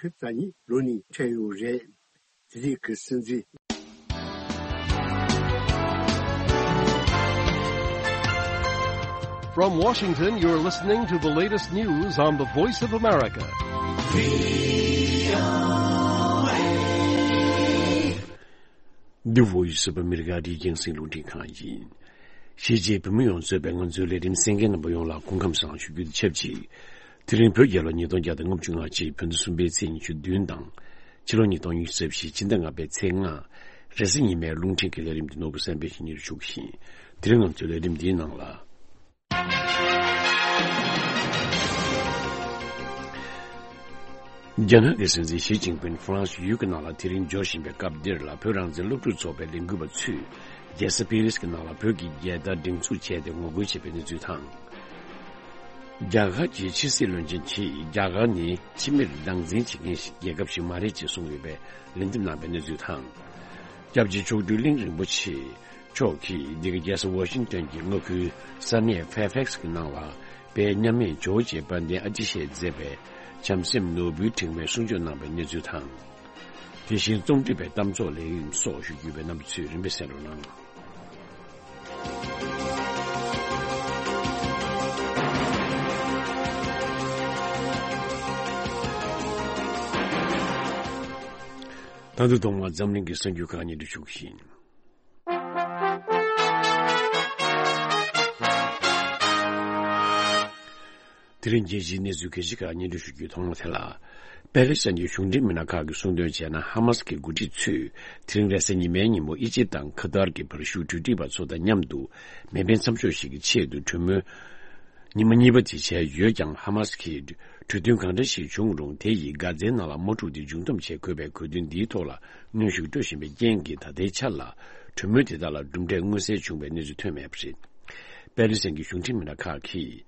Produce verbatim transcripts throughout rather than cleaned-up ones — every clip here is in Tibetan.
ཕེབས་རྩ་གཉིས་ལོ་ནས་འཕྲད་ཡོད་རེད། དེ་རིང་གི་སྲིད་འཛིན། From Washington, you're listening to the latest news on the Voice of America. The Voice of America. འདི་རྒྱང་སྲིང་རླུང་འཕྲིན་ཁང་ཡིན། གཞིས་བྱེས་བོད་མི་ཡོངས་གཙོས་པའི་ང་ཚོའི་ལས་རིམ་གསན་མཁན་རྣམ་པ་ཡོངས་ལ་སྐུ་ཁམས་བཟང་ཞུ་རྒྱུ་དང་ཆབས་ཅིག་དེ་རིང་བོད་རྒྱལ་ལོ་ཉིས་སྟོང་བརྒྱ་དང་ལྔ་བཅུ་ང་གཅིག་བོད་ཟླ་གསུམ་པའི་ཚེས་ཉི་ཤུ་བདུན་དང་། ཕྱི་ལོ་ཉིས་སྟོང་ཉི་ཤུ་རྩ་བཞི་ཕྱི་ཟླ་ལྔ་པའི་ཚེས་ལྔ། རེས་གཟའ་ཉི་མའི་རླུང་འཕྲིན་གྱི་ལས་རིམ་འདི་ནོར་བུ་བསམ་འཕེལ་གྱིས་སྙན་སྒྲོན་ཞུ་གི་ཡིན། དེ་རིང་ང་ཚོའི་ལས་རིམ་འདིའི་ནང་ལ། རྒྱ་ནག་གི་སྲིད་འཛིན་ཞི་ཅིན་ཕིན་ཧྥ་རན་སི་ཡུལ་གྱི་ནང་ལ་དེ་རིང་འབྱོར་བཞིན་པའི་སྐབས་འདིར་ལ། བོད་རང་བཙན་སློབ་ཕྲུག་ཚོགས་པའི་ལས་འགུལ་བ་ཚོས་རྒྱལ་ས་པེ་རིས་ཀྱི་ནང་ལ་བོད་ཀྱི་རྒྱལ་དར་སྒྲེང་འཛུགས་བྱས་ཏེ་ངོ་རྒོལ་བྱས་པའི་གནས་ཚུལ་དང་། རྒྱ་གར་གྱི་ཕྱི་སྲིད་བློན་ཆེན་གྱིས་རྒྱ་གར་ནི་ཕྱི་མིར་སྡང་འཛིན་བྱེད་མཁན་ཞིག་རྒྱལ་ཁབ་ཞིག་མ་རེད་ཅེས་གསུངས་ཡོད་པའི་ལན་འདེབས་གནང་པའི་གནས་ཚུལ་དང་། སྐྱབས་རྗེ་མཆོག་སྤྲུལ་གླིང་རིན་པོ་ཆེ་མཆོག་གིས་འདི་ག་རྒྱལ་ས་ཝ་ཤིང་ཏོན་གྱི་མངའ་ཁུལ་ས་གནས་ཕེར་ཕེག་སི་གི་ནང་ལ་དཔལ་མཉམ་མེད་ཇོ་བོ་རྗེ་དཔལ་ལྡན་ཨ་ཏི་ཤས་མཛད་པའི་བྱམས་སེམས་ནོར་བུའི་དྲེགས་མའི་གསུང་ཆོས་གནང་པའི་གནས་ཚུལ་དང་། དེ་བཞིན་རྩོམ་སྒྲིག་པའི་གཏམ་ཚོགས་ལས་རིམ་སོགས་ཞུ་རྒྱུ་ཡོད་པའི་རྣམ་པ་ཚོས་རིམ་པས་གསན་རོགས་གནང་། ད་དུང་ཐོག་མར་འཛམ་གླིང་གི་གསར་འགྱུར་ཁག་སྙན་སྒྲོན་ཞུ་གི་ཡིན། དེ་རིང་རྒྱལ་སྤྱིའི་གནས་ཚུལ་གལ་ཆེ་ཁག་སྙན་སྒྲོན་ཞུ་རྒྱུའི་ཐོག་མ་དེ་ལ། པེ་ལེ་སི་ཐན་གྱི་གཞུང་འབྲེལ་མི་སྣ་ཁག་གིས་གསུངས་དོན་བྱས་ན། ཧ་མ་སི་གི་འགོ་ཁྲིད་ཚོས་དེ་རིང་རེས་གཟའ་ཉི་མའི་ཉིན་མོ་ཨི་ཇིབ་དང་ཁ་ཏར་གྱི་བར་ཞུགས་གྲོས་སྒྲིག་པ་ཚོ་དང་མཉམ་དུ་མེ་འཕེན་མཚམས་འཇོག་ཞིག་གི་ཆེད་དུ་གྲོས་མོལ་ཉི་མ་གཉིས་པ་དེ་བྱས་ཡོད་ཀྱང་། ཧ་མ་སི་གིས་གྲོས་མཐུན་གང་འདྲ་ཞིག་བྱུང་རུང་དེ་ཡིས་གྷ་ཛའི་ནང་ལ་དམག་འཁྲུག་དེ་མཇུག་བསྡོམས་བྱེད་དགོས་པའི་གོ་དོན་འདིའི་ཐོག་ལ་གནོན་ཤུགས་སྤྲོད་བཞིན་པའི་རྐྱེན་གྱིས། ད་ལྟའི་ཆར་ལ་གྲོས་མོལ་དེ་དག་ལ་གྲུབ་འབྲས་མངོན་གསལ་བྱུང་བའི་གནས་ཚུལ་ཐོན་མེད་པ་རེད། པེ་ལེ་སི་ཐན་གྱི་གཞུང་འབྲེལ་མི་སྣ་ཁག་གིས།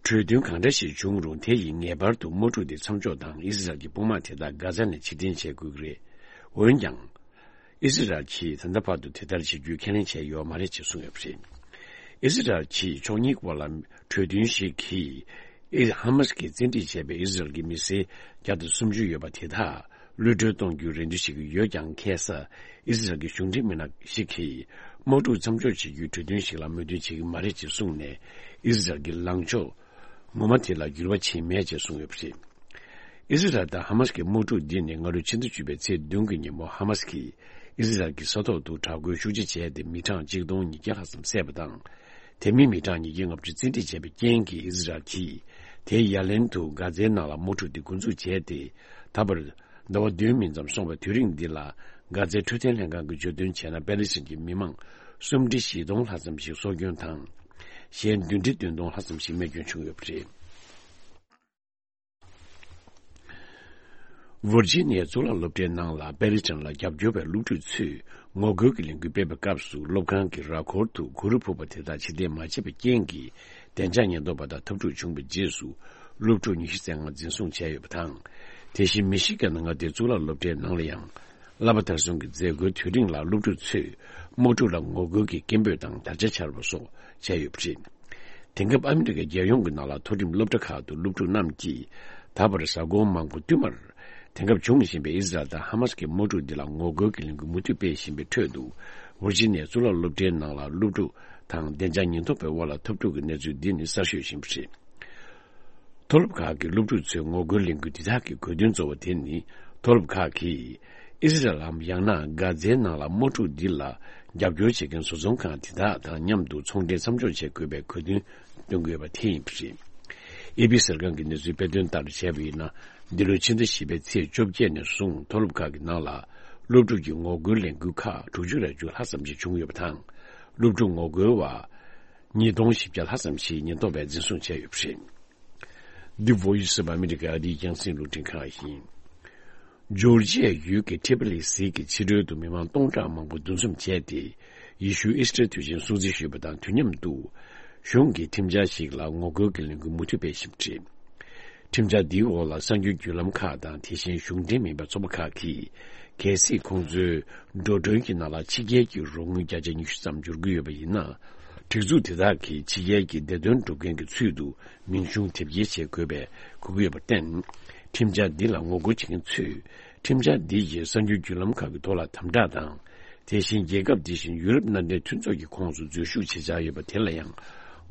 གྲོས་མཐུན་གང་འདྲ་ཞིག་བྱུང་རུང་། དེ་ཡིས་ངེས་པར་དུ་དམག་འཁྲུག་དེ་མཚམས་འཇོག་དང་། ཨི་ཟི་རལ་གྱི་དཔུང་དམག་དེ་དག་གྷ་ཛ་ནས་ཕྱིར་འཐེན་བྱེད་དགོས་ཀྱི་རེད། འོན་ཀྱང་། ཨི་ཟི་རལ་གྱིས་ད་ལྟ་བར་དུ་དེ་ལྟར་བྱེད་རྒྱུའི་ཁས་ལེན་བྱས་ཡོད་མ་རེད་ཅེས་གསུངས་ཡོད་པ་རེད། ཨི་ཟི་རལ་གྱིས་ཕྱོགས་གཉིས་བར་ལ་གྲོས་མཐུན་ཞིག་གིས། ཨི། ཧ་མ་སི་གིས་བཙན་ཁྲིད་བྱས་པའི་ཨི་ཟི་རལ་གྱི་མི་སེར་བརྒྱ་དང་སུམ་ཅུ་ཡོད་པ་དེ་དག་གློད་གྲོལ་གཏོང་རྒྱུའི་རེ་འདུན་བྱེད་ཀྱི་ཡོད་ཀྱང་། ཁ་སང་ཨི་ཟི་རལ་གྱི་གཞུང་འབྲེལ་མི་སྣ་ཞིག་གིས། དམག་འཁྲུག་མཚམས་འཇོག་བྱེད་རྒྱུའི་གྲོས་མཐུན་ཞིག་ལ་མོས་མཐུན་བྱེད་ཀྱི་མ་རེད་ཅེས་གསུངས་ནས། ཨི་ཟི་རལ་གྱི་ལངས་ཕྱོགས་ངོ་མ་དེ་ལ་འགྱུར་བ་ཕྱིན་མེད་ཅེས་གསུངས་ཡོད་པ་རེད། ཨི་ཟི་རལ་དང་ཧ་མ་སི་གི་དམག་འཁྲུག་འདི་ནི་སྔ་ལོའི་ཕྱི་ཟླ་བཅུ་པའི་ཚེས་བདུན་གྱི་ཉིན་མོ། ཧ་མ་སི་གིས་ཨི་ཟི་རལ་གྱི་ས་ཐོག་ཏུ་དྲག་རྒོལ་ཤུགས་ཆེ་བྱས་ཏེ། མི་གྲངས་གཅིག་སྟོང་ཉིས་བརྒྱ་ལྷག་ཙམ་བསད་པ་དང་། དེ་མིན་མི་གྲངས་ཉིས་བརྒྱ་ལྔ་བཅུ་བཙན་ཁྲིད་བྱས་པའི་རྐྱེན་གྱིས། ཨི་ཟི་རལ་གྱིས་དེའི་ཡ་ལན་དུ་གྷ་ཛའི་ནང་ལ་དམག་འཁྲུག་དེ་འགོ་འཛུགས་བྱས་ཏེ། ད་བར་ཟླ་བ་བདུན་མིན་ཙམ་སོང་བའི་དུས་རིང་འདི་ལ། གྷ་ཛའི་འཕྲོད་བསྟེན་ལྷན་ཁང་གིས་བརྗོད་དོན་བྱས་ན། པེ་ལེ་སི་ཐན་གྱི་མི་མང་སུམ་ཁྲི་བཞི་སྟོང་ལྷག་ཙམ་ཞིག་སྲོག་སྐྱོན་དང་། གཞན་བདུན་ཁྲི་བདུན་སྟོང་ལྷག་ཙམ་ཞིག་རྨས་སྐྱོན་བྱུང་ཡོད་པ་རེད། ཝར་ཇི་ནི་ཡའི་གཙུག་ལག་སློབ་གྲྭའི་ནང་ལ་པེ་ལེ་སི་ཐན་ལ་རྒྱབ་སྐྱོར་བའི་སློབ་ཕྲུག་ཚོས་ངོ་རྒོལ་གྱི་ལས་འགུལ་སྤེལ་བའི་སྐབས་སུ། སློབ་ཁང་གི་ར་སྐོར་དུ་གུ་རུ་ཕུབ་པ་དེ་དག་ཕྱིར་འཐེན་མ་བྱས་པའི་རྐྱེན་གྱིས། བདེ་འཇགས་ཉེན་རྟོག་པ་དང་འཐབ་འཁྲུག་བྱུང་བའི་རྗེས་སུ། སློབ་ཕྲུག་ཉི་ཤུ་རྩ་ལྔ་འཛིན་བཟུང་བྱས་ཡོད་པ་དང་། དེ་བཞིན་མི་ཤི་གན་མངའ་སྡེའི་གཙུག་ལག་སློབ་གྲྭའི་ནང་ལ་ཡང་། བསླབ་པ་མཐར་སོན་གྱི་མཛད་སྒོའི་དུས་རིང་ལ་སློབ་ཕྲུག་ཚོས་དམག་འཁྲུག་ལ་ངོ་རྒོལ་གྱི་སྐད་འབོད་དང་དར་ཆ་འཕྱར་བ་སོགས་བྱས་ཡོད་པ་རེད། དེང་སྐབས་ཨ་མི་རི་ཀའི་རྒྱལ་ཡོངས་ཀྱི་ནང་ལ་མཐོ་རིམ་སློབ་གྲྭ་ཁག་ཏུ་སློབ་ཕྲུག་རྣམས་ཀྱིས་ད་བར་གཟའ་འཁོར་མང་པོ་བསྟུད་མར། དེང་སྐབས་འབྱུང་བཞིན་པའི་ཨི་ཟི་རལ་དང་ཧ་མ་སི་གི་དམག་འཁྲུག་འདི་ལ་ངོ་རྒོལ་གྱི་ལས་འགུལ་མུ་མཐུད་སྤེལ་བཞིན་པའི་ཁྲོད་དུ། ཝར་ཇི་ནི་ཡའི་གཙུག་ལག་སློབ་གྲྭའི་ནང་ལ་སློབ་ཕྲུག་དང་བདེ་འཇགས་ཉེན་རྟོག་པའི་དབར་ལ་འཐབ་འཁྲུག་གི་གནས་ཚུལ་འདི་ནི་གསར་ཤོས་ཡིན་པ་རེད། མཐོ་སློབ་ཁག་གི་སློབ་ཕྲུག་ཚོས་ངོ་རྒོལ་ལས་འགུལ་འདི་དག་གི་དགོས་འདུན་གཙོ་བོ་དེ་ནི། མཐོ་སློབ་ཁག་གིས་ཨི་ཟི་རལ་ལམ་ཡང་ན་གྷ་ཛའི་ནང་ལ་དམག་འཁྲུག་འདི་ལ་རྒྱབ་སྐྱོར་བྱེད་མཁན་བཟོ་ཚོང་ཁང་དེ་དག་དང་མཉམ་དུ་ཚོང་འབྲེལ་མཚམས་འཇོག་བྱེད་དགོས་པའི་དགོས་འདུན་བཏོན་གྱི་ཡོད་པ་དེ་ཡིན་པ་རེད། ཨེ་པི་གསར་ཁང་གི་གནས་ཚུལ་དཔེ་སྟོན་ལྟར་བྱས་པ་ཡིན་ན། འདི་ལོའི་ཕྱི་ཟླ་བཞི་པའི་ཚེས་བཅོ་བརྒྱད་ནས་བཟུང་མཐོ་སློབ་ཁག་གི་ནང་ལ་སློབ་ཕྲུག་གི་ངོ་རྒོལ་ལས་འགུལ་ཁག་དྲུག་ཅུ་རེ་བཅུ་ལྷག་ཙམ་ཞིག་བྱུང་ཡོད་པ་དང་། སློབ་ཕྲུག་ངོ་རྒོལ་བ་ཉིས་སྟོང་བཞི་བརྒྱ་ལྷག་ཙམ་ཞིག་ཉེན་རྟོག་པས་འཛིན་བཟུང་བྱས་ཡོད་པ་རེད། འདི་Voice of America ཨ་རིའི་རྒྱང་སྲིང་རླུང་འཕྲིན་ཁང་ཡིན། ཇོར་ཇི་ཡའི་ཡུལ་གྱི་ཁྲི་པ་ལི་གཟིགས་ཀྱི་ཕྱི་རོལ་དུ་མི་མང་སྟོང་ཕྲག་མང་པོ་འདུ་འཛོམས་བྱས་ཏེ། ཡེ་ཤུ་ཨི་སི་ཊར་དུས་ཆེན་སྲུང་བརྩི་ཞུས་པ་དང་དུས་མཉམ་དུ། གཞུང་གི་ཁྲིམས་འཆར་ཞིག་ལ་ངོ་རྒོལ་གྱི་ལས་འགུལ་མུ་མཐུད་སྤེལ་བཞིན་པ་རེད། ཁྲིམས་འཆར་འདིའི་འོག་ལ་གསར་འགྱུར་བརྒྱུད་ལམ་ཁག་དང་དེ་བཞིན་གཞུང་འབྲེལ་མིན་པའི་ཚོགས་པ་ཁག་གིས། གལ་སྲིད་ཁོང་ཚོའི་འགྲོ་གྲོན་གྱི་ནང་ལ་ཕྱི་རྒྱལ་གྱི་རོགས་དངུལ་བརྒྱ་ཆ་ཉི་ཤུ་ཙམ་འབྱོར་གྱི་ཡོད་པ་ཡིན་ན། སྒྲིག་འཛུགས་དེ་དག་གིས་ཕྱི་རྒྱལ་གྱི་བདེ་དོན་སྒྲུབ་མཁན་གྱི་ཚུལ་དུ་མིང་གཞུང་དེབ་སྐྱེལ་བྱེད་དགོས་པའི་གོ་གི་ཡོད་པར་བརྟེན། ཁྲིམས་འཆར་འདི་ལ་ངོ་རྒོལ་བྱེད་མཁན་ཚོས་ཁྲིམས་འཆར་འདི་ཡིས་གསར་འགྱུར་བརྒྱུད་ལམ་ཁག་གི་ཐོག་ལ་དམ་དྲག་དང་། དེ་བཞིན་རྒྱལ་ཁབ་འདི་བཞིན་ཡུ་རོབ་མནའ་འབྲེལ་མཐུན་ཚོགས་ཀྱི་ཁོངས་སུ་འཛུལ་ཞུགས་བྱེད་འཆར་ཡོད་པ་དེ་ལ་ཡང་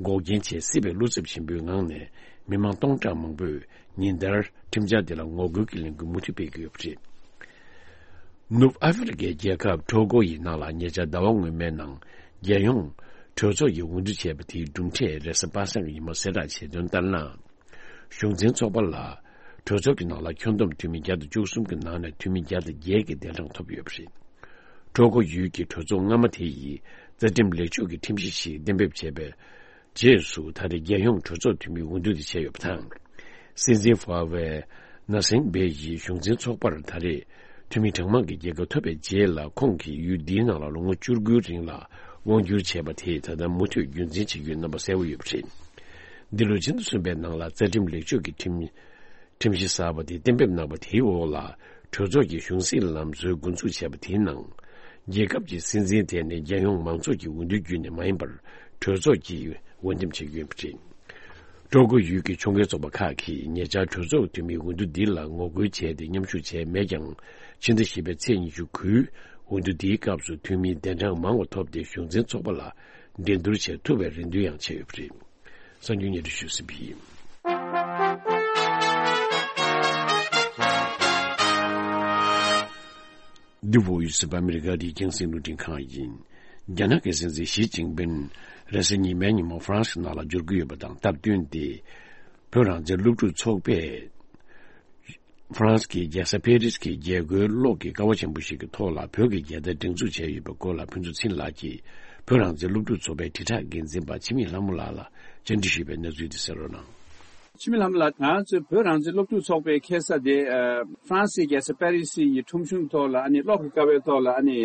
འགོག་རྐྱེན་བྱེད་སྲིད་པའི་བློ་འཚབ་ཆེན་པོའི་ངང་ནས་མི་མང་སྟོང་ཕྲག་མང་པོས་ཉིན་ལྟར་ཁྲིམས་འཆར་འདི་ལ་ངོ་རྒོལ་གྱི་ལས་འགུལ་མུ་མཐུད་སྤེལ་གྱི་ཡོད་པ་རེད། ནུབ་ཨ་ཧྥེ་རི་ཁའི་རྒྱལ་ཁབ་ཊོ་གོ་ཡི་ནང་ལ་ཉེ་ཆར་ཟླ་བ་སྔོན་མའི་ནང་རྒྱལ་ཡོངས་གྲོས་ཚོགས་ཀྱིས་འོས་བསྡུ་བྱས་པ་དེའི་གྲུབ་འབྲས་རེས་གཟའ་པ་སངས་ཀྱི་ཉིན་མོ་གསལ་བསྒྲགས་བྱས་དོན་ལྟར་ན། གཞུང་འཛིན་ཚོགས་པ་ལ་གྲོས་ཚོགས་ཀྱི་ནང་ལ་ཁྱོན་བསྡོམས་འཐུས་མི་བརྒྱ་དང་བཅུ་གསུམ་གྱི་ནང་ནས་འཐུས་མི་བརྒྱ་དང་བརྒྱད་ཀྱིས་གདན་དྲངས་ཐོབ་ཡོད་པ་རེད། ཊོ་གོ་ཡུལ་གྱི་གྲོས་ཚོགས་སྔ་མ་དེ་ཡིས་རྩ་ཁྲིམས་ལེགས་བཅོས་ཀྱི་ཁྲིམས་གཞི་ཞིག་གཏན་འབེབས་བྱས་པའི་རྗེས་སུ་ད་རེས་རྒྱལ་ཡོངས་གྲོས་ཚོགས་འཐུས་མིའི་འོས་བསྡུ་དེ་བྱས་ཡོད་པ་དང་། སྲིད་འཛིན་ཧྥ་ཝེ་ན་སེང་བེ་ཡིས་གཞུང་འཛིན་ཚོགས་པར་ད་རེས་འཐུས་མི་གྲངས་མང་གི་རྒྱལ་ཁ་ཐོབ་པའི་རྗེས་ལ་ཁོང་གིས་ཡུལ་འདིའི་ནང་ལ་ལོ་ངོ་བཅུ་དགུའི་རིང་ལ་དབང་བསྒྱུར་བྱས་པ་དེས་ད་ལྟ་མུ་མཐུད་རྒྱུན་འཛིན་བྱེད་རྒྱུའི་རྣམ་པ་གསལ་པོ་ཡོད་པ་རེད། འདི་ལོའི་ཕྱི་ཟླ་གསུམ་པའི་ནང་ལ་རྩ་ཁྲིམས་ལེགས་བཅོས་ཀྱི་ཁྲིམས་ཁྲིམས་གཞི་གསར་པ་དེ་གཏན་འབེབས་གནང་བ་དེའི་འོག་ལ་གྲོས་ཚོགས་ཀྱི་གཞུང་སྲིད་ལམ་སྲོལ་འགོ་འཛུགས་བྱས་པ་དེའི་ནང་། རྒྱལ་ཁབ་ཀྱི་སྲིད་འཛིན་དེ་ནི་རྒྱལ་ཡོངས་མང་ཚོགས་ཀྱི་འོས་བསྡུའི་བརྒྱུད་ནས་མ་ཡིན་པར་གྲོས་ཚོགས་ཀྱིས་འོས་འདེམས་བྱེད་ཀྱི་ཡོད་པ་རེད། ཀྲོ་གོ་ཡུལ་གྱི་ཕྱོགས་འགལ་ཚོགས་པ་ཁག་གིས་ཉེ་ཆར་གྲོས་ཚོགས་འཐུས་མིའི་འོས་བསྡུ་འདི་ལ་ངོ་རྒོལ་བྱས་ཏེ་མཉམ་ཞུགས་བྱས་མེད་ཀྱང་། ཕྱི་ཟླ་བཞི་པའི་ཚེས་ཉི་ཤུ་དགུའི་འོས་བསྡུ་འདིའི་སྐབས་སུ་འཐུས་མིའི་གདན་གྲངས་མང་བ་ཐོབ་སྟེ་གཞུང་འཛིན་ཚོགས་པ་ལ་འགྲན་བསྡུར་བྱེད་ཐུབ་པའི་རེ་འདུན་ཡང་བྱས་ཡོད་པ་རེད། གསར་འགྱུར་སྙན་སྒྲོན་ཞུས་ཟིན་པ་ཡིན། འདི་བོད་ཡུལ་སྲིད་པ་ཨ་མི་རི་ཀ་རིའི་རྒྱང་སྲིང་རླུང་འཕྲིན་ཁང་ཡིན། རྒྱ་ནག་གི་སྲིད་འཛིན་ཞི་ཅིན་ཕིན་རེས་གཟའ་ཉི་མའི་ཉིན་མོ་ཧྥ་རན་སི་ནང་ལ་འབྱོར་གྱི་ཡོད་པ་དང་སྟབས་བསྟུན་ཏེ། བོད་རང་བཙན་སློབ་ཕྲུག་ཚོགས་པས། ཧྥ་རན་སི་གི་རྒྱལ་ས་ཕེ་རིས་ཀྱི་རྒྱལ་སྒོའི་གློག་གི་ཀ་བ་ཆེན་པོ་ཞིག་གི་ཐོག་ལ་བོད་ཀྱི་རྒྱལ་དར་སྒྲེང་འཛུགས་བྱས་ཡོད་པའི་སྐོར་ལ་ཕུན་ཚོགས་ཚེ་རིང་ལགས་ཀྱིས་བོད་རང་བཙན་སློབ་ཕྲུག་ཚོགས་པའི་དྲིལ་བསྒྲགས་འགན་འཛིན་པ་འཆི་མེད་ལྷ་མོ་ལགས་ལ་བཅར་འདྲི་ཞུས་པའི་གནས་ཚུལ་དེ་གསན་རོགས་གནང་། འཆི་མེད་ལྷ་མོ་ལགས། ང་ཚོའི་བོད་རང་བཙན་སློབ་ཕྲུག་ཚོགས་པའི་ཁ་སང་དེ་ཨ་ཧྥ་རན་སིའི་རྒྱལ་ས་པེ་རི་སི་ཡི་ཁྲོམ་གཞུང་ཐོག་ལ་ཨ་ནི་གློག་གི་ཀ་བའི་ཐོག་ལ་ཨ་ནི་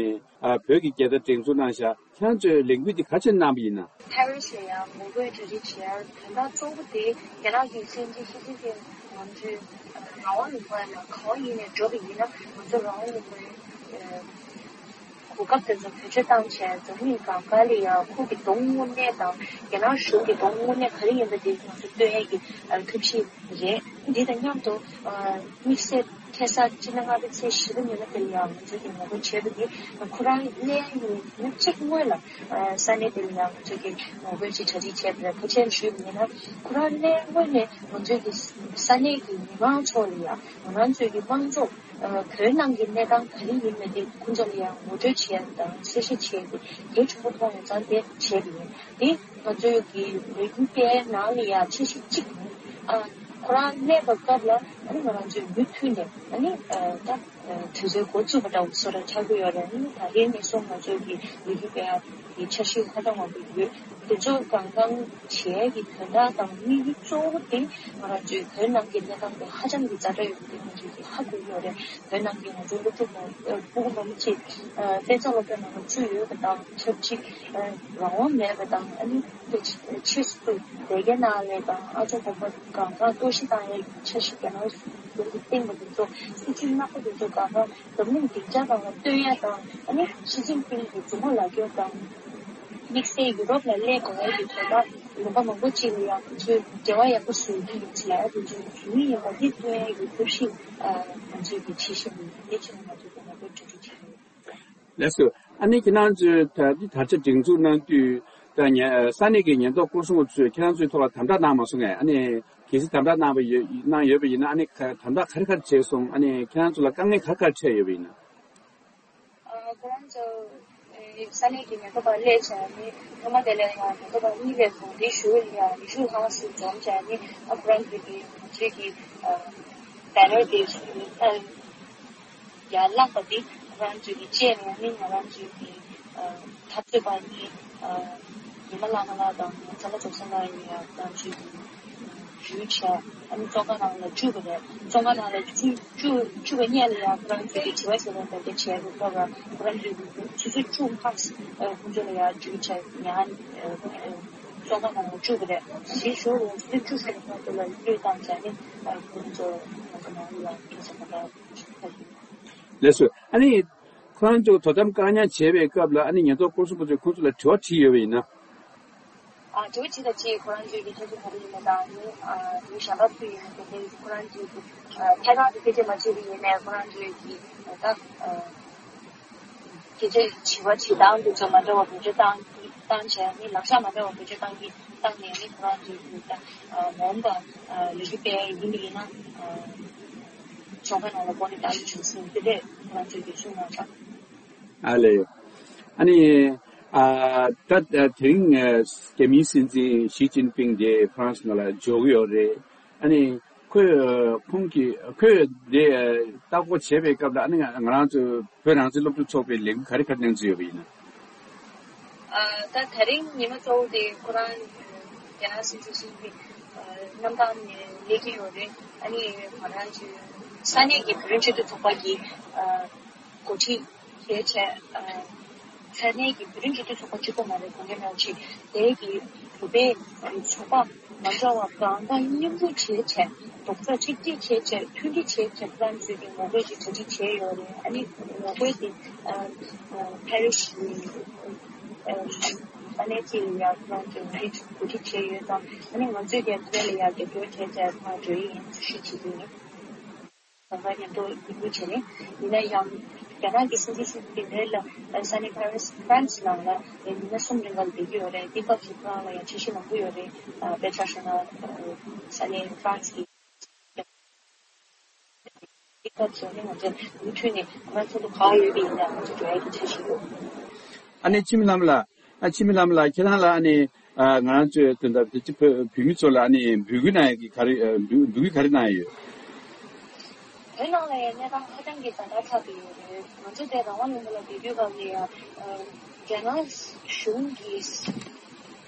ཨ་བོད་ཀྱི་རྒྱལ་དར་སྒྲེང་འཛུགས་གནང་བཞག་ཁྱེད་རང་ཚོས་ལས་འགུལ་འདི་ག་ཚོད་གནང་པ་ཡིན་ན། ཕ་རི་སི་ལ་ཡང་ངོ་རྒོལ་གྲ་སྒྲིག་བྱེད་ཡ་དོན་དག་གཙོ་བོ་དེ་རྒྱ་ནག་གི་སྲིད་འཛིན་ཞི་ཅིན་ཕིང་ང་ཚོའི་རང་དབང་ལུང་པ་ལ་གང་ཡིན་ནས་འགྲོ་བ་ཡིན་ན་ང་ཚོ་རང་དབང་ལུང་པའི་གོ་སྐབས་དེ་ཚོ་བེད་སྤྱོད་བཏང་བྱས་འཛམ་གླིང་གང་ག་ལ་ཡང་ཁོང་གི་གདོང་དངོས་གནས་དང་རྒྱ་ནག་གཞུང་གི་གདོང་དངོས་གནས་ག་རེ་ཡིན་པ་དེ་ང་ཚོ་སྟོན་ཡ་གི་ཐབས་ཤེས་རེད། འདི་དང་མཉམ་དུ་དམིགས་བསལ་ཁ་སང་སྤྱི་ཟླ་ལྔ་པའི་ཚེས་བཞི་པ་ཉིན་མོ་དེ་ལ་ཡང་ང་ཚོ་གིས་ངོ་རྒོལ་བྱས་པ་འདི་ཁོ་རང་སླེབས་ཡོང་མི་གཅིག་སྔོན་ལ་ས་གནས་དེ་ལ་ཡང་ང་ཚོ་གིས་ངོ་རྒོལ་ཅིག་གྲ་སྒྲིག་བྱས་པ་རེད། ཕལ་ཆེར་ཞུས་པ་ཡིན་ན་ཁོ་རང་སླེབས་སྔོན་ནས་ང་ཚོ་གི་ས་གནས་ཀྱི་མི་མང་ཚོ་ལ་ཡང་ང་རང་ཚོའི་གི་དམངས་གཙོ་བོད་ནང་གི་གནས་སྟངས་ག་རེ་ཡིན་མིན་དེ་ཁོང་ཚོ་ལ་ཡང་ངོ་སྤྲོད་བྱས་དང་གསལ་བཤད་བྱས་ཏེ་དེ་གྲུབ་པ་མཐོང་ཡོང་ཙང་དེ་བྱས་པ་ཡིན། དེ་ང་ཚོའི་གི་ལས་འགུལ་སྤེལ་ནང་ལ་ཡང་འཆར་གཞི་གཅིག་ཡིན། ཨ་ཁོ་རང་གནས་པའི་སྐབས་ལ་ཨ་ནི་ང་རང་ཚོས་མུ་མཐུད་ནས་ཨ་ནི་ཨ་ད་དུས་ཚོད་འགོ་བཙུགས་པ་འདྲ་བོ་བཟོ་འདྲ་ཆགས་ཀྱི་ཡོད་རེད། ཨ་ནི་ད་རེས་ནས་བཟུང་ང་ཚོའི་གི་ལས་འགུལ་སྤེལ་ཡག་གི་འཆར་གཞི་ཧ་ཅང་མང་པོ་ཡོད། དེ་ཚོ་གང་གང་བྱས་ཀྱི་དོན་དག་དང་དམིགས་ཡུལ་གཙོ་བོ་དེ་ང་རང་ཚོའི་བོད་ནང་གི་གནས་སྟངས་དེ་ཧ་ཅང་གི་ཛ་དྲག་ཡོད་པ་དེ་ང་ཚོས་གི་ཧ་གོ་གི་ཡོད་རེད། བོད་ནང་གི་ང་ཚོའི་སློབ་ཕྲུག་མང་ཨ་ཕྲུ་གུ་མང་པོ་ཅིག་ཨ་དཔེ་མཛངས་སློབ་གྲྭའི་ནང་ལ་ཚུད་ཡོད་པ་དང་ཆབས་ཅིག་ཨ་རང་དབང་མེད་པ་དང་ཨ་ནི་ཕྱིས་སུ་སྡེ་དགེ་ནང་ལ་དང་ཨ་ཅོ་དགོན་པ་གང་ག་གཏོར་བཤིག་བཏང་ཡས་ཀྱི་འཆར་གཞི་རྒྱ་ནག་གཞུང་གིས་བཏིང་བ་དེ་ཚོ་སྲིད་ཇུས་ནག་པོ་དེ་ཚོ་གང་ག་འཛམ་གླིང་སྡིངས་ཆ་སྒང་ལ་སྟོན་ཡས་དང་ཨ་ནི་ཞི་ཅིན་ཕིང་གི་མཛུབ་མོ་ལག་སྐྱོར་དང་དམིགས་བསལ་ཡུ་རོབ་ལ་སླེབས་དགོས་ཡས་ཀྱི་དོན་དག་ལུང་པ་མང་པོ་ཅིག་ལ་ཡང་ང་ཚོས་འབྲེལ་བ་ཡག་པོ་བཟོ་རྒྱུ་ཡིན་ཟེར་ཡ་དེ་ཚོ་བཟོ་གི་ཡིན་པ་དེ་སྟོན་ཡས་ཀྱི་ཐབས་ཤེས་ང་ཚོས་ཀྱི་བྱེད་བཞིན་ཡོད། དེ་ཕྱིན་ང་ཚོས་ཀྱི་ངོ་རྒོལ་གྲ་སྒྲིག་བྱེད་ཀྱི་ཡོད། ལགས་སོ། ཨ་ནི་ཁྱེད་རང་ཚོས་ད་ལྟ་དར་ཆ་སྒྲེང་འཛུགས་གནང་དུས་ད་ཉེ་ས་གནས་ཀྱི་ཉེན་རྟོག་སྐོར་སྲུང་པ་ཚོས་ཁྱེད་རང་ཚོའི་ཐོག་ལ་དམ་དྲག་གནང་མ་སོང་ངས། ཨ་ནི་གལ་སྲིད་དམ་དྲག་གནང་བ་ཡོད་གནང་ཡོད་པ་ཡིན་ན་ཨ་ནི་དམ་དྲག་ག་རེ་ག་རེ་བྱས་སོང་། ཨ་ནི་ཁྱེད་རང་ཚོ་ལ་དཀའ་ངལ་ག་རེ་ག་རེ་འཕྲད་ཡོད་པ་ཡིན་ན། ཨ་ཁོ་རང་ཚོ་ས་གནས་ཀྱི་ཉེན་རྟོག་པ་སླེབས་བྱས་ནས་ཐོག་མ་དེ་ལ་ཡང་ཉེན་རྟོག་པ་གཉིས་ལས་གོང་དེའི་གཞུག་ལ་ཡང་ཉི་ཤུ་ལྷག་ཙམ་འཛོམས་བྱས་ནས་ཨ་ཁོ་རང་ཚོ་གི་ང་ཚོའི་གི་ཨ་བེ་ནར་དེ་ཨ་ཡར་བསླངས་པ་དེ་ང་རང་ཚོའི་གི་ཅེས་ནས་ཨ་ནི་ང་རང་ཚོའི་གི་ཨ་འཐབ་རྩོད་པ་གཉིས་ཨ་ཉི་མ་བླ་མ་ལགས་དང་ཚང་མ་རྫོགས་སོང་ལ་ཡིན་ཡང་ང་རང་ཚོའི་གི་ཞུ་བྱས། ཨ་ནི་བཙོན་ཁང་ནང་ལ་བཅུག་པ་རེད། བཙོན་ཁང་ནང་ལ་བཅུག་བཅུག་བཅུག་པའི་སྔོན་ལ་ཡང་ཁོ་རང་ཚོའི་དྲི་བ་ཞིག་ལ་བདའ་འདེད་བྱས་པའི་སྐབས་ལ་ཁོ་རང་ཚོའི་ཆུ་ཚོད་བཅུ་ལྷག་ཁོང་ཚོ་ལ་ཡང་འཇུག་བྱས་ཡང་བཙོན་ཁང་ནང་ལ་བཅུག་པ་རེད། དེའི་ཞོར་ལ་ཆུ་ཚོད་བཅུ་ཙམ་གྱི་བར་དུ་ལ་གློད་བཏང་བྱས་ནས་ཁོ་རང་ཚོ་ང་ཚོ་ནང་ལ་ཡང་སྐད་ཆ་མ་བཏང་། ལགས་སོ། ཨ་ནི་ཁོ་རང་ཚོ་དོ་དམ་བཀག་ཉར་བྱས་པའི་སྐབས་ལ་ཨ་ནི་ཉེན་རྟོག་སྐོར་སྲུང་པ་ཚོས་ཁོང་ཚོ་ལ་དྲི་བ་དྲིས་ཡོད་པ་ཡིན་ན། ཨ་དེ་བ་ཅི་ལ་ཅི་ཁོ་རང་ཚོའི་གི་ཐེ་ཚོམ་ག་རེ་ཡིན་ན་དང་ནི་ཨ་དེ་བ་ཞལ་པར་ཕུལ་ཡིན་ན་དེ་འདྲའི་ཁོ་རང་ཚོའི་གི་ཨ་ཐད་གཏོང་དེ་སྐད་ཆ་མ་བྱེད་པ་ཡིན་ནའི་ཁོ་རང་ཚོའི་གི་ད་ཨ་སྐད་ཆ་དྲི་བ་དྲི་སྟངས་དེ་ཚོ་མ་འདྲ་བ་བེད་སྤྱོད་བཏང་གི་བཏང་བྱས་ནི་ལག་ཆ་མ་འདྲ་བ་བེད་སྤྱོད་བཏང་གི་བཏང་ནས་ནི་ཁོ་རང་ཚོའི་གི་ད་ཨ་མ་འོངས་པ་ཨ་ལོ་རྒྱུས་སྤེལ་ཡིན་པ་ཡིན་ན་ཨ་ཚོགས་པའི་ནང་ལ་བོད་ནས་ད་ལོ་བྱུང་སོང་དེ་འདྲས་ཁོ་རང་ཚོའི་གི་གསུངས་གནང་ཤག་ཨ་ལས། ཨ་ནི། ཨ་ད་ཨ་དེ་རིང་ཨ་རྒྱ་མིའི་སྲིད་འཛིན་ཞི་ཅིན་ཕིང་དེ་ཧྥ་རན་སི་ནང་ལ་འབྱོར་གྱི་ཡོད་རེད། ཨ་ནི་ཁོས་ཨ་ཁོང་གིས་ཁོས་དེ་ཨ་ལྟ་སྐོར་བྱས་པའི་སྐབས་ལ་ཨ་ནི་ང་ང་རང་ཚོ་བོད་རང་བཙན་སློབ་ཕྲུག་ཚོགས་པའི་ལས་འགུལ་ག་རེ་ག་རེ་གནང་རྩིས་ཡོད་པ་ཡིན་ན། ཨ་ད་དེ་རིང་ཉི་མ་གཙོ་བོ་དེ་ཁོ་རང་རྒྱ་ནག་སྲིད་འཛིན་ཞི་ཅིན་ཕིང་ཨ་གནམ་ཐང་ནས་སླེབས་ཀྱི་ཡོད་རེད། ཨ་ནི་ང་རང་ཚོའི་ས་གནས་ཀྱི་བོད་རིགས་སྤྱི་མཐུན་ཚོགས་པ་གི་ཨ་འགོ་ཁྲིད་བྱས་བྱས། ཨ་ས་གནས་ཀྱི་བོད་རིགས་སྤྱི་མཐུན་ཚོགས་པ་གཅིག་པོ་མ་རེད། དགོངས་འགལ་མེད་པ་ཅིག་དེ་གི་བོད་པའི་ཚོགས་པ་མ་འདྲ་བ་གང་ག་མཉམ་རུབ་བྱས་བྱས། རྡོག་རྩ་གཅིག་སྒྲིལ་བྱས་བྱས། མཐུན་སྒྲིལ་བྱས་བྱས། ཕ་རན་སི་གི་ངོ་རྒོལ་ཅིག་གྲ་སྒྲིག་བྱས་ཡོད་རེད། ཨ་ནི་ངོ་རྒོལ་དེ་ཨ་ཨ་ཕ་རི་སི་ཨ་ས་གནས་གཅིག་ལ་ཡར་ཁོ་རང་ཚོས་ངོ་རྒོལ་གོ་སྒྲིག་བྱས་ཡོད་ཙང་། ཨ་ནི་ང་ཚོས་ཀྱང་དེ་ལ་ཡར་རྒྱབ་སྐྱོར་བྱས་བྱས་ཁོང་འགྲོ་ཡི་ཡིན་ཞུ་བྱེད་ཀྱི་ཡིན། གང་ག་མཉམ་དུ་འགྲིག་འགྲིག་བྱས་ནས་ཡིན་ན་ཡང་རྒྱ་ནག་གི་སྲིད་འཛིན་ཞི་ཅིན་ཕིང་དེ་ལ་ས་གནས་ཕ་རན་སི་ཕ་རན་སི་ནང་ལ་ཉི་མ་གསུམ་རིང་ག་ལ་བསྡད་ཀྱི་ཡོད་རེད། དེ་སྐབས་སུ་ཁོ་རང་ལ་ཡང་འཆར་གཞི་མང་པོ་ཡོད་རེད། དཔེ་ཆ་བཞག་ན་ས་གནས་ཕ་རན་སི་གི་དེ་སྐབས་སུ་ནི་ང་ཚོ་མུ་མཐུད་ནས་ང་ཚོ་ལ་ག་ཡོད་པ་ཡིན་ན་ང་ཚོ་འགྲོ་ཡ་གི་འཆར་གཞི་ཡོད། ཨ་ནི་འཆི་མེད་ལྷ་མོ་ལགས། ཨ་འཆི་མེད་ལྷ་མོ་ལགས། ཁྱེད་རང་ལ་ཨ་ནི་ཨ་ང་རང་ཚོའི་དོན་དག་དེ་ཅི་བོད་བོད་མི་ཚོ་ལ་ཨ་ནི་འབོད་སྐུལ་གནང་ཡ་གི་ག་རེ་ཨ་འབོད་འབོད་སྐུལ་ག་རེ་གནང་ཡ་ཡོད། བོད་ནང་ལ་ཡང་གནས་སྟངས་ཧ་ཅང་གི་ཛ་དྲག་ཆགས་བསྡད་ཡོད་རེད། ང་ཚོ་དེ་རང་དབང་ལུང་པ་ལ་བསྡད་དུས་སྐབས་ལ་ཡང་ཨ་རྒྱ་ནག་གཞུང་གིས་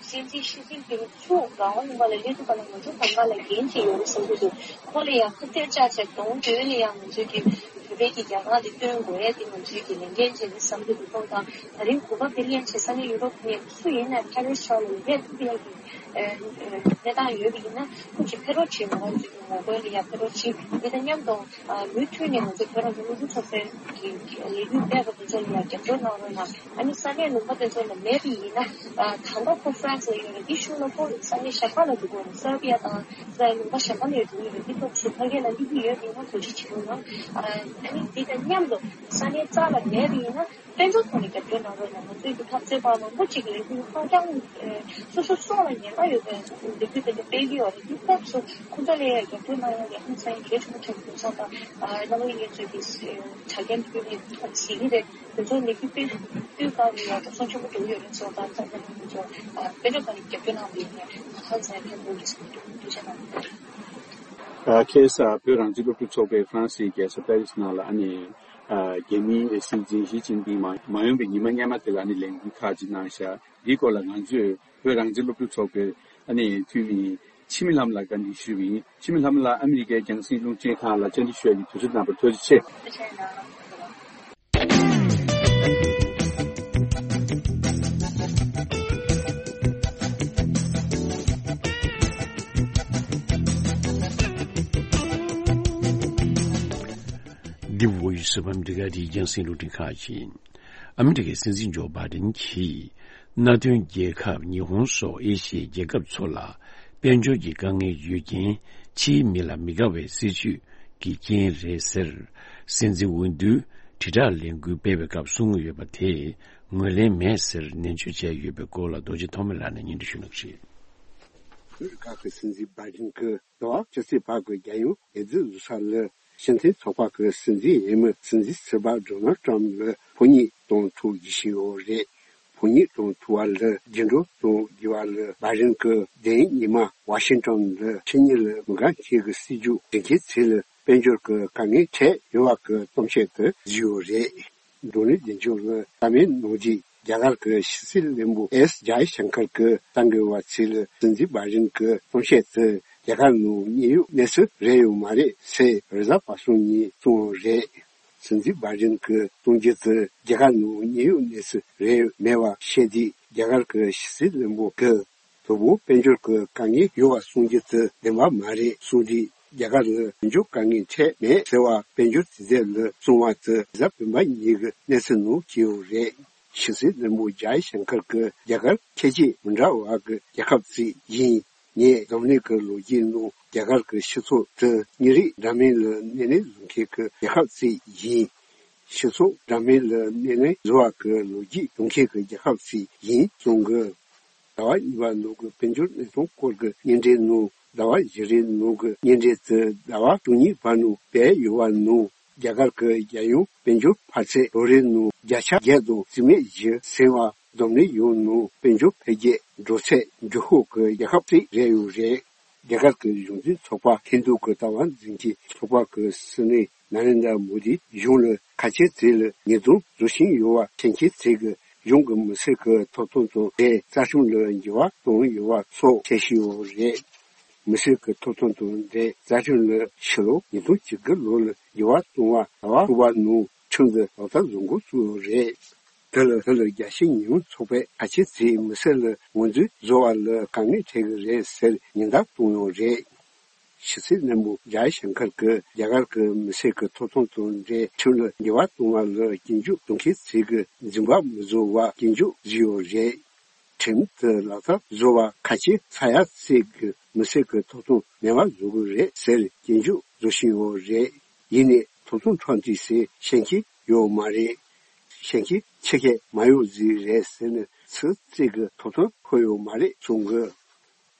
སྲིད་འཛིན་ཞི་ཅིན་ཕིང་ཚུར་རང་དབང་ལུང་པ་ལ་སླེབས་དུས་སྐབས་ལ་ང་ཚོ་གང་ག་ལ་འགན་ཅིག་ཡོད་རེད་བསམ་གྱི་འདུག་ཁོ་ལ་ཡང་ཁ་གཏད་བཅག་བྱས་གདོང་མདུན་ལ་ཡང་ང་ཚོས་ཀྱི་བོད་པའི་གི་རྒྱལ་ཁ་དེ་སྟོན་དགོས་ཡ་དེ་ང་ཚོས་ཀྱི་ལས་འགན་བྱས་ནས་བསམ་གྱི་འདུག་ཁོང་དང་ད་རིང་གོ་སྐབས་དེ་ལེན་བྱས་ས་གནས་ཡུ་རོབ་ནས་སུ་ཡིན་ན་ཕ་རི་སི་ཕྱོགས་ལ་སླེབས་ཐུབ་ཡ་གི་ཨ་ཨ་གནས་སྟངས་ཡོད་པ་ཡིན་ན་ཁོ་ཅིག་ཕེབས་རོགས་བྱེད། ང་རང་ཚོའི་གི་ངོ་རྒོལ་ལ་ཡང་ཕེབས་རོགས་བྱེད། འདི་དང་མཉམ་དུ་ཨ་མུ་མཐུད་ནས་ང་ཚོ་བོད་རང་བཙན་སློབ་ཕྲུག་ཚོགས་པའི་གི་ལས་འགུལ་སྤེལ་བ་དེ་ཚོ་ལ་ཡང་རྒྱབ་སྐྱོར་གནང་རོགས་གནང་། ཨ་ནི་ས་གནས་ལུང་པ་དེ་ཚོ་ལ་མེད་པ་ཡིན་ན་ཨ་ད་ལྟ་ཁོ་ཧྥ་རན་སི་ལ་ཡོད་རེད། དེའི་གཞུག་ལ་ཁོ་ས་གནས་གཞན་པ་ལ་འགྲོ་དགོས་རེད། སར་བྷི་ཡ་དང་ས་ལུང་པ་གཞན་པ་ལ་འགྲོ་གི་རེད། དེ་སྐབས་སུ་ཕ་གི་ལ་སླེབས་ཀྱི་ཡོད་པ་ཡིན་ན་གོ་སྒྲིག་བྱེད་རོགས་གནང་། ཨ་ནི་འདི་དང་མཉམ་དུ་ས་གནས་རྩ་ལ་མེད་པ་ཡིན་ན། དཔལ་འབྱོར་ཐོག་ནས་རྒྱབ་སྐྱོར་གནང་རོགས་གནང་། ང་ཚོའི་གི་འཐབ་རྩོད་པ་མང་པོ་ཅིག་ལས་འགུལ་ཧ་ཅང་ཨེ་སོ་སོ་སྲོག་ལ་ཉེན་ཁ་ཡོད་པའི་ལས་འགུལ་དེ་འདྲ་སྤེལ་གྱི་ཡོད་རེད། དེ་སྐབས་སུ་ཁོ་ཚོ་ལ་ཡང་རྒྱབ་སྐྱོར་གནང་ཡ་ལས་ཧང་སང་ཡ་གལ་ཆེན་པོ་ཆགས་ཀྱི་འདུག་བསམ་པ། ཨ་རྣམ་པ་ཡིན་ཚོས་ཀྱི་ཨེ་ཆ་རྐྱེན་ཕུལ་ནས་ཐོག་ཟིན་གྱི་རེད། དེ་ཚོ་ལས་འགུལ་སྤེལ་དུས་སྐབས་ལ་ཡང་འགྲོ་སོང་ཆེན་པོ་འགྲོ་གི་ཡོད་རེད། སོ་ད་ད་ད་ཁོ་ཚོ་ཨ་དཔལ་འབྱོར་ཐོག་ནས་རྒྱབ་སྐྱོར་གནང་བ་ཡིན་ན་ཧང་སང་ཡ་ཕན་ཐོགས་ཀྱི་ཟིན་འདུག་ཐུགས་རྗེ་གནང་། ཨ་ཁ་སང་བོད་རང་བཙན་སློབ་ཕྲུག་ཚོགས་པའི་ཧྥ་རན་སིའི་རྒྱལ་ས་པེ་རིས་ནང་ལ་ཨ་ནི། ཨ་རྒྱ་མིའི་སྲིད་འཛིན་ཞི་ཅིན་ཕིང་མ་མ་ཡོང་པའི་ཉི་མ་སྔོན་མ་དེ་ལ་ཨ་ནི་ལས་འགུལ་ཁག་ཅིག་གནང་ཤག་འདིའི་སྐོར་ལ་ང་ཚོས་བོད་རང་བཙན་སློབ་ཕྲུག་ཚོགས་པའི་ཨ་ནི་འཐུས་མི་འཆི་མེད་ལྷ་མོ་ལགས་བཀའ་འདྲི་ཞུས་པ་ཡིན། འཆི་མེད་ལྷ་མོ་ལགས་ཨ་མི་རི་ཀའི་རྒྱང་སྲིང་རླུང་འཕྲིན་ཁང་ལ་བཅར་འདྲི་ཞུ་ཡ་གི་དུས་ཚོད་གནང་བར་ཐུགས་རྗེ་ཆེ། འདི་བོད་ཡིག་གསར་པ་འདི་ག་དེའི་རྒྱང་སྲིང་རླུང་འཕྲིན་ཁང་ཡིན། ཨ་མི་རི་ཀའི་སྲིད་འཛིན་ཇོ་བྷའི་ཌེན་གྱིས་མནའ་མཐུན་རྒྱལ་ཁབ་ཉི་ཧོང་སོགས་ཨེ་ཤི་ཡའི་རྒྱལ་ཁབ་ཚོ་ལ་དཔལ་འབྱོར་གྱི་དཀའ་ངལ་ཡོད་རྐྱེན་ཕྱིའི་མི་ལ་མི་དགའ་བའི་སྲིད་ཇུས་ཀྱི་རྐྱེན་རེད་ཟེར། སྲིད་འཛིན་འོས་བསྡུའི་དྲིལ་བསྒྲགས་ལས་འགུལ་སྤེལ་བའི་སྐབས་གསུངས་ཡོད་པ་དེ་ངོས་ལེན་མེད་ཟེར་ནན་བརྗོད་བྱས་ཡོད་པའི་སྐོར་ལ་རྡོ་རྗེ་ཐོགས་མེད་ལགས་ནས་སྙན་སྒྲོན་ཞུ་གནང་རེད། ཨ་མི་རི་ཀ་གི་སྲིད་འཛིན་བྷའི་ཌེན་གྱིས་ཟླ་བ་ཕྱི་ཚེས་པ་གི་རྒྱལ་ཡོངས་འོས་བསྡུ་བཟོ་ས་ལ་ཕྱི་འཐེན་ཚོགས་པ་གི་སྲིད་འཛིན་འོས་མི་སྲིད་འཛིན་ཟུར་པ་ཌོ་ནལ་ཊམ་ལ་ཕོ་ཉ་གཏོང་ཐུག་རྒྱུ་ཞིག་ཡོད་རེད། ཕོ་ཉ་གཏོང་ཐུག་པ་ལ་རྒྱུན་སྒྲོག་གཏོང་རྒྱུ་བ་ལ་བྷའི་ཌེན་གྱིས་དེ་རིང་ཉི་མ་ཝ་ཤིང་ཊོན་ལ་ཕྱི་ཉིན་ལ་མི་འགའ་ཞིག་གི་སྲིད་ཇུས་འགྲེལ་མཁན་ཚོ་ལ་དཔལ་འབྱོར་གྱི་དཀའ་ངལ་འཕྲད་ཡོད་པ་གི་གཏམ་བཤད་དེ་བཟོས་ཡོད་རེད། ཌོ་ནལ་ཌི་ཊམ་ལ་བཀའ་མོལ་གནང་རྗེས་རྒྱ་གར་གྱི་ཕྱི་སྲིད་བློན་པོ་ཨེས་ཇའི་ཤང་ཀར་གྱིས་གསར་འགོད་པ་ཚོ་ལ་སྲིད་འཛིན་བྷའི་ཌེན་གྱི་གཏམ་བཤད་དེ་རྒྱ་གར་ནང་དམྱལ་བའི་གནས་ཚུལ་རེད་ཡོད་མ་རེད་ཟེར་རེས་གཟའ་པ་སངས་ཉིན་གསུངས་པ་རེད། སྲིད་འཛིན་བྷའི་ཌེན་གྱི་གཏམ་རྒྱུད་དེ་རྒྱ་གར་ནང་དམྱལ་བའི་གནས་ཚུལ་རེད་མེད་པ་བཤད་དུས་རྒྱ་གར་གྱི་ཕྱི་སྲིད་བློན་པོ་གིས་དོ་དགོང་དཔལ་འབྱོར་གྱི་དཀའ་ངལ་ཡོད་པ་གསུང་རྒྱུ་དེ་བདེན་པ་མ་རེད་གསུངས་དུས་རྒྱ་གར་ལ་དཔལ་འབྱོར་དཀའ་ངལ་འཕྲད་མེད་ཟེར་བ་དཔལ་འབྱོར་དུས་ཚོད་ལ་གསུངས་པ་དེ་གཟའ་སྤེན་པ་ཉིན་གྱི་གནས་ཚུལ་ནང་བྲིས་ཡོད་རེད། ཞི་སྲིད་བློན་པོ་ཇའི་ཤང་ཀར་གྱིས་རྒྱ་གར་ཁྱད་ཆོས་མི་འདྲ་བ་གི་རྒྱལ་ཁབ་ཅིག་ཡིན། ངས་འཛམ་གླིང་གི་ལོ་རྒྱུས་ནང་རྒྱ་གར་གྱི་སྤྱི་ཚོགས་དེ་མི་རིགས་འདྲ་མིན་ལ་སྣེ་ལེན་བཟོ་མཁན་གྱི་རྒྱལ་ཁབ་ཅིག་ཡིན། སྤྱི་ཚོགས་འདྲ་མིན་ལ་སྣེ་ལེན་བཟོ་བ་གི་ལོ་རྒྱུས་ཡོད་མཁན་གྱི་རྒྱལ་ཁབ་ཅིག་ཡིན་གསུངས་གི། ཟླ་བ་གཉིས་པ་ནང་གི་དཔལ་འབྱོར་གནས་སྟངས་སྐོར་གྱི་བརྙན་འཕྲིན་ནང་ཟླ་བ་བཞི་རེའི་ནང་གི་བརྙན་འཕྲིན་དེ་ཟླ་བ་བཅུ་གཉིས་པ་ནང་སྤེལ་ཡོད་པ་ནང་། རྒྱ་གར་གྱི་རྒྱལ་ཡོངས་དཔལ་འབྱོར་འཕར་ཚད་ལོ་རེའི་ནང་བརྒྱ་ཆ་བརྒྱད་དང་བཅུ་མེད་བཞི་ཟིན་པ། འཛམ་གླིང་ཡོངས་ནང་དཔལ་འབྱོར་འཕེལ་རྒྱས་འགྲོ་ཚད་མགྱོགས་ཤོས་ཀྱི་རྒྱལ་ཁབ་ཅིག་རེད་ཡོད་རེད། རྒྱ་གར་གྱི་གཞུང་འཛིན་ཚོགས་པ་ཧིན་རྡུ་གི་ལྟ་བ་འཛིན་གྱི་ཚོགས་པ་གི་སྲིད་བློན་ནཱ་རེན་དྲ་མོ་དིས་གཞུང་ལ་ཁ་ཆེ་ཚིག་ལ་ཉེས་རྡུང་བཟོ་བཞིན་ཡོད་པ་མཁྱེན་མཁན་ཚོས་ཀྱིས་གཞུང་གི་མི་སེར་གྱི་ཐོབ་ཐང་དང་འབྲེལ་རྩ་ཁྲིམས་ལ་འགྱུར་བ་གཏོང་ཡོད་པ་སོགས་འཆར་གཞི་ཡོད་རེད། མི་སེར་གྱི་ཐོབ་ཐང་དང་འབྲེལ་རྩ་ཁྲིམས་ལ་ཕྱི་ལོ་ཉིས་སྟོང་བཅུ་དགུ་ལོ་ལ་འགྱུར་བ་གཏོང་བ་ཟླ་བ་དྲུག་པ་ནང་ཁྲིམས་འདི་ལག་བསྟར་བཟོ་འགོ་བཙུགས་ཡོད་རེད། དེ་ལ་དེ་ལ་རྒྱལ་སྤྱིའི་ཉེས་དབྱུང་ཚོགས་པས་ཁ་ཆེ་ཚིག་མི་སེར་ལ་ངོས་འཛིན་བཟོ་བ་ལ་དཀའ་ངལ་འཕྲད་ཀྱི་རེད་ཟེར་ཉེན་བརྡ་བཏང་ཡོད་རེད། ཕྱི་སྲིད་བློན་པོ་ཇའི་ཤང་ཀར་གྱིས་རྒྱ་གར་གྱི་མི་སེར་གྱི་ཐོབ་ཐང་དང་འབྲེལ་ཁྲིམས་ལ་འགྱུར་བ་གཏོང་བ་ལ་སྐྱོན་བརྗོད་གཏོང་མཁན་ཚོས་ཀྱིས་འཛིན་པ་མི་བཟོ་བར་སྐྱོན་བརྗོད་བཟོས་ཡོད་རེད། ཁྲིམས་དེ་ལག་བསྟར་བཟོ་བར་ཁ་ཆེ་ཚ་ཡ་ཚིག་གིས་མི་སེར་གྱི་ཐོབ་ཐང་མེད་པ་བཟོ་གི་རེད་ཟེར་སྐྱོན་བརྗོད་བཟོ་བཞིན་ཡོད་རེད། ཡིན་ནའི་ཐོབ་ཐང་ཕྲག་འདི་ཟེར་ཤེས་མཁན་ཡོད་མ་རེད། ཤེས་མཁན་ཆེ་གེ་མ་ཡོང་ཟིག་རེད་ཟེར་ནས་ཚིག་གཅིག་གི་ཐོབ་ཐང་ཁོ་ཡོད་མ་རེད་གསུང་གི།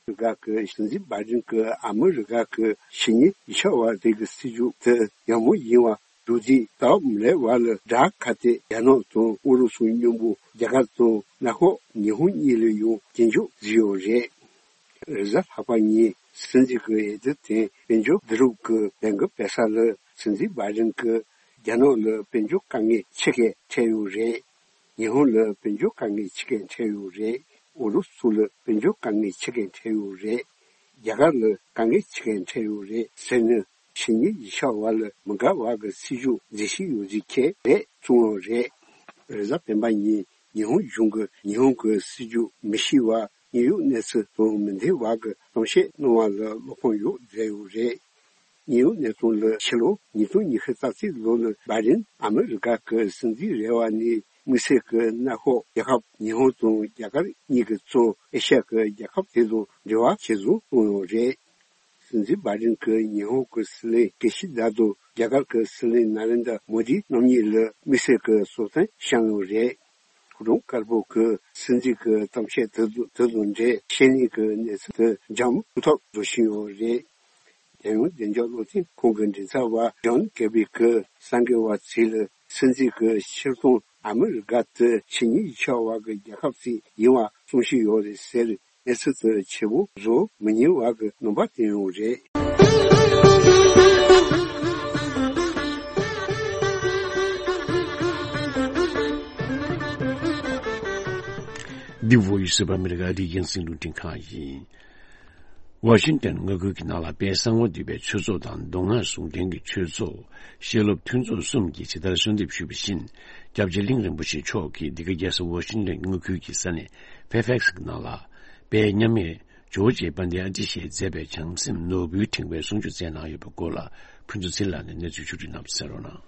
ཨ་མི་རི་ཀ་གི་སྲིད་འཛིན་བྷའི་ཌེན་གྱིས་ཨ་མི་རི་ཀ་གི་ཕྱི་ཉིན་ཡིག་ཆ་བ་དེ་གི་སྲིད་ཇུས་དེ་ཡག་མོ་ཡིན་པ་འདུག་དེ་སྟབས་མི་ལེགས་པ་ལ་དགྲ་ཁ་གཏད་རྒྱ་ནག་དང་ཨུ་རུ་སུ་མཉམ་པོ་རྒྱ་གར་དང་གནམ་འོག་ཉི་ཧོང་གཉིས་ལ་ཡང་སྐྱོན་བརྗོད་བཟོས་ཡོད་རེད། རེས་གཟའ་ལྷག་པ་ཉིན་སྲིད་འཛིན་གྱི་འོས་བསྡུ་དེ་དཔལ་འབྱོར་བསྡུ་རུབ་ཀྱི་ལས་འགུལ་སྤེལ་ས་ལ་སྲིད་འཛིན་བྷའི་ཌེན་གྱིས་རྒྱ་ནག་ལ་དཔལ་འབྱོར་དཀའ་ངལ་ཆེ་གེ་འཕྲད་ཡོད་རེད། ཉི་ཧོང་ལ་དཔལ་འབྱོར་དཀའ་ངལ་ཆེ་གེ་འཕྲད་ཡོད་རེད། ཨུ་རུ་སུ་ལ་དཔལ་འབྱོར་དཀའ་ངལ་ཆེ་གེ་འཕྲད་ཡོད་རེད། རྒྱ་གར་ལ་དཀའ་ངལ་ཆེ་གེ་འཕྲད་ཡོད་རེད་ཟེར་ནས་ཕྱི་ཉིན་ཡིག་ཆ་བ་ལ་མི་དགའ་བ་གི་སྲིད་ཇུས་འཛིན་བཞིན་ཡོད་ཅིག་ཁེལ་རེད་གསུངས་ཡོད་རེད། རེས་གཟའ་སྤེན་པ་ཉིན་ཉི་ཧོང་གཞུང་གིས་ཉི་ཧོང་གི་སྲིད་ཇུས་མི་ཤེས་པ། དངོས་ཡོད་གནས་ཚུལ་དང་མི་མཐུན་པ་གི་གཏམ་བཤད་གནང་བ་ལ་བློ་ཕམ་ཡོད་བསྡད་ཡོད་རེད། དངོས་ཡོད་གནས་སྟངས་ལ་ཕྱི་ལོ་ཉིས་སྟོང་ཉི་ཤུ་རྩ་གཅིག་ལོ་ལ་བྷའི་ཌེན་ཨ་མི་རི་ཀ་གི་སྲིད་འཛིན་རེད་པ་ནས་དམིགས་བསལ་གྱི་གནམ་འོག་རྒྱལ་ཁབ་ཉི་ཧོང་དང་རྒྱ་གར་གཉིས་ཀྱི་གཙོ་ཨེ་ཤ་ཡ་གི་རྒྱལ་ཁབ་དེ་དང་འབྲེལ་བ་ཇེ་བཟང་བཏང་ཡོད་རེད། སྲིད་འཛིན་བྷའི་ཌེན་གྱིས་ཉི་ཧོང་གི་སྲིད་བློན་ཀི་ཤི་དཱ་དང་རྒྱ་གར་གྱི་སྲིད་བློན་ནཱ་རེན་དྲ་མོ་དི་རྣམ་གཉིས་ལ་དམིགས་བསལ་གྱི་གསོལ་སྟོན་བཤམས་ཡོད་རེད། ཕོ་བྲང་དཀར་པོ་གི་སྲིད་འཛིན་གྱི་གཏམ་བཤད་དེ་དང་དེ་དང་འབྲེལ་ཤེས་ལེན་གྱི་གནས་ཚུལ་དེ་འཇམ་ཐུག་ཐབས་བཟོ་བཞིན་ཡོད་རེད། རྒྱལ་ཡོངས་བདེ་འཇགས་བློ་མཐུན་ཁང་གི་མགྲིན་ཚབ་པ་ཇོན་ཀེར་བི་གིས་གསར་འགོད་པ་ཚོ་ལ་སྲིད་འཛིན་གྱི་ཕྱིར་གཏོང་ཨ་མི་རི་ཀ་དེ་ཕྱི་ཉིན་ཡིག་ཆ་བ་གི་རྒྱལ་ཁབ་ཅིག་ཡིན་པ་གསུང་བཞིན་ཡོད་རེད་ཟེར། གནས་ཚུལ་དེ་ཆེ་བོ་བཟོ་མི་ཉན་པ་གི་རྣམ་པ་བསྟན་ཡོད་རེད། འདི་Voice of America རྒྱང་སྲིང་རླུང་འཕྲིན་ཁང་ཡིན། ཝ་ཤིང་ཏན་མངའ་ཁུལ་གྱི་ནང་ལ་དཔལ་གསང་བ་འདུས་པའི་ཆོས་ཚོགས་དང་མདོ་སྔགས་ཟུང་འབྲེལ་གྱི་ཆོས་ཚོགས། བཤད་སློབ་མཐུན་ཚོགས་གསུམ་གྱིས་ཇི་ལྟར་གསོལ་འདེབས་ཞུས་པ་བཞིན། སྐྱབས་རྗེ་གླིང་རིན་པོ་ཆེ་མཆོག་གིས་འདི་ག་རྒྱལ་ས་ཝ་ཤིང་ཏན་མངའ་ཁུལ་གྱི་ས་གནས་ཕེར་ཕེག་སི་གི་ནང་ལ། དཔལ་མཉམ་མེད་ཇོར་ཇི་ཨ་ཏི་ཤས་མཛད་པའི་བྱང་སེམས་ནོར་བུའི་ཕྲེང་བའི་གསུང་ཆོས་སྩལ་གནང་ཡོད་པའི་སྐོར་ལ། ཕུན་ཚོགས་ཚེ་རིང་ལགས་ནས་གནས་ཚུལ་ཕྱོགས་བསྒྲིགས་གནང་བ་གསན་རོགས་གནང་།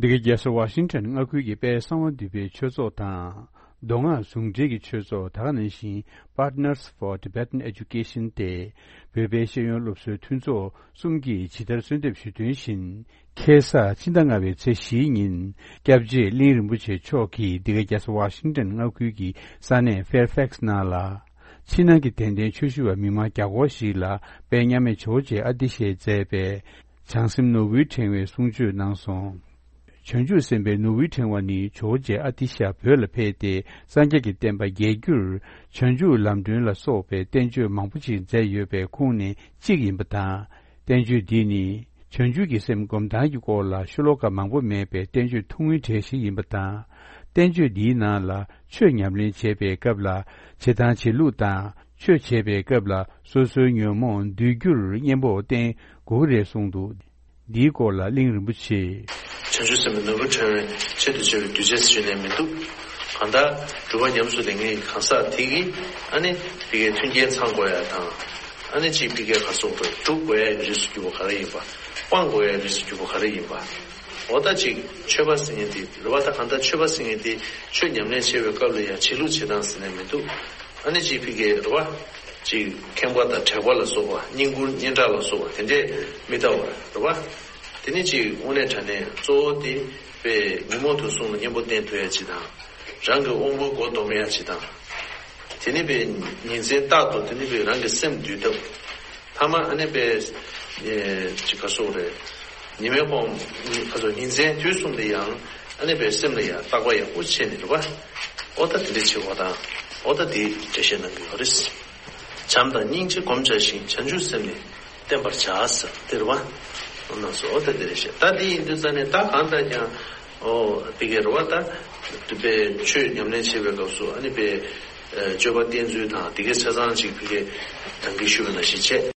འདི་ག་རྒྱལ་ས་ཝ་ཤིང་ཊོན་མངའ་ཁུལ་གྱི་དཔལ་གསང་བ་འདུས་པའི་ཆོས་ཚོགས་དང་། མདོ་སྔགས་ཟུང་འབྲེལ་གྱི་ཆོས་ཚོགས་ད་ག་ནང་བཞིན་Partners for Tibetan Education སྟེ། བོད་པའི་ཤེས་ཡོན་སློབ་གསོའི་མཐུན་ཚོགས་གསུམ་གྱིས་ཇི་ལྟར་གསོལ་འདེབས་ཞུས་དོན་བཞིན། ཁ་སང་ཕྱི་ཟླ་ལྔ་པའི་ཚེས་བཞིའི་ཉིན། སྐྱབས་རྗེ་གླིང་རིན་པོ་ཆེ་མཆོག་གིས་འདི་ག་རྒྱལ་ས་ཝ་ཤིང་ཊོན་མངའ་ཁུལ་གྱི་ས་གནས་ཕེར་ཕེག་སི་ནང་ལ། ཕྱི་ནང་གི་དད་ལྡན་ཆོས་ཞུ་བ་མི་མང་བརྒྱ་སྐོར་ཞིག་ལ་དཔལ་མཉམ་མེད་ཇོར་ཇི་ཨ་ཏི་ཤས་མཛད་པའི་བྱང་སེམས་ནོར་བུའི་ཕྲེང་བའི་གསུང་ཆོས་གནང་སོང་། བྱང་ཆུབ་སེམས་དཔའི་ནོར་བུའི་ཕྲེང་བ་ནི་ཇོར་ཇི་ཨ་ཏི་ཤ་བོད་ལ་ཕེབས་ཏེ་སངས་རྒྱས་ཀྱི་བསྟན་པ་རྒྱས་རྒྱུར་བྱང་ཆུབ་ལམ་སྒྲོན་ལ་སོགས་པའི་བསྟན་བཅོས་མང་པོ་ཞིག་མཛད་ཡོད་པའི་ཁོངས་ནས་གཅིག་ཡིན་པ་དང་། བསྟན་བཅོས་འདི་ནི་བྱང་ཆུབ་ཀྱི་སེམས་སྒོམ་སྟངས་ཀྱི་སྐོར་ལ་ཤོ་ལོ་ཀ་མང་པོ་མེད་པའི་བསྟན་བཅོས་ཐུང་ངུའི་གྲས་ཤིག་ཡིན་པ་དང་། བསྟན་བཅོས་འདིའི་ནང་ལ་ཆོས་ཉམས་ལེན་བྱེད་པའི་སྐབས་ལ་བྱེད་སྟངས་བྱེད་ལུགས་དང་། ཆོས་བྱེད་པའི་སྐབས་ལ་སོ་སོའི་ཉོན་མོངས་འདུལ་རྒྱུར་གཉེན་པོ་བསྟེན་དགོས་ཀྱི་རེད་གསུངས་འདུག། འདིའི་སྐོར་ལ་གླིང་རིན་པོ་ཆེས། བྱང་ཆུབ་སེམས་དཔའི་ནོར་བུ་ཕྲེང་བའི་ཆེད་དུ་བྱས་པའི་གདུལ་བྱ་ཟེར་ནས་མི་འདུག། གང་ལྟར་སྒྲུབ་པ་ཉམས་སུ་ལེན་མཁན་གྱི་གང་ཟག་དེ་གིས་ཨ་ནི་དེ་གའི་མཐུན་རྐྱེན་ཚང་དགོས་ཡ་དང་། ཨ་ནི་གཅིག་ཕ་གིར་ག་རེ་ཟེར་དགོས། སྒྲུབ་དགོས་ཡ་གི་རིགས་སུ་གྱུར་པ་ག་རེ་ཡིན་པ། སྤང་དགོས་ཡ་གི་རིགས་སུ་གྱུར་པ་ག་རེ་ཡིན་པ། འོ་ད་ཅིག་མཆོད་པ་ཟེར་མཁན་དེ་རེད་བ། ད་གང་ལྟར་མཆོད་པ་ཟེར་མཁན་དེ་ཆོས་ཉམས་ལེན་བྱེད་པའི་སྐབས་ལ་ཡང་བྱེད་ལུགས་བྱེད་སྟངས་ཟེར་ནས་མི་འདུག་ཨ་ནི་ཅིག་ཕ་གི་རེད་བ། ཅིག་ཁེངས་པ་དང་དྲེགས་པ་ལ་སོགས་པ། བསྙེན་བཀུར་སྙན་གྲགས་ལ་སོགས་པ་དེ་འདྲས་མི་ལྟ་བར་རེད་བ། དེ་ནི་ཅིག་དངོས་གནས་དྲང་གནས་གཙོ་བོ་དེ་པའི་ཉོན་མོངས་དུག་གསུམ་ལ་གཉེན་པོ་བསྟེན་ཐུབ་ཡ་ཅིག་དང་། རང་གི་དབང་པོའི་སྒོ་སྡོམ་ཡ་ཅིག་དང་། དེ་ནི་པའི་ཉིན་མཚན་རྟག་ཏུ་དེ་ནི་པའི་རང་གི་སེམས་འདུལ་ཐབས། ཐ་མ་ཨ་ནི་པའི་ཨེ་ཅིག་ག་སོགས་རེད། ཉི་མའི་དབང་ག་སོགས་ཉིན་མཚན་དུས་གསུམ་དུ་ཡང་ཨ་ནི་པའི་སེམས་ལ་ཡང་བརྟག་པ་ཡག་པོ་བྱས་ནས་རེད་བ། ཨོ་ད་དེ་འདྲ་བྱེད་དགོས་དང་། ཨོ་ད་དེ་འགྲེལ་བཤད་གནང་གི་ཡོད་རེད། བྱམས་དང་སྙིང་རྗེ་སྒོམ་བྱ་ཞིང་། བྱང་ཆུབ་སེམས་ནི་བསྟེན་པར་བྱ་ཟེར་དེ་རེད་བ། ཨོ་ན་སོ་ཨོ་ད་དེ་རེད་བཤད། ད་དེ་ཡིན་དུས་ཙ་ནས་ད་གང་ལྟར་ཀྱང་། ཨོ་དེ་གའི་རེད་བ། ད་དེ་པའི་ཆོས་ཉམས་ལེན་བྱེད་པའི་སྐབས་སུ་ཨ་ནི་པའི་ཨེ་སྤྱོད་པ་བསྟེན་ཚུལ་དང་དེ་གའི་ཆ་ཚང་ཅིག་ཕ་གི་ད་གིན་ཞུས་པ་ནང་བཞིན་བྱས།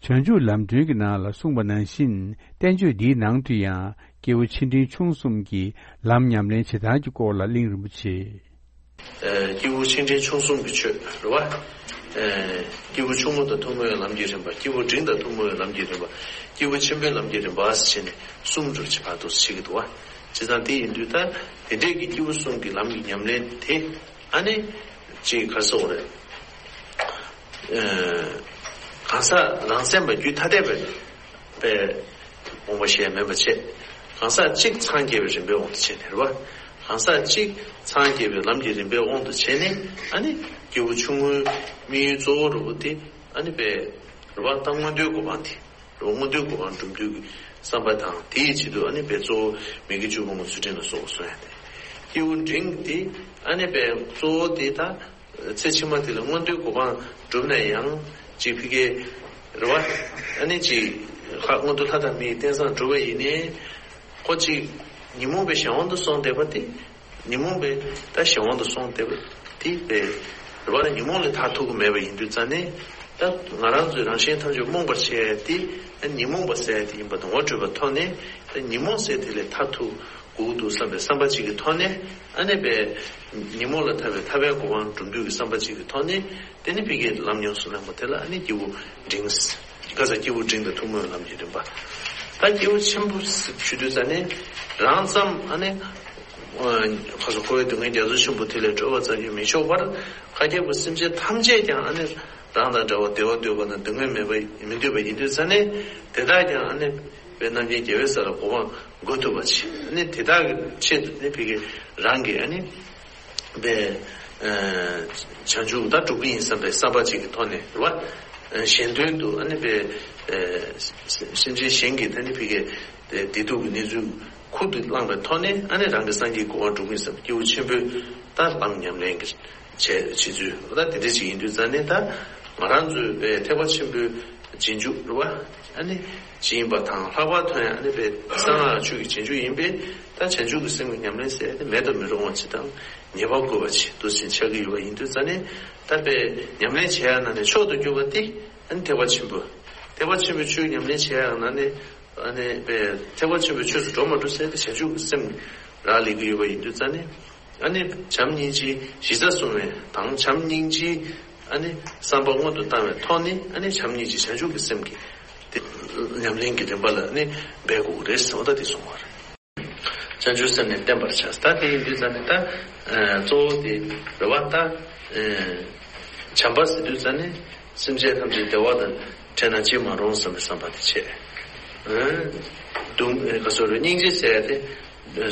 བྱང་ཆུབ་ལམ་སྒྲོན་གྱི་ནང་ལ་གསུངས་པ་ནང་བཞིན། བསྟན་བཅོས་འདིའི་ནང་དུ་ཡང་སྐྱེས་བུ་ཆེ་འབྲིང་ཆུང་གསུམ་གྱི་ལམ་ཉམས་ལེན་བྱེད་སྟངས་ཀྱི་སྐོར་ལ་གླིང་རིན་པོ་ཆེས། ཨེ་སྐྱེས་བུ་ཆེ་འབྲིང་ཆུང་གསུམ་གྱི་ཆོས་རེད་བ། ཨེ་སྐྱེས་བུ་ཆུང་ངུ་དང་ཐུན་མོང་བའི་ལམ་གྱི་རིམ་པ། སྐྱེས་བུ་འབྲིང་དང་ཐུན་མོང་བའི་ལམ་གྱི་རིམ་པ། སྐྱེས་བུ་ཆེན་པོའི་ལམ་གྱི་རིམ་པ་ཟེར་བྱས་ནས་གསུམ་དུ་བར་དུ་ཕྱེ་གི་འདུག་བ། བྱས་ཙང་དེ་ཡིན་དུས་ད་དེ་འདྲས་ཀྱི་སྐྱེས་བུ་གསུམ་གྱི་ལམ་གྱི་ཉམས་ལེན་དེ། ཨ་ནི་ཅིག་ག་རེ་ཟེར་དགོས་རེད། ཨེ་གང་ཟག་རང་སེམས་པ་རྒྱུད་ཐ་དད་པའི་པའི་དབང་པོ་ཞེས་མིན་པ་བྱས། གང་ཟག་གཅིག་འཚང་རྒྱ་བའི་རིམ་པའི་དབང་དུ་བྱས་ནས་རེད་བ། གང་ཟག་གཅིག་འཚང་རྒྱ་བའི་ལམ་གྱི་རིམ་པའི་དབང་དུ་བྱས་ནས། ཨ་ནི་སྐྱེས་བུ་ཆུང་ངུའི་དམིགས་ཡུལ་གཙོ་བོ་རུ་དེ་ཨ་ནི་པའི་རེད་བ། ད་མངོན་མཐོའི་གོ་འཕང་དེ། རོ་མངོན་མཐོའི་གོ་འཕང་སྒྲུབ་འདོད་ཀྱི་བསམ་པ་དང་། དེའི་ཆེད་དུ་ཨ་ནི་པའི་གཙོ་བོ་མི་དགེ་བཅུ་སྤོང་གི་ཚུལ་ཁྲིམས་ལ་སོགས་པ་གསུངས་ཡ་དེ། སྐྱེས་བུ་འབྲིང་དེ་ཨ་ནི་པའི་གཙོ་བོ་དེ་ད་ཚེ་ཕྱི་མ་དེ་ལ་མངོན་མཐོའི་གོ་འཕང་སྒྲུབ་ན་ཡང་ཅིག་ཕ་གི་རེད་བ། ཨ་ནི་ཅིག་ལྷ་མངོན་མཐོ་ལྷ་དང་མིའི་རྟེན་བཟང་སྒྲུབ་པ་ཡིན་ནའི། ཁོ་ཅིག་ཉོན་མོངས་པའི་གཞན་དབང་དུ་སོང་བསྡད་པ་དེ། ཉོན་མོངས་པའི་ད་གཞན་དབང་དུ་སོང་བསྡད་པ་དེ་པའི་རེད་བ། ཉོན་མོངས་ལས་ཐར་ཐུབ་ཀྱི་མེད་པ་ཡིན་དུས་ཙ་ནས། ད་ང་རང་ཚོའི་རང་གཞན་ཐམས་ཅད་རྨོངས་པར་བྱེད་ཡ་དེ་ཉོན་མོངས་པ་ཟེར་ཡ་དེ་ཡིན་པ་དང་ངོ་འཕྲོད་པའི་ཐོག་ནས། ད་ཉོན་མོངས་ཟེར་དེ་ལས་ཐར་ཐུབ་དགོས་འདུག་བསམ་པའི་བསམ་པ་གཅིག་གི་ཐོག་ནས། ཨ་ནི་པའི་ཉོན་མོངས་ལས་ཐར་བའི་ཐར་པའི་གོ་འཕང་སྒྲུབ་འདོད་ཀྱི་བསམ་པ་གཅིག་གི་ཐོག་ནས། དེ་ནི་ཕ་གིའི་ལམ་ཉམས་སུ་བླངས་པ་དེ་ལ་ཨ་ནི་སྐྱེས་བུ་འབྲིང་། ཁ་ས་སྐྱེས་བུ་འབྲིང་དང་ཐུན་མོང་བའི་ལམ་གྱི་རིམ་པ། ད་སྐྱེས་བུ་ཆེན་པོ་ཞུ་དུས་ཙ་ནས་རང་ཙམ་ཨ་ནི་ཁ་ས་འཁོར་བའི་སྡུག་བསྔལ་རྒྱ་མཚོ་ཆེན་པོ་དེ་ལས་གྲོལ་བར་ཙམ་གྱིས་མི་ཆོག་པར། ཁ་སྐྱེས་པ་སེམས་ཅན་ཐམས་ཅད་ཀྱང་ཨ་ནི་རང་དང་འདྲ་བར་བདེ་བ་འདོད་པ་དང་སྡུག་བསྔལ་མེད་པ་མི་འདོད་པ་ཡིན་དུས་ཙ་ནས། དེ་དག་ཀྱང་ཨ་ནི་པའི་རྣམ་མཁྱེན་རྒྱལ་བའི་ས་ལ་གོ་འཕང་འགོད་ཐུབ་པ་བྱེད། ཨ་ནི་དེ་དག་གི་ཆེད་དུ་ནི་ཕ་གི་རང་གི་ཨ་ནི་པའི་བྱང་ཆུབ་ད་སྒྲུབ་ཀྱི་ཡིན་བསམ་པའི་བསམ་པ་གཅིག་གི་ཐོག་ནས་རེད་བ། གཞན་དོན་དུ་ཨ་ནི་པའི་སེམས་ཅན་གཞན་གྱི་ད་ནི་ཕ་གི་བདེ་སྡུག་གི་གནས་ཚུལ་ཁུར་དུ་བླངས་པའི་ཐོག་ནས། ཨ་ནི་རང་གི་སངས་རྒྱས་གོ་འཕང་སྒྲུབ་ཀྱི་ཡིན་བསམ་པའི་སྐྱེས་བུ་ཆེན་པོའི་ད་ལམ་ཉམས་ལེན་གྱི་བྱས་བྱེད་ཚུལ་ད་དེ་འདྲ་ཅིག་ཡིན་དུས་ཙ་ནས། ད་ང་རང་ཚོའི་པའི་ཐེག་པ་ཆེན་པོའི་རྗེས་འཇུག་རེད་བ། ཨ་ནི་ཇི་ཡིན་པ་དང་ལྷག་པར་དུ་ཡང་ཨ་ནི་པའི་གསང་སྔགས་ཆོས་ཀྱི་རྗེས་འཇུག་ཡིན་པས། ད་བྱང་ཆུབ་ཀྱི་སེམས་ཀྱི་ཉམས་ལེན་ཟེར་ཏེ་མེད་དུ་མི་རུང་བ་ཅིག་དང་ངེས་པར་དགོས་པ་ཅིག་འདུག་སེ་ཆགས་ཀྱི་ཡོད་པ་ཡིན་དུས་ཙ་ནས། ད་པའི་ཉམས་ལེན་བྱེད་ཡ་ནང་ནས་མཆོག་ཏུ་གྱུར་པ་དེ་ཨ་ནི་ཐེག་པ་ཆེན་པོ། ཐེག་པ་ཆེན་པོའི་ཆོས་ཉམས་ལེན་བྱེད་ཡ་ནང་ནས་ཨ་ནི་པའི་ཐེག་པ་ཆེན་པོའི་ཆོས་སུ་འགྲོ་མ་འགྲོ་ཟེར་ཏེ་བྱང་ཆུབ་ཀྱི་སེམས་རག་ལས་ཀྱི་ཡོད་པ་ཡིན་དུས་ཙ་ནས། ཨ་ནི་བྱམས་སྙིང་རྗེའི་གཞི་རྩ་བཟུང་བའི་དང་། བྱམས་སྙིང་རྗེའི་ཨ་ནི་བསམ་པ་སྔོན་དུ་བཏང་བའི་ཐོག་ནས། ཨ་ནི་བྱམས་སྙིང་རྗེ་བྱང་ཆུབ་ཀྱི་སེམས་ཀྱི་དེ་ཉམས་ལེན་གྱི་རིམ་པ་ལ་ཨ་ནི་འབད་དགོས་ཀྱི་རེད་ཟེར་བ་ད་དེ་གསུངས་པ་རེད། བྱང་ཆུབ་སེམས་ནི་བསྟེན་པར་བྱ། ད་དེ་ཡིན་དུས་ཙ་ནས་ད་གཙོ་བོ་དེ་རེད་བ། ད་བྱམས་པ་ཟེར་དུས་ཙ་ནས་སེམས་ཅན་ཐམས་ཅད་བདེ་བ་དང་བྲལ་ན་ཅི་མ་རུང་བསམ་པའི་བསམ་པ་དེ་བྱས། སྡུག་ག་སོགས་རེད། སྙིང་རྗེ་ཟེར་ཏེ།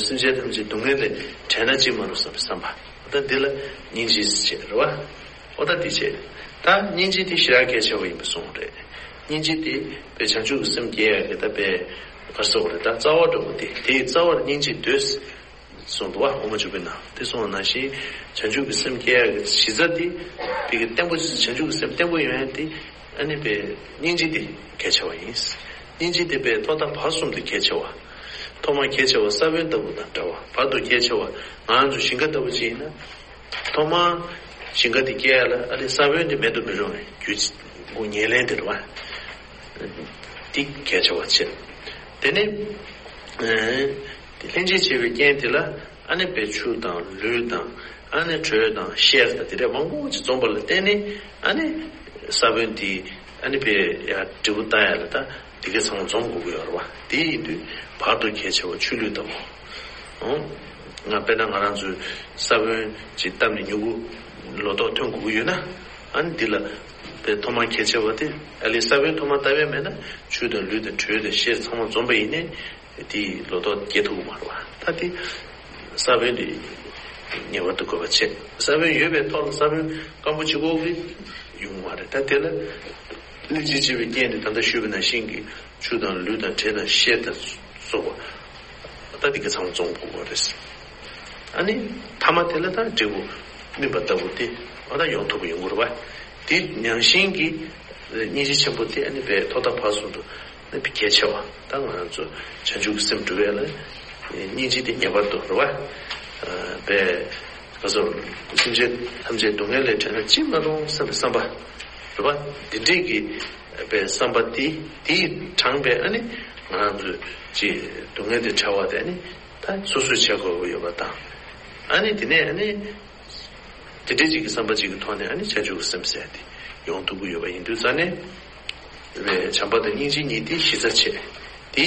སེམས་ཅན་ཐམས་ཅད་སྡུག་བསྔལ་ལས་བྲལ་ན་ཅི་མ་རུང་བསམ་པའི་བསམ་པ། ད་འདི་ལ་སྙིང་རྗེ་ཟེར་བ་རེད་བ། ཨོ་ད་འདི་བྱས། ད་སྙིང་རྗེ་འདི་ཞེ་དྲག་གལ་ཆེ་བ་ཡིན་པ་གསུངས་རེད། སྙིང་རྗེ་འདི་པའི་བྱང་ཆུབ་ཀྱི་སེམས་སྐྱེ་ཡ་གི་ད་པའི་ག་སོགས་རེད། ད་རྩ་བ་འདྲ་བོ་དེ། དེའི་རྩ་བར་སྙིང་རྗེ་འདོད་གསུངས་འདུག་བ། དབུ་མ་འཇུག་པའི་ནང་དེ་གསུངས་པ་ནང་བཞིན། བྱང་ཆུབ་ཀྱི་སེམས་སྐྱེ་ཡ་གི་གཞི་རྩ་དེ། པའི་གི་བརྟན་པོ། བྱང་ཆུབ་ཀྱི་སེམས་བརྟན་པོ་ཡོང་ཡ་དེ། ཨ་ནི་པའི་སྙིང་རྗེ་དེ་གལ་ཆེ་བ་ཡིན། སྙིང་རྗེ་དེ་པའི་ཐོག་མཐའ་བར་གསུམ་དུ་གལ་ཆེ་བ། ཐོག་མར་གལ་ཆེ་བ་ས་བོན་ལྟ་བུ་དང་འདྲ་བ། བར་དུ་གལ་ཆེ་བ་ང་ཚོ་ཞིང་ཁ་ལྟ་བུ་ཅིག་ཡིན་ན། ཐོག་མར་ཞིང་ཁ་དེ་སྐྱེ་ཡ་ལ་ཨ་ནི་ས་བོན་དེ་མེད་དུ་མི་རུང་བའི་རྒྱུ་ཉེར་ལེན་དེ་རེད་བ། དེ་གལ་ཆེ་བ་བྱེད། དེ་ནས་ལྷན་ཅིག་བྱེད་པའི་རྐྱེན་དེ་ལ་ཨ་ནི་པའི་ཆུ་དང་ལུད་དང་། ཨ་ནི་དྲོད་དང་གཤེར་དང་དེ་འདྲ་མང་པོ་ཅིག་འཛོམས་པ་ལ་བརྟེན་ནས། ཨ་ནི་ས་བོན་དེ་ཨ་ནི་པའི་ཡར་འབྲས་བུ་བཏང་ཡ་ལ་ད་ དེ་གའི་ཚང་མ་འཛོམས་དགོས་ཀྱི་ཡོད་རེད་བ། དེ་ཡིན་དུས་བར་དུ་གལ་ཆེ་བ་ཆུ་ལུད་ལྟ་བུ། ཨང་། ང་དཔེར་ན་ང་རང་ཚོའི་ས་བོན་ཅིག་བཏབ་ནས་མྱུ་གུ་ལོ་ཏོག་ཐོན་དགོས་ཀྱི་ཡོད་ན། ཨ་ནི་འདི་ལ་དཔེ་ཐོག་མར་གལ་ཆེ་བ་དེ་ཨ་ལས་ས་བོན་ཐོག་མར་བཏབ་ཡས་མེད་ན་ཆུ་དང་ལུད་དང་དྲོད་དང་གཤེར་ཚང་མ་འཛོམས་པ་ཡིན་ནའི་དེ་ལོ་ཏོག་སྐྱེ་ཐུབ་ཀྱི་མ་རེད་བ། ད་དེ་ས་བོན་དེ་ངེས་པར་དུ་དགོས་པ་བྱས། ས་བོན་ཡོད་པའི་ཐོག་ལ་ས་བོན་སྐམ་པོ་གཅིག་པོ་གིས་ཡོང་གི་མ་རེད། ད་དེ་ལ་སྙིང་རྗེ་ཆེ་བའི་རྐྱེན་དེ་ད་ལྟ་ཞུས་པ་ནང་བཞིན་གྱི་ཆུ་དང་ལུད་དང་དྲོད་དང་གཤེར་དང་སོགས་པ། ད་དེ་ག་ཚང་མ་འཛོམས་དགོས་པ་རེད། ཨ་ནི་མཐའ་མ་དེ་ལ་ད་འབྲས་བུ་སྨིན་པ་ལྟ་བུ་དེ་ཨ་ད་ཡོང་ཐུབ་པ་ཡོང་གི་རེད་བ། དེ་ནང་བཞིན་གྱི་སྙིང་རྗེ་ཆེན་པོ་དེ་ཨ་ནི་བས་ཐོག་མཐའ་བར་གསུམ་དུ་ཨ་ནི་གལ་ཆེ་བ། ད་ང་རང་ཚོ་བྱང་ཆུབ་ཀྱི་སེམས་སྒྲུབ་ཡས་ལ་སྙིང་རྗེ་དེ་ངེས་པར་དུ་རེད་བ། བས་ང་ཚོ་སེམས་ཅན་ཐམས་ཅད་སྡུག་བསྔལ་ལས་བྲལ་ན་ཅི་མ་རུང་བསམ་པའི་བསམ་པ་རེད་བ། འདི་འདྲས་ཀྱི་བས་བསམ་པ་དེ་དེས་དྲངས་པའི་ཨ་ནི་ང་རང་ཚོ་ཅི་སྡུག་བསྔལ་དེ་བྲལ་བ་དེ་ཨ་ནི་ད་སོ་སོས་བྱེད་དགོས་ཀྱི་ཡོད་པ་དང་། ཨ་ནི་དེ་ནས་ཨ་ནི། དེ་འདྲའི་ཅིག་གི་བསམ་པ་ཅིག་གི་ཐོག་ནས་ཨ་ནི་བྱང་ཆུབ་ཀྱི་སེམས་ཟེར་ཡ་དེ་ཡོང་ཐུབ་ཀྱི་ཡོད་པ་ཡིན་དུས་ཙང་ནས། བྱམས་པ་དང་སྙིང་རྗེ་གཉིས་དེ་གཞི་རྩ་བྱས། དེ་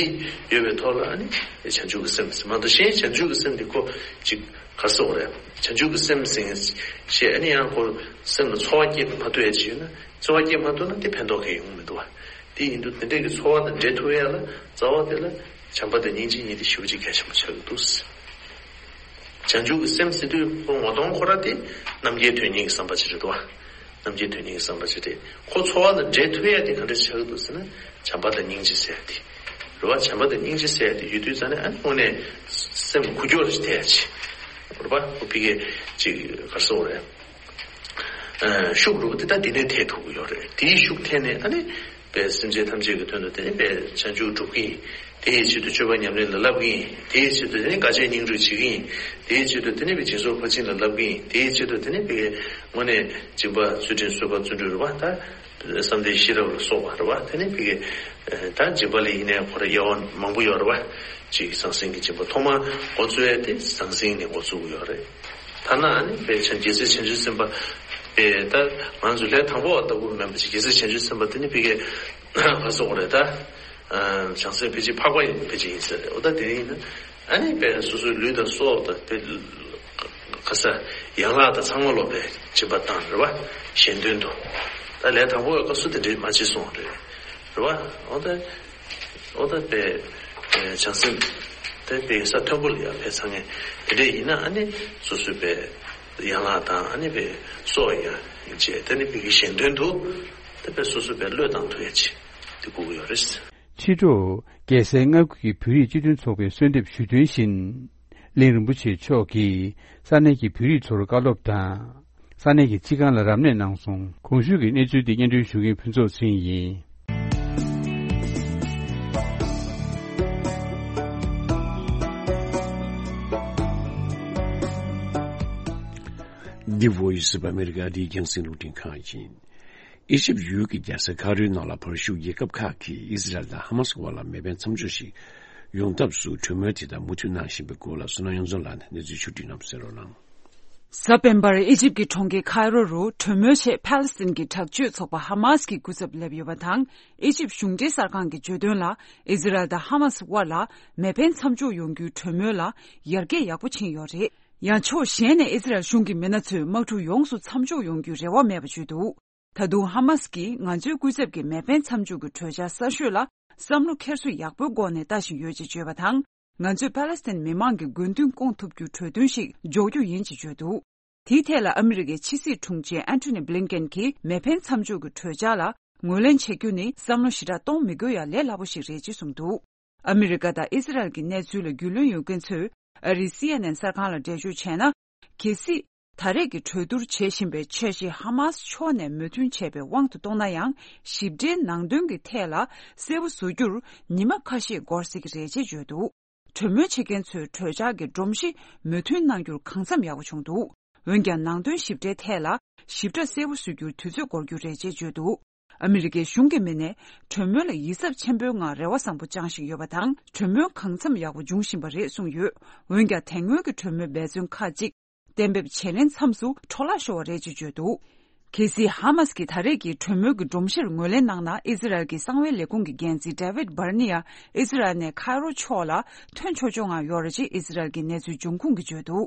ཡོད་པའི་ཐོག་ལ་ཨ་ནི་བྱང་ཆུབ་ཀྱི་སེམས་ཟེར་མ་གཏོགས་གཞན་བྱང་ཆུབ་ཀྱི་སེམས་དེ་ཁོ་ཅིག་ག་རེ་ཟེར་དགོས་རེད། བྱང་ཆུབ་ཀྱི་སེམས་ཟེར་ཞེས་ཨ་ནི་ཡང་ཁོ་སེམས་ལ་ཚོར་བ་སྐྱེས་མ་ཐུབ་ཡ་ཅིག་ཡོད་ན་ཚོར་བ་སྐྱེས་མ་ཐུབ་ན་དེ་ཕན་ཐོགས་གང་ཡང་ཡོང་མི་འདུག་བ། དེ་ཡིན་དུས་དེ་འདྲའི་གི་ཚོར་བ་དང་འབྲེལ་ཐུབ་ཡ་ལ་རྩ་བ་དེ་ལ་བྱམས་པ་དང་སྙིང་རྗེ་གཉིས་དེ་ཞེ་པོ་ཅིག་གལ་ཆེན་པོ་ཆགས་ཀྱི་འདུག་བྱང་ཆུབ་ཀྱི་སེམས་ཟེར་དུས་ཁོ་ངོ་གདོང་ཁོ་ར་དེ་རྣམ་མཁྱེན་དོན་གཉིས་ཀྱི་བསམ་པ་ཅིག་རེད་དོ། རྣམ་མཁྱེན་དོན་གཉིས་ཀྱི་བསམ་པ་ཅིག་རེད། ཁོ་ཚོར་བ་དང་འབྲེལ་ཐུབ་ཡ་དེ་ག་འདྲ་ཆགས་ཀྱི་འདུག་ཟེར་ན་བྱམས་པ་དང་སྙིང་རྗེ་ཟེར་ཡ་དེ་རེད་བ། བྱམས་པ་དང་སྙིང་རྗེ་ཟེར་ཡ་དེ་ཡོད་དུས་ཙང་ནས་ཨ་ནི་དངོས་གནས་སེམས་འགུལ་སྐྱོད་ཅིག་ཐེབས་ཡ་ཅིག་རེད་བ། ཁོ་ཕ་གིའི་ཅིག་ག་རེ་ཟེར་དགོས་རེད། ཤུགས་རུ་དེ་ད་དེ་ནས་ཐེབས་ཐུབ་ཀྱི་ཡོད་རེད། དེའི་ཤུགས་ཐེབས་ནས་ཨ་ནི་པའི་སེམས་ཅན་ཐམས་ཅད་ཀྱི་དོན་དུ་དེ་ནི་པའི་བྱང་ཆུབ་སྒྲུབ་ཀྱི་ཡིན། དེའི་ཆེད་དུ་སྤྱོད་པ་ཉམས་ལེན་ལ་བསླབ་ཀྱི་ཡིན། དེའི་ཆེད་དུ་དེ་ནི་དཀའ་སྤྱད་སྙིང་རུས་བྱེད་ཀྱི་ཡིན། དེའི་ཆེད་དུ་དེ་ནི་པའི་སྦྱིན་སོགས་ཕར་ཕྱིན་ལ་བསླབ་ཀྱི་ཡིན། དེའི་ཆེད་དུ་དེ་ནི་པའི་དངོས་གནས་སྦྱིན་པ་ཚུལ་ཁྲིམས་གསོལ་བ་བརྩོན་འགྲུས་རེད་བ། ད་བསམ་གཏན་ཤེས་རབ་ལ་སོགས་པ་རེད་བ། དེ་ནི་པའི་ད་སྦྱིན་པ་ལ་ཡིན་ནའི་ཁོ་ར་དབྱེ་བ་མང་པོ་ཡོད་རེད་བ། གཅིག་ཟང་ཟིང་གི་སྦྱིན་པ་ཐོག་མར་འགོ་བཙུགས་ཡ་དེ་ཟང་ཟིང་ནས་འགོ་བཙུགས་ཀྱི་ཡོད་རེད། ཐ་ན་ཨ་ནི་པའི་བྱང་རྒྱལ་སྲས་བྱང་ཆུབ་སེམས་དཔའ་པའི་ད་ང་ཚོ་ལས་དང་པོ་བ་ལྟ་བུ་མིན་པ་ཅིག་རྒྱལ་སྲས་བྱང་ཆུབ་སེམས་དཔའ་དེ་ནི་ཕ་གིའི་ག་རེ་ཟེར་དགོས་རེད་ད། བྱང་སེམས་ཕལ་ཆེར་འཕགས་པ་ཡིན་ཕལ་ཆེར་ཡིན་ཟེར་རེད། འོ་ད་དེ་ཡིན་ན་ཨ་ནི་པའི་སོ་སོའི་ལུས་དང་སྲོག་དང་པའི་ག་ས་ཡན་ལག་དང་ཚང་མ་ལོག་པའི་སྦྱིན་པ་བཏང་རེད་བ། གཞན་དོན་དུ་ད་ལས་དང་པོ་བའི་སྐབས་སུ་དེ་འདྲའི་མ་བྱེད་གསུངས་རེད། རེད་བ། འོ་ད། ཨོ་ད་པའི་བྱང་སེམས་དེ་པའི་ས་མཐོན་པོ་ལ་ཡང་ཕེབས་ཚར་མཁན་དེ་འདྲས་ཡིན་ན་ཨ་ནི་སོ་སོའི་པའི་ཡན་ལག་དང་ཨ་ནི་པའི་སྲོག་ཡང་བཅད་དེ་ནི་པའི་གཞན་དོན་དུ་དེ་པའི་སོ་སོའི་པའི་བློས་བཏང་ཐུབ་ཡ་ཅིག་དེ་དགོས་ཀྱི་ཡོད་རེད། ཕྱི་དྲོ་རྒྱལ་སའི་མངའ་ཁུལ་གྱི་བོད་རིགས་སྤྱི་མཐུན་ཚོགས་པས་གསོལ་འདེབས་ཞུས་དོན་བཞིན། གླིང་རིན་པོ་ཆེ་མཆོག་གིས་ས་གནས་ཀྱི་བོད་རིགས་ཚོར་བཀའ་སློབ་དང་། ས་གནས་ཀྱི་སྤྱི་ཁང་ལ་རབ་གནས་གནང་སོང་། གོང་ཞུས་ཀྱི་གནས་ཚུལ་འདི་སྙན་སྒྲོན་ཞུ་མཁན་ཕུན་ཚོགས་ཚེ་རིང་ཡིན། འདི་Voice of America འདི་རྒྱང་སྲིང་རླུང་འཕྲིན་ཁང་ཡིན། ཨི་ཇིབ་ཡུལ་གྱི་རྒྱལ་ས་ཁ་རོའི་ནང་ལ་བར་བཞུགས་རྒྱལ་ཁབ་ཁག་གིས་ཨི་ཟི་རལ་དང་ཧ་མ་སི་དབར་ལ་མེ་འཕེན་མཚམས་འཇོག་ཞིག་ཡོང་ཐབས་སུ་གྲོས་མོལ་དེ་དག་མུ་མཐུད་གནང་བཞིན་པའི་སྐོར་ལ་བསོད་ནམས་དབྱངས་འཛོམས་ལགས་ནས་གནས་ཚུལ་ཕྱོགས་བསྒྲིགས་གནང་བ་གསན་རོགས་གནང་། གཟའ་སྤེན་པར་ཨི་ཇིབ་ཀྱི་གྲོང་ཁྱེར་ཁའི་རོ་རུ་གྲོས་མོལ་ཆེད་ཕཱ་ལེ་སི་ཐན་གྱི་དྲག་སྤྱོད་ཚོགས་པ་ཧ་མ་སི་གི་སྐུ་ཚབ་སླེབས་ཡོད་པ་དང་། ཨི་ཇིབ་གཞུང་འབྲེལ་གསར་ཁང་གིས་བརྗོད་དོན་ལ། ཨི་ཟི་རལ་དང་ཧ་མ་སི་དབར་ལ་མེ་འཕེན་མཚམས་འཇོག་ཡོང་རྒྱུའི་གྲོས་མོལ་ལ་ཡར་རྒྱས་ཡག་པོ་ཕྱིན་ཡོད་རེད། ཡང་ཕྱོགས་གཞན་ནས་ཨི་ཟི་རལ་གཞུང་གི་མི་སྣ་ཚོས་དམག་འཁྲུག་ཡོངས་སུ་མཚམས་འཇོག་ཡོང་རྒྱུའི་རེ་བ་མེད་པ་བརྗོད་འདུག་ད་དུང་ཧ་མ་སི་གིས་ང་ཚོའི་སྐུ་ཚབ་ཀྱི་མེ་འཕེན་མཚམས་འཇོག་གི་གྲོས་འཆར་གསར་ཤོས་ལ་བསམ་བློ་འཁྱེར་སོ་ཡག་པོའི་སྒོ་ནས་ལྟ་བཞིན་ཡོད་ཅེས་བརྗོད་པ་དང་། ང་ཚོས་ཕཱ་ལེ་སི་ཐན་མི་མང་གི་དགོས་འདུན་སྐོང་ཐུབ་རྒྱུའི་གྲོས་མཐུན་ཞིག་འཇོག་རྒྱུ་ཡིན་ཅེས་བརྗོད་འདུག་དེའི་ཐད་ལ་ཨ་མི་རི་ཀའི་ཕྱི་སྲིད་དྲུང་ཆེ་ཨན་ཐོ་ནི་བྷི་ལིན་ཀེན་གྱིས་མེ་འཕེན་མཚམས་འཇོག་གི་གྲོས་འཆར་ལ་ངོས་ལེན་བྱེད་རྒྱུ་ནི་བསམ་བློ་ཞེ་དྲག་གཏོང་མི་དགོས་ཡ་ལས་སླ་པོ་ཞིག་རེད་ཅེས་གསུངས་འདུག་ཨ་མི་རི་ཀ་དང་ཨི་ཟི་རལ་གྱི་གནས་ཚུལ་ལ་རྒྱུས་ལོན་ཡོད་མཁན་ཚོས་ཨ་རིའི་སི་ཨེན་ཨེན་གསར་ཁང་ལ་འགྲེལ་བརྗོད་བྱས་ན། གལ་སྲིད། ད་རེས་ཀྱི་གྲོས་བསྡུར་བྱེད་བཞིན་པའི་འཆར་གཞི་ཧ་མ་སི་ཕྱོགས་ནས་མོས་མཐུན་བྱས་པའི་དབང་དུ་གཏོང་ན་ཡང་། ཞིབ་ཕྲའི་ནང་དོན་གྱི་ཐད་ལ་གསལ་པོ་བཟོ་རྒྱུར་ཉི་མ་ཁ་ཤས་འགོར་སྲིད་ཀྱི་རེད་ཅེས་བརྗོད་འདུག་གྲོས་མོལ་བྱེད་མཁན་ཚོས་གྲོས་འཆར་གྱི་སྒྲོམ་གཞི་མོས་མཐུན་གནང་རྒྱུར་གང་འཚམ་ཡག་པོ་བྱུང་འདུག་འོན་ཀྱང་ནང་དོན་ཞིབ་ཕྲའི་ཐད་ལ་ཞིབ་ཕྲ་གསལ་པོ་བཟོ་རྒྱུར་དུས་ཚོད་འགོར་རྒྱུ་རེད་ཅེས་བརྗོད་འདུག་ཨ་མི་རི་ཀའི་གཞུང་གི་མི་སྣས་གྲོས་མོལ་ལ་ཡིད་གཟབ་ཆེན་པོའི་ངང་རེ་བ་བཟང་པོ་བཅངས་བཞིན་ཡོད་པ་དང་། གྲོས་མོལ་གང་འཚམ་ཡག་པོ་འབྱུང་བཞིན་པ་རེད་གསུངས་ཡོད། འོན་ཀྱང་དེ་སྔོན་གྱི་གྲོས་མོལ་འབད་བརྩོན་ཁག་ཅིག་གཏན་འབེབས་བྱེད་ལེན་མཚམས་སུ་འཕྲོ་བརླག་ཤོར་བ་རེད་ཅེས་བརྗོད་འདུག་གལ་སྲིད་ཧ་མ་སི་ཀྱིས་ད་རེས་ཀྱི་གྲོས་མོལ་གྱི་སྒྲོམ་གཞིར་ངོས་ལེན་གནང་ན། ཨི་ཟི་རལ་གྱི་གསང་བའི་ལས་ཁུངས་ཀྱི་འགན་འཛིན་ཌེ་ཝིད་བྷར་ནི་ཡ་ཨི་ཟི་རལ་ནས་ཁའི་རོ་ཕྱོགས་ལ་ཐོན་ཆོག་ཆོག་ངང་ཡོད་རེད་ཅེས་ཨི་ཟི་རལ་གྱི་གནས་ཚུལ་འབྱུང་ཁུངས་ཀྱིས་བརྗོད་འདུག་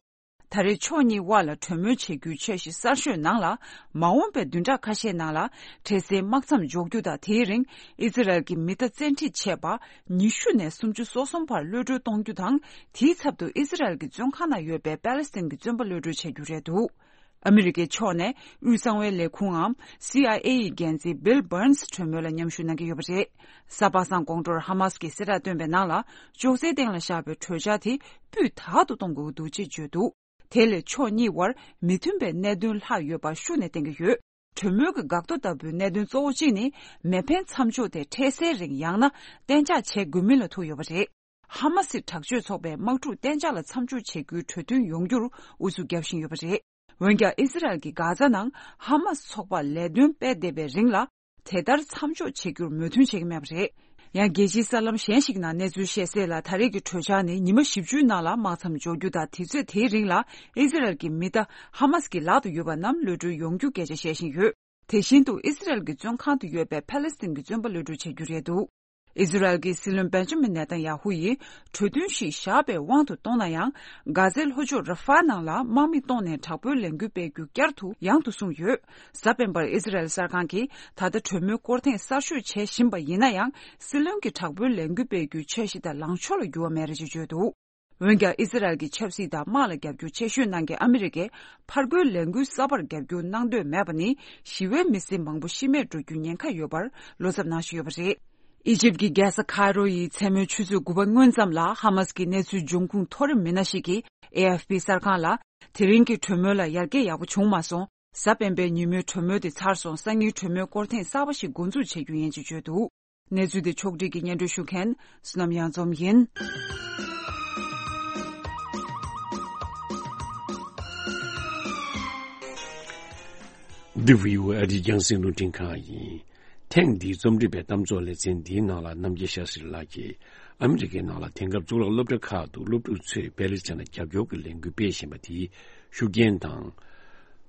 ད་རེས་ཕྱོགས་གཉིས་དབར་ལ་གྲོས་མོལ་བྱེད་རྒྱུའི་འཆར་གཞི་གསར་ཤོས་ནང་ལ། མ་འོངས་པའི་བདུན་ཕྲག་ཁ་ཤས་ནང་ལ་འཕྲལ་སེལ་དམག་མཚམས་འཇོག་རྒྱུ་དང་། དེའི་རིང་ཨི་ཟི་རལ་གྱི་མི་རྟ་བཙན་ཁྲིད་བྱས་པ་ཉི་ཤུ་ནས་སུམ་ཅུ་སོ་གསུམ་བར་གློད་བཀྲོལ་གཏོང་རྒྱུ་དང་། དེའི་ཚབ་ཏུ་ཨི་ཟི་རལ་གྱི་བཙོན་ཁང་ནང་ཡོད་པའི་པ་ལེ་སི་ཐན་གྱི་བཙོན་པ་གློད་བཀྲོལ་བྱ་རྒྱུ་རེད་འདུག་ཨ་མི་རི་ཀའི་ཕྱོགས་ནས་དབུས་གསང་བའི་ལས་ཁུངས་འམ་སི་ཨའི་ཨེ་ཡི་འགན་འཛིན་བྷིལ་བྷར་ནི་སི་གྲོས་མོལ་ལ་མཉམ་ཞུགས་གནང་གི་ཡོད་པ་རེད། གཟའ་པ་སངས་དགོང་དྲོར་ཧ་མ་སི་ཀྱིས་གསལ་བསྒྲགས་བཏོན་པའི་ནང་ལ། ཅོག་ཙེའི་སྟེང་ལ་བཞག་པའི་གྲོས་འཆར་དེ་སྤུས་དག་ཏུ་གཏོང་དགོས་ཀྱི་འདུག་ཅེས་བརྗོད་འདུག་དེ་ལས་ཕྱོགས་གཉིས་བར་མི་མཐུན་པའི་གནད་དོན་ལྷག་ཡོད་པ་ཤུགས་ནས་བསྟན་གྱི་ཡོད། གྲོས་མོལ་གྱི་འགག་རྡོ་ལྟ་བུའི་གནད་དོན་གཙོ་བོ་གཅིག་ནི། མེ་འཕེན་མཚམས་འཇོག་དེ་འཕྲལ་སེལ་རིང་ཡང་ན་གཏན་འཇགས་བྱེད་དགོས་མིན་ལ་ཐུག་ཡོད་པ་རེད། ཧ་མ་སི་དྲག་སྤྱོད་ཚོགས་པས་དམག་འཁྲུག་གཏན་འཇགས་ལ་མཚམས་འཇོག་བྱེད་རྒྱུའི་གྲོས་མཐུན་ཡོང་རྒྱུར་ཨུ་ཚུགས་བརྒྱབ་བཞིན་ཡོད་པ་རེད། འོན་ཀྱང་ཨི་ཟི་རལ་གྱིས་གྷ་ཛ་ནང་ཧ་མ་སི་ཚོགས་པར་ལས་དོན་སྤེལ་བསྡད་པའི་རིང་ལ། དེ་ལྟར་མཚམས་འཇོག་བྱེད་རྒྱུར་མོས་མཐུན་བྱེད་ཀྱི་མེད་པ་རེད། ཡང་རྒྱལ་སྤྱིའི་གསར་ལམ་གཞན་ཞིག་ནང་གནས་ཚུལ་བཤད་གསལ་ལ། ད་རེས་ཀྱི་གྲོས་འཆར་ནི་ཉི་མ་བཞི་བཅུའི་ནང་ལ་དམག་མཚམས་འཇོག་རྒྱུ་དང་། དུས་ཚོད་དེའི་རིང་ལ་ཨི་ཟི་རལ་གྱི་མི་རྟ་ཧ་མ་སི་ཀྱི་ལག་ཏུ་ཡོད་པ་རྣམས་གློད་བཀྲོལ་ཡོང་རྒྱུ་སྐད་ཆ་བཤད་བཞིན་ཡོད། དེ་བཞིན་དུ་ཨི་ཟི་རལ་གྱི་བཙོན་ཁང་དུ་ཡོད་པའི་ཕ་ལེ་སི་ཐན་གྱི་བཙོན་པ་གློད་བཀྲོལ་བྱ་རྒྱུ་རེད་འདུག་ཨི་ཟི་རལ་གྱི་སྲིད་བློན་བེན་ཇ་མིན་ནེ་ཐན་ཡ་ཧུ་ཡིས་གྲོས་མཐུན་ཞིག་བཞག་པའི་དབང་དུ་གཏོང་ན་ཡང་། གྷ་ཛའི་ལྷོ་ཕྱོགས་ར་ཧྥ་ནང་ལ་དམག་མི་གཏོང་ནས་དྲག་པོའི་ལས་འགུལ་སྤེལ་རྒྱུ་བསྐྱར་དུ་ཡང་དུ་བཟུང་ཡོད། གཟའ་སྤེན་པར་ཨི་ཟི་རལ་གསར་ཁང་གིས་ད་ལྟ་གྲོས་མོལ་སྐོར་ཐེངས་གསར་ཤོས་བྱེད་བཞིན་པ་ཡིན་ན་ཡང་། སྲིད་བློན་གྱི་དྲག་པོའི་ལས་འགུལ་སྤེལ་རྒྱུའི་འཆར་གཞི་དེ་ལངས་ཕྱོགས་ལ་འགྱུར་བ་མེད་རེད་ཅེས་བརྗོད་འདུག་འོན་ཀྱང་ཨི་ཟི་རལ་གྱི་ཆབ་སྲིད་དང་དམག་ལ་རྒྱབ་སྐྱོར་ཆེ་ཤོས་གནང་མཁན་ཨ་མི་རི་ཀས་ཕར་རྒོལ་ལས་འགུལ་གསར་པར་རྒྱབ་སྐྱོར་གནང་འདོད་མེད་པ་ནི། ཞི་བའི་མི་སེར་མང་པོ་ཤི་རྨས་འགྲོ་རྒྱུའི་ཉེན་ཁ་ཡོད་པར་བློ་འཚབ་གནང་བཞིན་ཡོད་པ་རེད། ཨི་ཇིབ་ཀྱི་རྒྱལ་ས་ཁའི་རོ་ཡི་མཚན་མོའི་ཆུ་ཚོད་དགུ་པ་སྔོན་ཙམ་ལ་ཧ་མ་སི་ཀྱི་གནས་ཚུལ་འབྱུང་ཁུངས་མཐོ་རིམ་མི་སྣ་ཞིག་གིས་ཨེ་ཨེཕ་པི་གསར་ཁང་ལ། དེ་རིང་གི་གྲོས་མོལ་ལ་ཡར་རྒྱས་ཡག་པོ་བྱུང་མ་སོང་། གཟའ་སྤེན་པའི་ཉིན་མོའི་གྲོས་མོལ་དེ་ཚར་སོང་། སང་ཉིན་གྲོས་མོལ་སྐོར་ཐེངས་གསར་པ་ཞིག་འགོ་འཛུགས་བྱེད་རྒྱུ་ཡིན་ཅེས་བརྗོད་འདུག་གནས་ཚུལ་དེ་ཕྱོགས་སྒྲིག་གིས་སྙན་སྒྲོན་ཞུ་མཁན་བསོད་ནམས་གཡང་འཛོམས་ཡིན། འདི་བྷི་ཨོ་ཨེ་ཨ་རིའི་རྒྱང་སྲིང་རླུང་འཕྲིན་ཁང་ཡིན། ཐེངས་འདིའི་རྩོམ་སྒྲིག་པའི་གཏམ་ཚོགས་ལེ་ཚན་འདིའི་ནང་ལ་རྣམ་རྒྱལ་ཤཱ་སྲི་ལགས་ཀྱིས་ཨ་མི་རི་ཀའི་ནང་ལ་དེང་སྐབས་གཙུག་ལག་སློབ་གྲྭ་ཁག་ཏུ་སློབ་ཕྲུག་ཚོས་པེ་ལི་སི་ཐན་ལ་རྒྱབ་སྐྱོར་གྱི་ལས་འགུལ་སྤེལ་བཞིན་པ་དེའི་ཤུགས་རྐྱེན་དང་།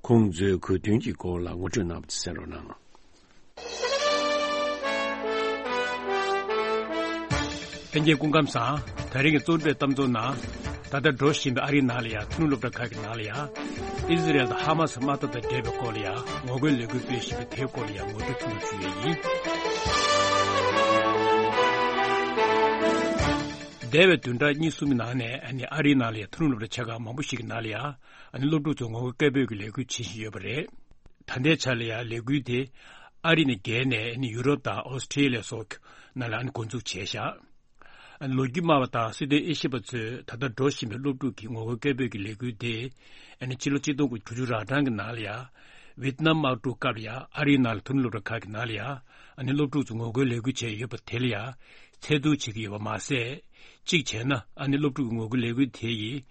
ཁོང་ཚོའི་གོ་དོན་གྱི་སྐོར་ལ་ངོ་སྤྲོད་གནང་བ་དེ་གསན་རོགས་གནང་། ལྷན་རྒྱས་སྐུ་ཁམས་བཟང་། ད་རིང་གི་གཙོ་བོ་གཏམ་ཚོགས་ནང་། ད་ལྟ་འགྲོ་བཞིན་པའི་ཨ་རིའི་ནང་ལ་ཡང་ཐུན་སློབ་གྲྭ་ཁག་གི་ནང་ལ་ཡང་། ཨི་ཟི་རེལ་དང་ཧ་མ་སི་དམག་འཐབ་དང་འབྲེལ་བའི་སྐོར་ལ་ཡང་ངོ་རྒོལ་ལས་འགུལ་སྤེལ་བཞིན་པའི་དེའི་སྐོར་ལ་ཡང་ངོ་སྤྲོད་ཐུང་ངུ་ཞུ་ཡས་ཡིན། འདས་པའི་བདུན་ཕྲག་གཉིས་གསུམ་གྱི་ནང་ནས་ཨ་ནི་ཨ་རིའི་ནང་ལ་ཡང་ཐུན་སློབ་གྲྭ་ཆེ་ཁག་མང་པོ་ཞིག་གི་ནང་ལ་ཡང་ཨ་ནི་སློབ་ཕྲུག་ཚོས་ངོ་རྒོལ་སྐད་འབོད་ཀྱི་ལས་འགུལ་བྱེད་བཞིན་ཡོད་པ་རེད། ད་ལྟའི་ཆ་ལ་ཡང་ལས་འགུལ་དེ་ཨ་རི་ནས་བརྒལ་ནས་ཨ་ནི་ཡུ་རོབ་དང་ཨོ་སི་ཁྲི་ལི་ཡ་སོགས་ནང་ལ་ཨ་ནི་འགོ་འཛུགས་བྱས་བཞག་ལོ་རྒྱུས་སྨྲ་བ་དང་སྲིད་དོན་དབྱེ་ཞིབ་པ་ཚོས་ད་ལྟ་འགྲོ་བཞིན་པའི་སློབ་ཕྲུག་གི་ངོ་རྒོལ་སྐད་འབོད་ཀྱི་ལས་འགུལ་དེ། ཨ་ནི་ཕྱི་ལོ་ཆིག་སྟོང་དགུ་བརྒྱ་དྲུག་ཅུ་རེ་གྲངས་ཀྱི་ནང་ལ་ཡང་། ཝེ་ཏི་ནམ་དམག་འཁྲུག་སྐབས་ལ་ཡང་ཨ་རིའི་ནང་ལ་ཐུན་སློབ་གྲྭ་ཁག་གི་ནང་ལ་ཡང་། ཨ་ནི་སློབ་ཕྲུག་ཚོ་ངོ་རྒོལ་ལས་འགུལ་བྱས་ཡོད་པ་དེ་ལ་ཡང་། ཚད་བསྡུར་བྱེད་ཀྱི་ཡོད་པ་མ་ཟད། གཅིག་བྱས་ན་ཨ་ནི་སློབ་ཕྲུག་གི་ངོ་རྒོལ་ལས་འགུལ་དེ་ཡིས།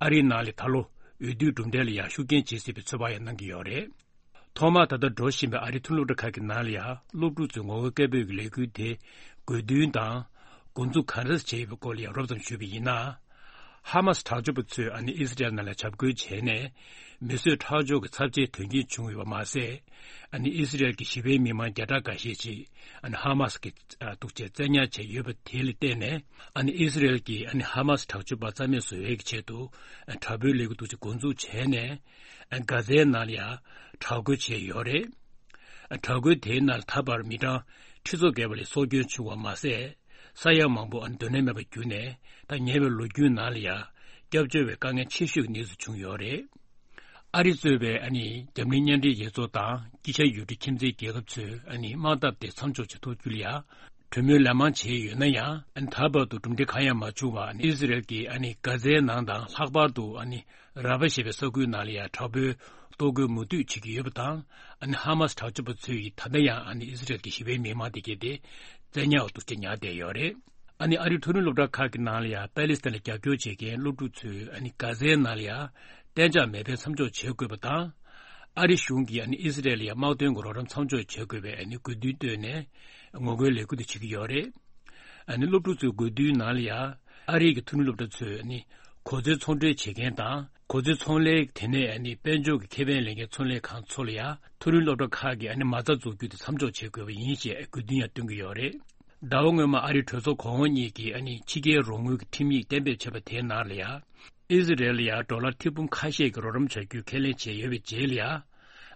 ཨ་རིའི་ནང་ལ་ད་ལོ་འོས་བསྡུའི་གྲུབ་འབྲས་ལ་ཡང་ཤུགས་རྐྱེན་བྱེད་སྲིད་པའི་ཚོད་དཔག་ཡང་གནང་གི་ཡོད་རེད། ཐོག་མར་ད་ལྟ་འགྲོ་བཞིན་པའི་ཨ་རིའི་ཐུན་སློབ་གྲྭ་ཁག་གི་ནང་ལ་ཡང་སློབ་ཕྲུག་ཚོའི་ངོ་རྒོལ་སྐད་འབོད་ཀྱི་ལས་འགུལ་དེ་དགོས་འདུན་དང་འགོ་འཛུགས་ག་འདྲ་བྱས་ཡོད་པའི་སྐོར་ལ་ཡང་རོབ་ཙམ་ཞུས་པ་ཡིན་ན། ཧ་མ་སི་དྲག་སྤྱོད་པ་ཚོས་ཨ་ནི་ཨི་སི་རེལ་ནང་ལ་འཇབ་རྒོལ་བྱས་ནས་མི་གསོད་ཁྲག་སྦྱོར་གྱི་ཚབས་ཆེའི་དོན་རྐྱེན་བྱུང་ཡོད་པ་མ་ཟད། ཨ་ནི་ཨི་སི་རེལ་གྱི་ཞི་བའི་མི་མང་བརྒྱ་ཕྲག་འགའ་ཤས་ཅིག་ཨ་ནི་ཧ་མ་སི་གི་འདུག་ཅེས་བཙན་ཉར་བྱས་ཡོད་པ་དེ་ལ་བརྟེན་ནས། ཨ་ནི་ཨི་སི་རེལ་གྱིས་ཨ་ནི་ཧ་མ་སི་དྲག་སྤྱོད་པ་རྩ་མེད་བཟོ་ཡས་ཀྱི་ཆེད་དུ་དྲག་པོའི་ལས་འགུལ་འདུག་ཅེས་འགོ་འཛུགས་བྱས་ནས། གྷ་ཛའི་ནང་ལ་ཡང་དྲག་རྒོལ་བྱས་ཡོད་རེད། དྲག་རྒོལ་དེའི་ནང་ལ་ད་བར་མི་གྲངས་ཁྲི་ཚོ་བརྒལ་བ་ལ་སྲོག་སྐྱོན་བྱུང་བ་མ་ཟད། ས་ཡ་མང་པོ་ཨ་ནི་སྡོད་གནས་མེད་པར་གྱུར་ནས། ད་ཉེ་བའི་ལོ་རྒྱུས་ནང་ལ་ཡང་སྐྱབས་བཅོལ་བའི་དཀའ་ངལ་ཆེ་ཤོས་ཀྱི་གནས་ཚུལ་བྱུང་ཡོད་རེད། ཨ་རི་གཙོས་པའི་ཨ་ནི་འཛམ་གླིང་མཉམ་འབྲེལ་རྒྱལ་ཚོགས་དང་དཀྱིལ་ཤར་ཡུལ་གྲུའི་ཁྱིམ་མཚེས་རྒྱལ་ཁབ་ཚོས་ཨ་ནི་དམག་འཐབ་དེ་མཚམས་འཇོག་བྱེད་ཐུབ་རྒྱུ་ལ་ཡང་གྲོས་མོལ་ལན་མང་བྱས་ཡོད་ན་ཡང་། ཨ་ནི་ད་བར་དུ་གྲུབ་འབྲས་གང་ཡང་མ་བྱུང་བར། ཨ་ནི་ཨི་སི་རེལ་གྱིས་ཨ་ནི་གྷ་ཛའི་ནང་དང་ལྷག་པར་དུ་ཨ་ནི་ར་ཕ་ཞེས་པའི་ས་ཁུལ་ནང་ལ་ཡང་དྲག་པོའི་གཏོར་རྒོལ་མུ་མཐུད་བྱེད་ཀྱི་ཡོད་པ་དང་། ཨ་ནི་ཧ་མ་སི་དྲག་སྤྱོད་པ་ཚོས་ད་ལྟ་ཡང་ཨ་ནི་ཨི་སི་རེལ་གྱི་ཞི་བའི་མི་མང་དེ་གས་དེ་བཙན་ཉར་འདུག་ཅེས་ཉར་བསྡད་ཡོད་རེད། ཨ་ནི་ཨ་རིའི་མཐོ་རིམ་སློབ་གྲྭ་ཁག་གི་ནང་ལ་ཡང་པ་ལི་སི་ཐན་ལ་རྒྱབ་སྐྱོར་བྱེད་མཁན་སློབ་ཕྲུག་ཚོས་ཨ་ནི་གྷ་ཛའི་ནང་ལ་ཡང་གཏན་འཇགས་མེ་འཕེན་མཚམས་འཇོག་བྱེད་དགོས་པ་དང་། ཨ་རི་གཞུང་གིས་ཨ་ནི་ཨི་སི་རེལ་ལ་ཡང་དམག་དོན་གྱི་རོགས་རམ་མཚམས་འཇོག་བྱེད་དགོས་པའི་ཨ་ནི་དགོས་འདུན་བཏོན་ནས་ངོ་རྒོལ་ལས་འགུལ་དེ་བྱེད་ཀྱི་ཡོད་རེད། ཨ་ནི་སློབ་ཕྲུག་ཚོའི་དགོས་འདུན་ནང་ལ་ཡང་ཨ་རིའི་གི་མཐོ་རིམ་སློབ་གྲྭ་ཚོས་ཨ་ནི། གོ་མཚོན་ཚོང་འབྲེལ་བྱེད་མཁན་དང་གོ་མཚོན་ཚོང་ལས། དེ་ནས་ཨ་ནི་དཔལ་འབྱོར་གྱི་ཁེ་ཕན་ལེན་མཁན་ཚོང་ལས་ཁང་ཚོ་ལ་ཡང་མཐོ་རིམ་སློབ་གྲྭ་ཁག་གིས་ཨ་ནི་མ་རྩ་འཛུགས་རྒྱུ་དེ་མཚམས་འཇོག་བྱེད་དགོས་པ་ཡིན་ཞེས་དགོས་འདུན་ཡང་བཏོན་གྱི་ཡོད་རེད། ཟླ་བ་སྔོན་མ་ཨ་རིའི་གྲོས་ཚོགས་གོང་འོག་གཉིས་ཀྱིས་ཨ་ནི་ཕྱི་རྒྱལ་རོགས་དངུལ་གྱི་ཁྲིམས་ཡིག་གཏན་འབེབས་བྱས་པ་དེའི་ནང་ལ་ཡང་། ཨི་ཟི་རེལ་ལ་ཡང་ཌོ་ལར་ཐེར་འབུམ་ཁ་ཤས་ཀྱི་རོགས་རམ་བྱ་རྒྱུའི་ཁས་ལེན་བྱས་ཡོད་པའི་རྗེས་ལ་ཡང་།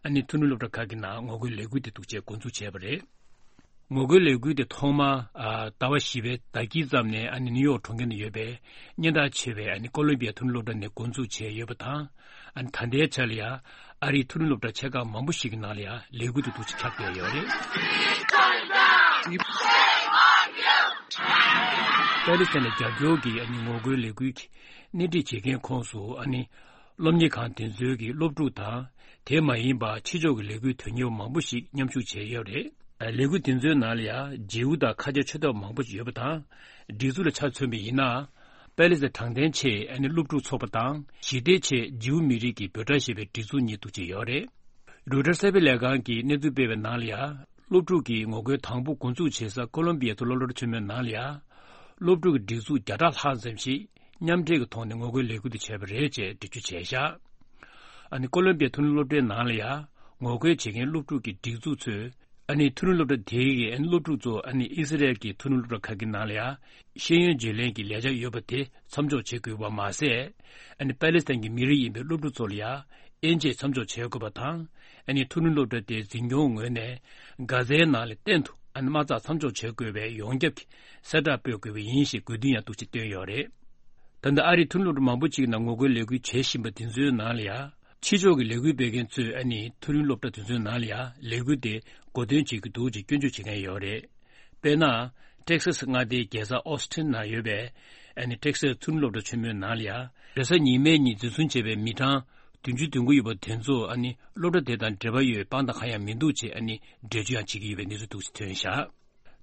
ཨ་ནི་མཐོ་རིམ་སློབ་གྲྭ་ཁག་གི་ནང་ངོ་རྒོལ་ལས་འགུལ་དེ་འདུག་ཅེས་འགོ་འཛུགས་བྱས་པ་རེད། ངོ་རྒོལ་ལས་འགུལ་དེ་ཐོག་མ། ཨ། ཟླ་བ་བཞི་པའི་ཟླ་དཀྱིལ་ཙམ་ནས་ཨ་ནི་ནིའུ་ཡོག་གྲོང་ཁྱེར་ནང་ཡོད་པའི་སྙན་གྲགས་ཆེ་བའི་ཨ་ནི་ཀོ་ལོམ་བི་ཡ་མཐོ་རིམ་སློབ་གྲྭ་ནས་འགོ་འཛུགས་བྱས་ཡོད་པ་དང་། ཨ་ནི་ད་ལྟའི་ཆ་ལ་ཡང་ཨ་རིའི་མཐོ་རིམ་སློབ་གྲྭ་ཆེ་ཁག་མང་པོ་ཞིག་གི་ནང་ལ་ཡང་ལས་འགུལ་དེ་འདུག་ཅེས་ཁྱབ་བསྡད་ཡོད་རེད། པེ་ལི་སི་ཐན་ལ་རྒྱབ་སྐྱོར་གྱི་ཨ་ནི་ངོ་རྒོལ་ལས་འགུལ་གྱི་སྣེ་ཁྲིད་བྱེད་མཁན་ཁོངས་སུ་ཨ་ནི་སློབ་གཉེར་ཁང་དེ་ཚོའི་གི་སློབ་ཕྲུག་དང་། དེ་མ་ཡིན་པ་ཕྱི་ཕྱོགས་ཀྱི་ལས་འགུལ་དོན་གཉེར་བ་མང་པོ་ཞིག་མཉམ་ཞུགས་བྱས་ཡོད་རེད། ལས་འགུལ་དེ་ཚོའི་ནང་ལ་ཡང་བརྗེ་པོ་དང་ཁ་ཆེ་ཆེ་ཐོག་མང་པོ་ཞིག་ཡོད་པ་དང་། སྒྲིག་འཛུགས་ལ་ཆ་མཚོན་པ་ཡིན་ན། པེ་ལི་སི་ཐན་དྲང་བདེན་ཆེད་ཨ་ནི་སློབ་ཕྲུག་ཚོགས་པ་དང་། ཞི་བདེ་ཆེད་བརྗེ་པོ་མི་རིགས་ཀྱི་འབོད་སྒྲ་ཞེས་པའི་སྒྲིག་འཛུགས་གཉིས་འདུག་ཅེས་ཡོད་རེད། རོའི་ཊར་གསར་སྤེལ་ལས་ཁང་གིས་གནས་ཚུལ་སྤེལ་བའི་ནང་ལ་ཡང་། སློབ་ཕྲུག་གི་ངོ་རྒོལ་དང་པོ་འགོ་འཛུགས་བྱེད་ས་ཀོ་ལོམ་བི་ཡའི་མཐོ་རིམ་སློབ་གྲྭ་ཆེན་མོའི་ནང་ལ་ཡང་། སློབ་ཕྲུག་གི་སྒྲིག་འཛུགས་བརྒྱ་ཕྲག་ལྷག་ཙམ་ཞིག་མཉམ་འབྲེལ་གྱི་ཐོག་ནས་ངོ་རྒོལ་ལས་འགུལ་དེ་བྱས་པ་རེད་ཅེས་འགྲེལ་བརྗོད་བྱས་བཞག་ཨ་ནི་ཀོ་ལོམ་བི་ཡའི་མཐོ་རིམ་སློབ་གྲྭའི་ནང་ལ་ཡང་ངོ་རྒོལ་བྱེད་མཁན་སློབ་ཕྲུག་གི་སྒྲིག་འཛུགས་ཚོས། ཨ་ནི་མཐོ་རིམ་སློབ་གྲྭ་དེའི་གི་ཨ་ནི་སློབ་ཕྲུག་ཚོ་ཨ་ནི་ཨི་སི་རེལ་གྱི་མཐོ་རིམ་སློབ་གྲྭ་ཁག་གི་ནང་ལ་ཡང་ཤེས་ཡོན་བརྗེ་ལེན་གྱི་ལས་འཆར་ཡོད་པ་དེ་མཚམས་འཇོག་བྱེད་དགོས་པ་མ་ཟད། ཨ་ནི་པ་ལི་སི་ཐན་གྱི་མི་རིགས་ཡིན་པའི་སློབ་ཕྲུག་ཚོ་ལ་ཡང་དབྱེ་འབྱེད་མཚམས་འཇོག་བྱེད་དགོས་པ་དང་། ཨ་ནི་མཐོ་རིམ་སློབ་གྲྭ་དེའི་འཛིན་སྐྱོང་ངོས་ནས་གྷ་ཛའི་ནང་ལ་གཏན་དུ་ཨ་ནི་དམག་རྩར་མཚམས་འཇོག་བྱེད་དགོས་པའི་ཡོངས་ཁྱབ་ཀྱི་གསལ་བསྒྲགས་སྤེལ་དགོས་པ་ཡིན་ཞེས་དགོས་འདུན་ཡང་འདུག་ཅེས་བཏོན་ཡོད་རེད། ད་ལྟ་ཨ་རིའི་མཐོ་རིམ་སློབ་གྲྭ་མང་པོ་ཅིག་ནང་ངོ་རྒོལ་ལས་འགུལ་བྱེད་བཞིན་པ་དེ་ཚོའི་ནང་ལ་ཡང་། ཕྱི་ཕྱོགས་ཀྱི་ལས་འགུལ་སྤེལ་མཁན་ཚོས་ཨ་ནི་མཐོ་རིམ་སློབ་གྲྭ་དེ་ཚོའི་ནང་ལ་ཡང་ལས་འགུལ་དེ་འགོ་འདོན་བྱེད་ཀྱི་འདུག་ཅེས་སྐྱོན་བརྗོད་བྱེད་མཁན་ཡོད་རེད། དཔེར་ན། ཊེག་སཱ་སི་མངའ་སྡེའི་རྒྱལ་ས་ཨོ་སི་ཊིན་ནང་ཡོད་པའི་ཨ་ནི་ཊེག་སཱ་སི་མཐོ་རིམ་སློབ་གྲྭ་ཆེན་མོའི་ནང་ལ་ཡང་རེས་གཟའ་ཉི་མའི་ཉིན་འཛིན་བཟུང་བྱས་པའི་མི་གྲངས་བདུན་ཅུ་དོན་དགུ་ཡོད་པ་དེ་ཚོ་ཨ་ནི་སློབ་གྲྭ་དེ་དང་འབྲེལ་བ་ཡོད་པའི་དཔང་རྟགས་གང་ཡང་མི་འདུག་ཅེས་ཨ་ནི་འགྲེལ་བརྗོད་ཡང་བྱེད་ཀྱི་ཡོད་པའི་གནས་ཚུལ་འདུག་ཅེས་ཐོན་བཞག་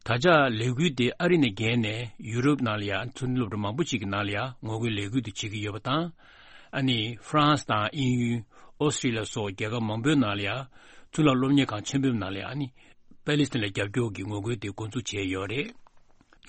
ད་ཆ་ལས་འགུལ་དེ་ཨ་རི་ནས་བརྒལ་ནས་ཡུ་རོབ་ནང་ལ་ཡང་མཐོ་རིམ་སློབ་གྲྭ་མང་པོ་ཞིག་གི་ནང་ལ་ཡང་ངོ་རྒོལ་ལས་འགུལ་དེ་བྱེད་ཀྱི་ཡོད་པ་དང་། ཨ་ནི་ཧྥ་རན་སི་དང་དབྱིན་ཡུལ། ཨོ་སི་ཀྲི་ལི་ཡ་སོགས་རྒྱལ་ཁབ་མང་པོའི་ནང་ལ་ཡང་གཙུག་ལག་སློབ་གཉེར་ཁང་ཆེན་པོའི་ནང་ལ་ཡང་ཨ་ནི་པེ་ལི་སི་ཐན་ལ་རྒྱབ་སྐྱོར་གྱི་ངོ་རྒོལ་དེ་འགོ་འཛུགས་བྱས་ཡོད་རེད།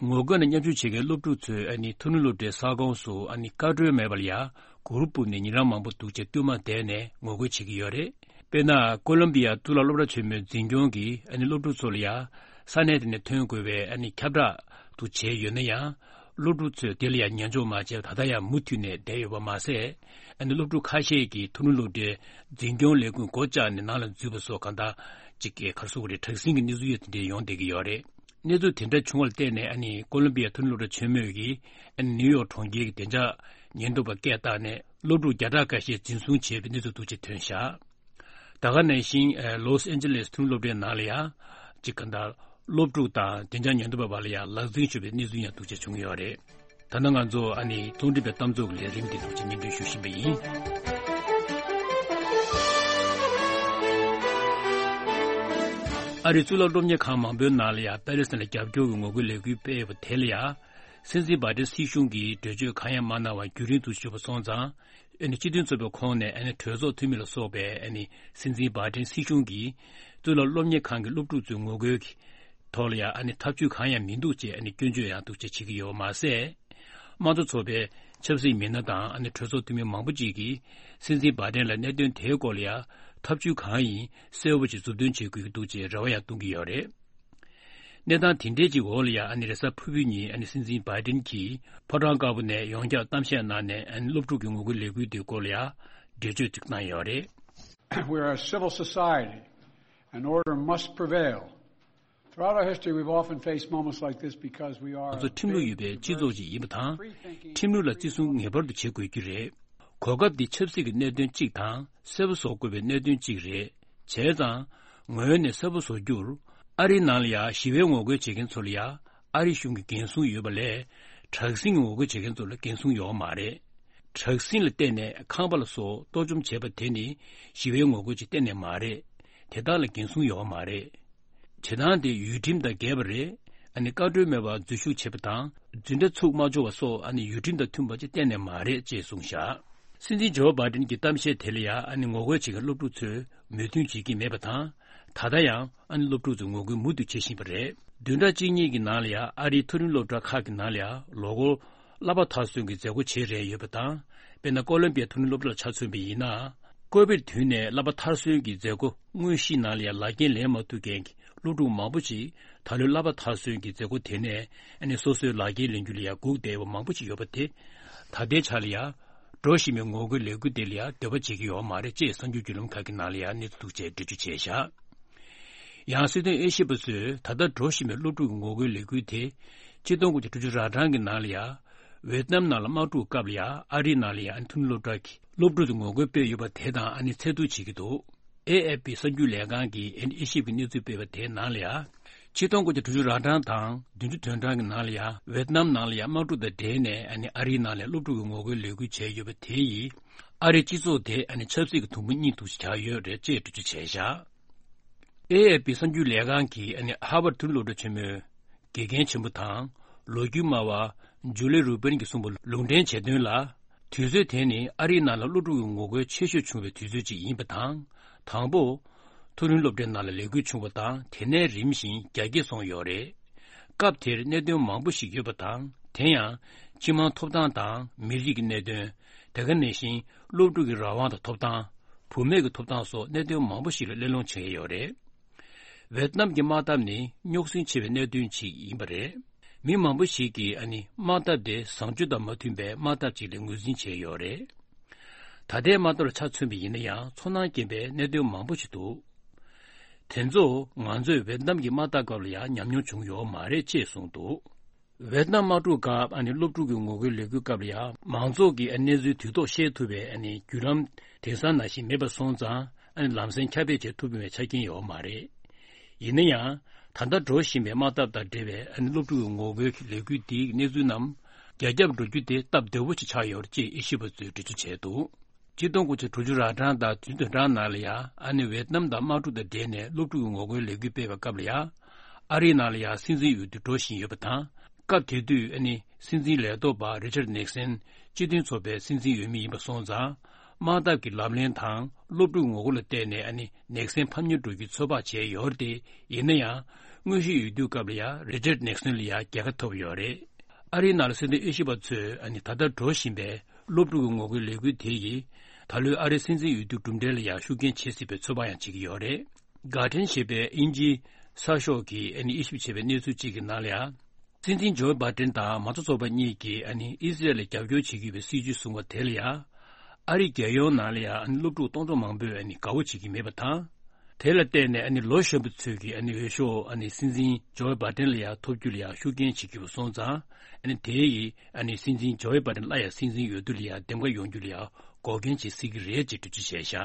ངོ་རྒོལ་ནང་མཉམ་ཞུགས་བྱེད་མཁན་སློབ་ཕྲུག་ཚོས་ཨ་ནི་མཐོ་རིམ་སློབ་གྲྭའི་ས་ཁོངས་སུ་ཨ་ནི་བཀའ་འཁྲོལ་མེད་པར་ཡང་གུར་སྤུབས་ནས་ཉིན་གྲངས་མང་པོ་འདུག་ཅེས་བསྟུད་མར་བསྡད་ནས་ངོ་རྒོལ་བྱེད་ཀྱི་ཡོད་རེད། དཔེར་ན། ཀོ་ལོམ་བི་ཡ་གཙུག་ལག་སློབ་གྲྭ་ཆེན་མོའི་འཛིན་སྐྱོང་གིས་ཨ་ནི་སློབ་ཕྲུག་ཚོ་ལ་ཡང་ས་གནས་དེ་ནས་ཐོན་དགོས་པའི་ཨ་ནི་ཁྱབ་བསྒྲགས་དུ་བྱས་ཡོད་ན་ཡང་། སློབ་ཕྲུག་ཚོས་དེ་ལ་ཡང་ཉན་འཇོག་མ་བྱས་པར་ད་ལྟ་ཡང་མུ་མཐུད་ནས་བསྡད་ཡོད་པ་མ་ཟད། ཨ་ནི་སློབ་ཕྲུག་ཁ་ཤས་ཀྱིས་མཐོ་རིམ་སློབ་གྲྭའི་འཛིན་སྐྱོང་ལས་ཁུངས་སྒོ་བཅག་ནས་ནང་ལ་འཛུལ་བ་སོགས་གང་ལྟར་ཅིག་གི་ག་རེ་ཟེར་དགོས་རེད། དྲག་ཟིང་གི་གནས་ཚུལ་དེ་འདྲ་ཡོང་བསྡད་ཀྱི་ཡོད་རེད། གནས་ཚུལ་དེ་འདྲ་བྱུང་བ་ལ་བརྟེན་ནས་ཨ་ནི་ཀོ་ལོམ་བི་ཡ་མཐོ་རིམ་སློབ་གྲྭ་ཆེན་མོས་ཀྱིས་ཨ་ནི་ནིའུ་ཡོག་གྲོང་ཁྱེར་གྱི་བདེ་འཇགས་ཉེན་རྟོག་པ་སྐད་བཏང་ནས་སློབ་ཕྲུག་བརྒྱ་ཕྲག་འགའ་ཤས་འཛིན་བཟུང་བྱས་པའི་གནས་ཚུལ་འདུག་ཅེས་ཐོན་བཞག་ད་ག་ནང་བཞིན། ལོས་ཨན་ཇེ་ལེས་མཐོ་རིམ་སློབ་གྲྭའི་ནང་ལ་ཡང་། གཅིག་ག་འདྲ། སློབ་ཕྲུག་དང་བདེ་འཇགས་ཉེན་རྟོག་པའི་བར་ལ་ཡང་ལག་འཛིང་བྱུང་བའི་གནས་ཚུལ་ཡང་འདུག་ཅེས་བྱུང་ཡོད་རེད། ད་ནང་ང་ཚོ་ཨ་ནི་རླུང་འཕྲིན་པའི་གཏམ་ཚོགས་ཀྱི་ལས་རིམ་འདི་འདུག་ཅེས་སྙན་སྒྲོན་ཞུ་བཞིན་པ་ཡིན། ཨ་རིའི་གཙུག་ལག་སློབ་གཉེར་ཁང་མང་པོའི་ནང་ལ་ཡང་པེ་ལི་སི་ཐན་ལ་རྒྱབ་སྐྱོར་གྱི་ངོ་རྒོལ་ལས་འགུལ་སྤེལ་བ་དེ་ལ་ཡང་། སྲིད་འཛིན་བྷའི་ཏིན་སྲིད་གཞུང་གིས་འགྲེལ་བརྗོད་གང་ཡང་མ་གནང་བར་རྒྱུན་རིང་དུ་བཞུགས་པ་སོང་ཙང་། ཨ་ནི་སྤྱི་མཐུན་ཚོགས་པའི་ཁོངས་ནས་ཨ་ནི་གྲོས་ཚོགས་འཐུས་མི་ལ་སོགས་པས་ཨ་ནི་སྲིད་འཛིན་བྷའི་ཏིན་སྲིད་གཞུང་གིས་གཙུག་ལག་སློབ་གཉེར་ཁང་གི་སློབ་ཕྲུག་ཚོའི་ངོ་རྒོལ་གྱི་ཐོག་ལ་ཡང་ཨ་ནི་ཐབས་ཇུས་གང་ཡང་མི་འདུག་ཅེས་ཨ་ནི་སྐྱོན་བརྗོད་ཡང་འདུག་ཅེས་བྱེད་ཀྱི་ཡོད་པ་མ་ཟད། དམངས་གཙོ་ཚོགས་པའི་ཆབ་སྲིད་མི་སྣ་དང་ཨ་ནི་གྲོས་ཚོགས་འཐུས་མི་མང་པོ་ཅིག་གིས་སྲིད་འཛིན་བྷའི་ཏིན་ལ་གནད་དོན་དེའི་སྐོར་ལ་ཡང་ཐབས་ཇུས་གང་ཡིན་གསལ་པོ་ཞིག་མཛུབ་སྟོན་བྱེད་དགོས་ཀྱི་འདུག་ཅེས་རེ་བ་ཡང་གཏོང་གི་ཡོད་རེད། གནས་སྟངས་དེ་འདྲའི་ཅིག་འོག་ལ་ཡང་ཨ་ནི་རེས་གཟའ་ཕུར་བུའི་ཉིན་ཨ་ནི་སྲིད་འཛིན་བྷའི་ཏིན་གྱིས་ཕོ་བྲང་དཀར་པོ་ནས་ཡོངས་ཁྱབ་གཏམ་བཤད་གནང་ནས་ཨ་ནི་སློབ་ཕྲུག་གི་ངོ་རྒོལ་ལས་འགུལ་དེའི་སྐོར་ལ་ཡང་འགྲེལ་བརྗོད་ཅིག་གནང་ཡོད་རེད། We are a civil society and order must prevail. Throughout our history, we've often faced moments like this because we are ང་ཚོ་ཁྲིམས་ལུགས་ཡོད་པའི་སྤྱི་ཚོགས་ཤིག་ཡིན་པ་དང་། ཁྲིམས་ལུགས་ལ་བརྩི་སྲུང་ངེས་པར་དུ་བྱེད་དགོས་ཀྱི་རེད། གོ་སྐབས་འདི་ཆབ་སྲིད་ཀྱི་གནད་དོན་གཅིག་དང་གསལ་པོ་བཟོ་དགོས་པའི་གནད་དོན་གཅིག་རེད། བྱས་ཙང་། ངོས་ནས་གསལ་པོ་བཟོ་རྒྱུར། ཨ་རིའི་ནང་ལ་ཡང་ཞི་བའི་ངོ་རྒོལ་བྱེད་མཁན་ཚོ་ལ་ཡང་ཨ་རི་གཞུང་གིས་འགན་སྲུང་ཡོད་པ་ལས། དྲག་ཟིང་གི་ངོ་རྒོལ་བྱེད་མཁན་ཚོ་ལ་འགན་སྲུང་ཡོད་མ་རེད། དྲག་ཟིང་ལ་བརྟེན་ནས་ཁང་པ་ལ་སོགས་གཏོར་བཅོམ་བྱས་པ་དེ་ནི་ཞི་བའི་ངོ་རྒོལ་ཅིག་གཏན་ནས་མ་རེད། དེ་དག་ལ་འགན་སྲུང་ཡོད་མ་རེད། བྱེད་སྟངས་དེ་ཡུལ་ཁྲིམས་དང་འགལ་བ་རེད། ཨ་ནི་བཀའ་འཁྲོལ་མེད་པར་འཛུལ་ཞུགས་བྱེད་པ་དང་འཛིན་གྲྭ་ཚུགས་མ་འཇོག་པ་སོགས་ཨ་ནི་ཡུལ་ཁྲིམས་དང་མཐུན་པ་ཅིག་གཏན་ནས་མ་རེད་ཅེས་གསུངས་བཞག་སྲིད་འཛིན་ཇོ་བྷའི་ཏིན་གྱི་གཏམ་བཤད་དེ་ལ་ཡང་ཨ་ནི་ངོ་རྒོལ་བྱེད་མཁན་སློབ་ཕྲུག་ཚོས་མོས་མཐུན་བྱེད་ཀྱི་མེད་པ་དང་། ད་ལྟ་ཡང་ཨ་ནི་སློབ་ཕྲུག་ཚོས་ངོ་རྒོལ་མུ་མཐུད་བྱེད་བཞིན་པ་རེད། བདུན་ཕྲག་གཅིག་གཉིས་ཀྱི་ནང་ལ་ཡང་ཨ་རིའི་མཐོ་རིམ་སློབ་གྲྭ་ཁག་གི་ནང་ལ་ཡང་ལོ་འཁོར་ གླ་པ་མཐར་སོན་གྱི་མཛད་སྒོ་བྱེད་རན་ཡོད་པ་དང་། དཔེར་ན་ཀོ་ལོམ་པི་ཡའི་མཐོ་རིམ་སློབ་གྲྭ་ལ་ཆ་མཚོན་པ་ཡིན་ན། ཀོ་བིད་དུས་ནས་གླ་པ་མཐར་སོན་གྱི་མཛད་སྒོ་དངོས་གཞིའི་ནང་ལ་ཡང་ལག་འཁྱེར་ལེན་མ་ཐུབ་མཁན་གྱི་སློབ་ཕྲུག་མང་པོ་ཅིག་ད་ལོའི་གླ་པ་མཐར་སོན་གྱི་མཛད་སྒོ་དེ་ནས་ཨ་ནི་སོ་སོའི་ལག་འཁྱེར་ལེན་རྒྱུ་ལ་ཡང་སྒུག་བསྡད་པ་མང་པོ་ཅིག་ཡོད་པ་དེ། ད་ལྟའི་ཆ་ལ་ཡང་འགྲོ་བཞིན་པའི་ངོ་རྒོལ་ལས་འགུལ་དེ་ལ་ཡང་འདོད་པ་བྱེད་ཀྱི་ཡོད་མ་རེད་ཅེས་གསར་འགྱུར་བརྒྱུད་ལམ་ཁག་གི་ནང་ལ་ཡང་གནས་ཚུལ་ཐུག་ཆེད་འགྲེལ་བརྗོད་བྱས་བཞག་ཡང་སྲིད་དོན་དབྱེ་ཞིབ་པ་ཚོས་ད་ལྟ་འགྲོ་བཞིན་པའི་སློབ་ཕྲུག་གི་ངོ་རྒོལ་ལས་འགུལ་དེ། ཆིག་སྟོང་དགུ་བརྒྱ་དྲུག་ཅུ་རེ་གྲངས་ཀྱི་ནང་ལ་ཡང་། ཝེ་ཏི་ནམ་ནང་ལ་དམག་འཁྲུག་སྐབས་ལ་ཡང་ཨ་རིའི་ནང་ལ་ཡང་མཐོ་རིམ་སློབ་གྲྭ་གི་སློབ་ཕྲུག་ཚོས་ངོ་རྒོལ་སྤེལ་ཡོད་པ་དེ་དང་ཨ་ནི་འཚོལ་བསྡུ་བྱེད་ཀྱི་འདུག་ཨེ་ཨེཕ་པི་གསར་འགྱུར་ལས་ཁང་གིས་ཨ་ནི་དབྱེ་ཞིབ་ཀྱི་གནས་ཚུལ་སྤེལ་བ་དེའི་ནང་ལ་ཡང་། ཆིག་སྟོང་དགུ་བརྒྱ་དྲུག་ཅུ་རེ་གྲངས་དང་བདུན་ཅུ་དོན་གྲངས་ཀྱི་ནང་ལ་ཡང་ཝེ་ཏི་ནམ་ནང་ལ་ཡང་དམག་འཁྲུག་དང་འབྲེལ་ནས་ཨ་ནི་ཨ་རིའི་ནང་ལ་སློབ་ཕྲུག་གི་ངོ་རྒོལ་ལས་འགུལ་བྱས་ཡོད་པ་དེ་ཡིས། ཨ་རིའི་སྤྱི་ཚོགས་དེ་ཨ་ནི་ཆབ་སྲིད་ཀྱི་དུམ་བུ་གཉིས་འདུ་ཤེས་བྱ་ཡོད་རེད་ཅེས་འགྲེལ་བརྗོད་བྱས་བཞག་ཨེ་ཨེཕ་པི་གསར་འགྱུར་ལས་ཁང་གིས་ཨ་ནི་ཧར་ཝར་མཐོ་རིམ་སློབ་གྲྭ་ཆེན་མོའི་དགེ་རྒན་ཆེན་པོ་དང་ལོ་རྒྱུས་སྨྲ་བ་ཇུ་ལི་རུ་པིན་གྱིས་གསུངས་པ་ལུང་འདྲེན་བྱས་དོན་ལ། དུས་ཚོད་དེ་ནི་ཨ་རིའི་ནང་ལ་སློབ་ཕྲུག་གི་ངོ་རྒོལ་ཆེ་ཤོས་བྱུང་བའི་དུས་ཚོད་ཅིག་ཡིན་པ་དང་། དང་པོ། མཐོ་རིམ་སློབ་གྲྭའི་ནང་ལ་ལས་འགུལ་བྱུང་བ་དང་དེ་ནས་རིམ་བཞིན་རྒྱ་སྐྱེད་སོང་ཡོད་རེད། སྐབས་དེར་གནད་དོན་མང་པོ་ཞིག་ཡོད་པ་དང་དེ་ཡང་སྤྱི་དམངས་ཐོབ་ཐང་དང་མི་རིགས་ཀྱི་གནད་དོན། དེ་ག་ནང་བཞིན་སློབ་ཕྲུག་གི་རང་དབང་དང་ཐོབ་ཐང་། བུད་མེད་ཀྱི་ཐོབ་ཐང་སོགས་གནད་དོན་མང་པོ་ཞིག་ལ་གླེང་སློང་བྱེད་ཀྱི་ཡོད་རེད། ཝེ་ཏི་ནམ་གྱི་དམག་འཐབ་ནི་རྙོག་ཟིང་ཆེ་བའི་གནད་དོན་ཅིག་ཡིན་པ་རེད། མི་མང་པོ་ཞིག་གིས་ཨ་ནི་དམག་འཐབ་དེ་བཟང་སྤྱོད་དང་མ་མཐུན་པའི་དམག་འཐབ་ཅིག་ལ་ངོས་འཛིན་བྱས་ཡོད་རེད། ད་ལྟའི་དམག་འཐབ་ལ་ཆ་མཚོན་པ་ཡིན་ན་ཡང་ཚོར་སྣང་སྐྱེ་བའི་གནད་དོན་མང་པོ་ཞིག་འདུག་དེ་ཚོ་ང་ཚོས་ཝེ་ཏི་ནམ་གྱི་དམག་འཐབ་སྐབས་ལ་ཡང་ཉམས་མྱོང་བྱུང་ཡོད་མ་རེད་ཅེས་གསུངས་འདུག་ཝེ་ཏི་ནམ་དམག་འཁྲུག་སྐབས་ཨ་ནི་སློབ་ཕྲུག་གི་ངོ་རྒོལ་ལས་འགུལ་སྐབས་ལ་ཡང་མང་ཚོགས་ཀྱིས་ཨ་གནས་ཚུལ་དུས་ཐོག་ཤེས་ཐུབ་པའི་ཨ་ནི་བརྒྱུད་ལམ་དེང་སང་ནང་བཞིན་མེད་པ་སོང་ཙང་ཨ་ནི་ལམ་སེང་ཁྱབ་སྤེལ་བྱེད་ཐུབ་པའི་ཆ་རྐྱེན་ཡོད་མ་རེད། ཡིན་ན་ཡང་། ད་ལྟ་འགྲོ་བཞིན་པའི་དམག་འཐབ་དང་འབྲེལ་བའི་ཨ་ནི་སློབ་ཕྲུག་གི་ངོ་རྒོལ་གྱི་ལས་འགུལ་འདིའི་གནས་ཚུལ་རྣམས་རྒྱ་ཁྱབ་འགྲོ་རྒྱུ་དེ་སྟབས་བདེ་བོ་ཞིག་ཆགས་ཡོད་རེད་ཅེས་དབྱེ་ཞིབ་པ་ཚོས་འགྲེལ་བརྗོད་བྱས་འདུག་ཆིག་སྟོང་དགུ་བརྒྱ་དྲུག་ཅུ་རེ་གྲངས་དང་བདུན་ཅུ་དོན་གྲངས་ནང་ལ་ཡང་ཨ་ནི་ཝེ་ཏི་ནམ་དང་དམག་འཁྲུག་དང་འབྲེལ་ནས་སློབ་ཕྲུག་གི་ངོ་རྒོལ་ལས་འགུལ་སྤེལ་བའི་སྐབས་ལ་ཡང་ཨ་རིའི་ནང་ལ་ཡང་སྲིད་འཛིན་འོས་བསྡུ་འགྲོ་བཞིན་ཡོད་པ་དང་། སྐབས་དེ་དུས་ཨ་ནི་སྲིད་འཛིན་ལས་ཐོག་པ་རི་ཅར་ནིག་སན་སྤྱི་མཐུན་ཚོགས་པའི་སྲིད་འཛིན་འོས་མི་ཡིན་པ་སོང་ཙང་། དམག་འཐབ་ཀྱི་ལམ་ལྷོང་དང་སློབ་ཕྲུག་ངོ་རྒོལ་ལ་བརྟེན་ནས་ཨ་ནི་ནིག་སན་ཕམ་ཉེས་འགྲོ་རྒྱུའི་ཚོད་དཔག་བྱས་ཡོད་རེད་དེ། ཡིན་ན་ཡང་། དངོས་གཞིའི་འོས་བསྡུའི་སྐབས་ལ་ཡང་རི་ཅར་ནིག་སན་ལ་ཡང་རྒྱལ་ཁ་ཐོབ་ཡོད་རེད། ཨ་རིའི་ནང་ལ་སྲིད་དོན་དབྱེ་ཞིབ་པ་ཚོས་ཨ་ནི་ད་ལྟ་འགྲོ་བཞིན་པའི་སློབ་ཕྲུག་གི་ངོ་རྒོལ་ལས་འགུལ་དེ་ཡིས་ད་ལོའི་ཨ་རིའི་སྲིད་འཛིན་འོས་བསྡུ་གྲུབ་འབྲས་ལ་ཡང་ཤུགས་རྐྱེན་བྱེད་སྲིད་པའི་ཚོད་དཔག་ཡང་བྱེད་ཀྱི་ཡོད་རེད། གྷར་ཌེན་ཞེས་པའི་དབྱིན་ཇིའི་གསར་ཤོག་གིས་ཨ་ནི་དབྱེ་ཞིབ་བྱས་པའི་གནས་ཚུལ་གཅིག་གི་ནང་ལ་ཡང་། སྲིད་འཛིན་ཇོ་བྷའི་ཌེན་དང་མང་གཙོ་ཚོགས་པ་གཉིས་ཀྱིས་ཨ་ནི་ཨི་སི་རལ་ལ་རྒྱབ་སྐྱོར་བྱེད་ཀྱི་ཡོད་པའི་སྲིད་ཇུས་བཟུང་བ་དེ་ལ་ཡང་། ཨ་རི་རྒྱལ་ཡོངས་ནང་ལ་ཡང་ཨ་ནི་སློབ་ཕྲུག་སྟོང་ཕྲག་མང་པོས་ཨ་ནི་དགའ་བོ་བྱེད་ཀྱི་མེད་པ་དང་། དེ་ལ་བརྟེན་ནས་ཨ་ནི་ལོ་གཞོན་པ་ཚོས་ཀྱིས་ཨ་ནི་འོས་ཤོག་ཨ་ནི་སྲིད་འཛིན་ཇོ་བྷའི་ཌེན་ལ་ཡང་ཐོབ་རྒྱུ་ལ་ཡང་ཤུགས་རྐྱེན་བྱེད་ཀྱི་ཡོད་པ་སོང་ཙང་། ཨ་ནི་དེ་ཡིས་ཨ་ནི་སྲིད་འཛིན་ཇོ་བྷའི་ཌེན་སླར་ཡང་སྲིད་འཛིན་འོས་བསྡུ་ལ་ཡང་འདེམས་ཀ་ཡོང་རྒྱུ་ལ་ཡང་འགོག་རྐྱེན་བྱེད་སྲིད་ཀྱི་རེད་ཅེས་འགྲེལ་བརྗོད་བྱས་བཞག་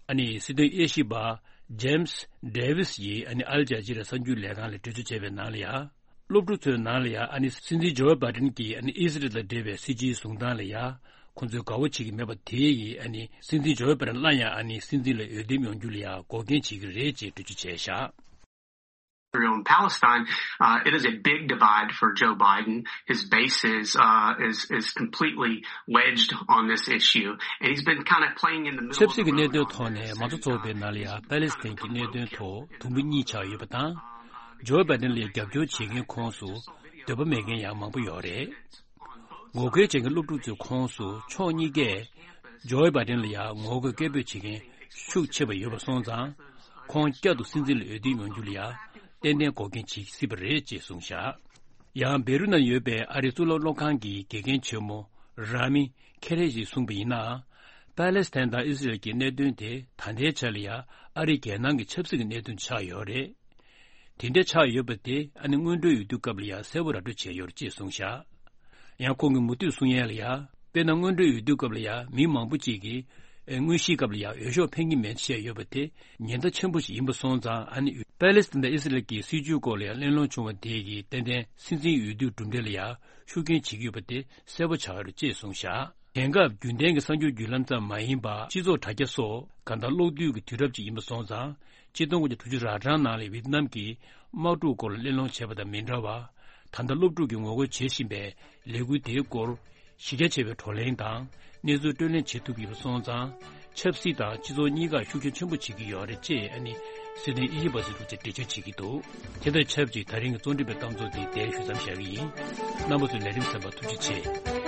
ཨ་ནི་སྲིད་དོན་དབྱེ་ཞིབ་པ་ཇེམ་སི་ཌེ་ཝི་སི་ཡིས་ཨ་ནི་ཨལ་ཇ་ཛི་ར་གསར་འགྱུར་ལས་ཁང་ལ་འགྲེལ་བརྗོད་བྱས་པའི་ནང་ལ་ཡང་། སློབ་ཕྲུག་ཚོའི་ནང་ལ་ཡང་ཨ་ནི་སྲིད་འཛིན་ཇོ་བྷའི་ཌེན་གྱིས་ཨ་ནི་ཨི་སི་རལ་དང་འབྲེལ་བའི་སྲིད་ཇུས་བཟུང་སྟངས་ལ་ཡང་ཁོང་ཚོས་དགའ་བོ་བྱེད་ཀྱི་མེད་པ་དེ་ཡིས་ཨ་ནི་སྲིད་འཛིན་ཇོ་བྷའི་ཌེན་སླར་ཡང་ཨ་ནི་སྲིད་འཛིན་ལ་འོས་འདེམས་ཡོང་རྒྱུ་ལ་ཡང་འགོག་རྐྱེན་བྱེད་ཀྱི་རེད་ཅེས་འགྲེལ་བརྗོད་བྱས་བཞག Israel and Palestine, uh, it is a big divide for Joe Biden. His base is, uh, is, is completely wedged on this issue, and he's been kind of playing in the middle of the road on this. ཆབ་སྲིད་ཀྱི་གནད་དོན་ཐོག་ནས་མང་གཙོ་ཚོགས་པའི་ནང་ལ་ཡང་པ་ལེ་སི་ཐན་གྱི་གནད་དོན་ཐོག་དུམ་བུ་གཉིས་ཆགས་ཡོད་པ་དང་། ཇོ་བྷའི་ཌེན་ལ་རྒྱབ་སྐྱོར་བྱེད་མཁན་ཁོངས་སུ་འདོད་པ་མེད་མཁན་ཡང་མང་པོ་ཡོད་རེད། ངོ་རྒོལ་བྱེད་མཁན་སློབ་ཕྲུག་ཚོའི་ཁོངས་སུ་ཕྱོགས་གཉིས་ཀས་ཇོ་བྷའི་ཌེན་ལ་ཡང་ངོ་རྒོལ་སྐད་འབོད་བྱེད་མཁན་ཤུགས་ཆེ་བ་ཡོད་པ་སོང་ཙང་། ཁོང་བསྐྱར་དུ་སྲིད་འཛིན་ལ་འོས་བསྡུ་ཡོང་རྒྱུ་ལ་ཡང་ཏན་ཏན་འགོག་རྐྱེན་བྱེད་སྲིད་པ་རེད་ཅེས་གསུངས་བཞག་ཡང་བེ་རུ་ནང་ཡོད་པའི་ཨ་རིའི་གཙུག་ལག་སློབ་ཁང་གི་དགེ་རྒན་ཆེན་མོ་ར་མི་ཁེ་རེ་ཡིས་གསུངས་པ་ཡིན་ན། པ་ལེ་སི་ཐན་དང་ཨི་སི་རལ་གྱི་གནད་དོན་དེ་ད་ལྟའི་ཆ་ལ་ཡང་ཨ་རིའི་རྒྱལ་ནང་གི་ཆབ་སྲིད་ཀྱི་གནད་དོན་ཆགས་ཡོད་རེད། དེ་འདྲ་ཆགས་ཡོད་པ་དེ་ཨ་ནི་སྔོན་འགྲོའི་འོས་བསྡུ་སྐབས་ལ་ཡང་གསལ་པོ་ར་སྤྲོད་བྱས་ཡོད་རེད་ཅེས་གསུངས་བཞག་ཡང་ཁོང་གིས་མུ་མཐུད་གསུང་ཡས་ལ་ཡང་། དཔེར་ན་སྔོན་འགྲོའི་འོས་བསྡུ་སྐབས་ལ་ཡང་མི་མང་པོ་ཅིག་གིས་དངོས་གཞིའི་སྐབས་ལ་ཡང་འོས་ཤོག་འཕེན་གྱི་མེད་བཤད་ཡོད་པ་དེ་ཉེན་བརྡ་ཆེན་པོ་ཞིག་ཡིན་པ་སོང་ཙང་། ཨ་ནི་པ་ལེ་སི་ཐན་དང་ཨི་སི་རལ་གྱི་སྲིད་བྱུས་སྐོར་ལ་ཡང་གླེང་སློང་བྱུང་བ་དེ་གིས་ཏན་ཏན་སྲིད་འཛིན་འོས་བསྡུའི་གྲུབ་འབྲས་ལ་ཡང་ཤུགས་རྐྱེན་བྱེད་ཀྱི་ཡོད་པ་དེ་གསལ་པོ་ཆགས་ཡོད་རེད་ཅེས་གསུངས་བཞག་དེང་སྐབས་རྒྱུན་ལྡན་གྱི་གསར་འགྱུར་བརྒྱུད་ལམ་ཙམ་མ་ཡིན་པར་སྤྱི་ཚོགས་དྲ་རྒྱ་སོགས་གང་ལྟར་གློག་རྡུལ་གྱི་དུས་རབས་ཅིག་ཡིན་པ་སོང་ཙང་། ཆིག་སྟོང་དགུ་བརྒྱ་དྲུག་ཅུ་རེ་གྲངས་ནང་ལ་ཝེ་ཏི་ནམ་གྱིས་དམག་འཁྲུག་སྐོར་ལ་གླེང་སློང་བྱས་པ་དང་མི་འདྲ་བར། ད་ལྟ་སློབ་ཕྲུག་གིས་ངོ་རྒོལ་བྱེད་བཞིན་པའི་ལས་འགུལ་དེའི་སྐོར་གཞི་རྒྱ་ཆེ་བའི་བགྲོ་གླེང་དང་གནས་ཚུལ་བགྲོ་གླེང་བྱེད་ཐུབ་ཀྱི་ཡོད་པ་སོང་ཙང་། ཆབ་སྲིད་དང་སྤྱི་ཚོགས་གཉིས་ཀར་ཤུགས་རྐྱེན་ཆེན་པོ་བྱེད་ཀྱི་ཡོད་རེད་ཅེས་ཨ་ནི། སྲིད་དོན་དབྱེ་ཞིབ་པ་ཚོས་ཐུགས་རྗེ་ཆེ་འགྲེལ་བརྗོད་བྱེད་ཀྱི་འདུག་དེ་དང་ཆབས་ཅིག་ད་རིང་གི་རྩོམ་སྒྲིག་པའི་གཏམ་ཚོགས་འདི་དེར་ཞུ་མཚམས་བཞག་གི་ཡིན། རྣམ་པ་ཚོས་ལས་རིམ་གསན་པར་ཐུགས་རྗེ་ཆེ།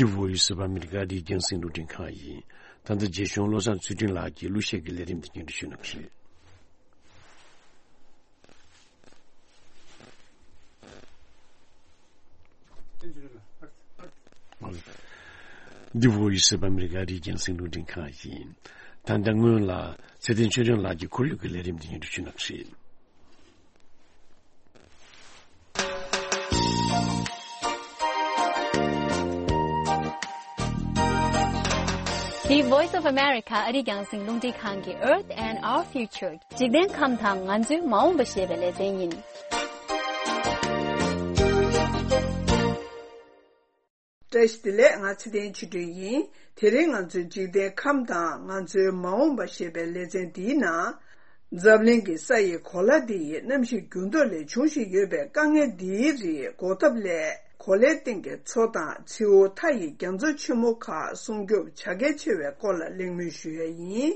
འདི་Voice of America རེད། རྒྱང་སྲིང་རླུང་འཕྲིན་ཁང་ཡིན། ད་ལྟ་རྗེ་གཞུང་བློ་བཟང་ཚུལ་ཁྲིམས་ལགས་ཀྱིས་གླུ་གཞས་ཀྱི་ལས་རིམ་དེ་སྙན་སྒྲོན་ཞུ་གནང་གི་རེད། འདི་Voice of America རེད། རྒྱང་སྲིང་རླུང་འཕྲིན་ཁང་ཡིན། ད་ལྟ་སྔོན་ལ་ཚེ་བརྟན་ཆོས་སྒྲོན་ལགས་ཀྱིས་ཁོར་ཡུག་གི་ལས་རིམ་དེ་སྙན་སྒྲོན་ཞུ་གནང་གི་རེད། འདི་Voice of America ཨ་རིའི་རྒྱང་སྲིང་རླུང་འཕྲིན་ཁང་གི་Earth and Our Future འཇིག་རྟེན་ཁམས་དང་ང་ཚོའི་མ་འོངས་པ་ཞེས་པའི་ལེ་ཚན་ཡིན། བཀྲ་ཤིས་བདེ་ལེགས། ང་ཚེ་བརྟན་ཆོས་སྒྲོན་ཡིན། དེ་རིང་ང་ཚོའི་འཇིག་རྟེན་ཁམས་དང་ང་ཚོའི་མ་འོངས་པ་ཞེས་པའི་ལེ་ཚན་འདིའི་ནང་། འཛམ་གླིང་གི་ས་ཡི་གོ་ལ་འདི་ཡི་གནམ་གཤིས་འགྱུར་ལྡོག་ལས་འབྱུང་བཞིན་ཡོད་པའི་དཀའ་ངལ་འདིའི་རིགས་འགོག་ཐབས་སླད། གོ་ལའི་སྟེང་གི་མཚོ་དང་མཚེའུ་མཐའ་ཡི་རྒྱ་མཚོ་ཆེན་མོ་ཁག་སྲུང་སྐྱོབ་བྱ་གལ་ཆེ་བའི་སྐོར་ལ་གླེང་མོལ་ཞུ་ཡ་ཡིན།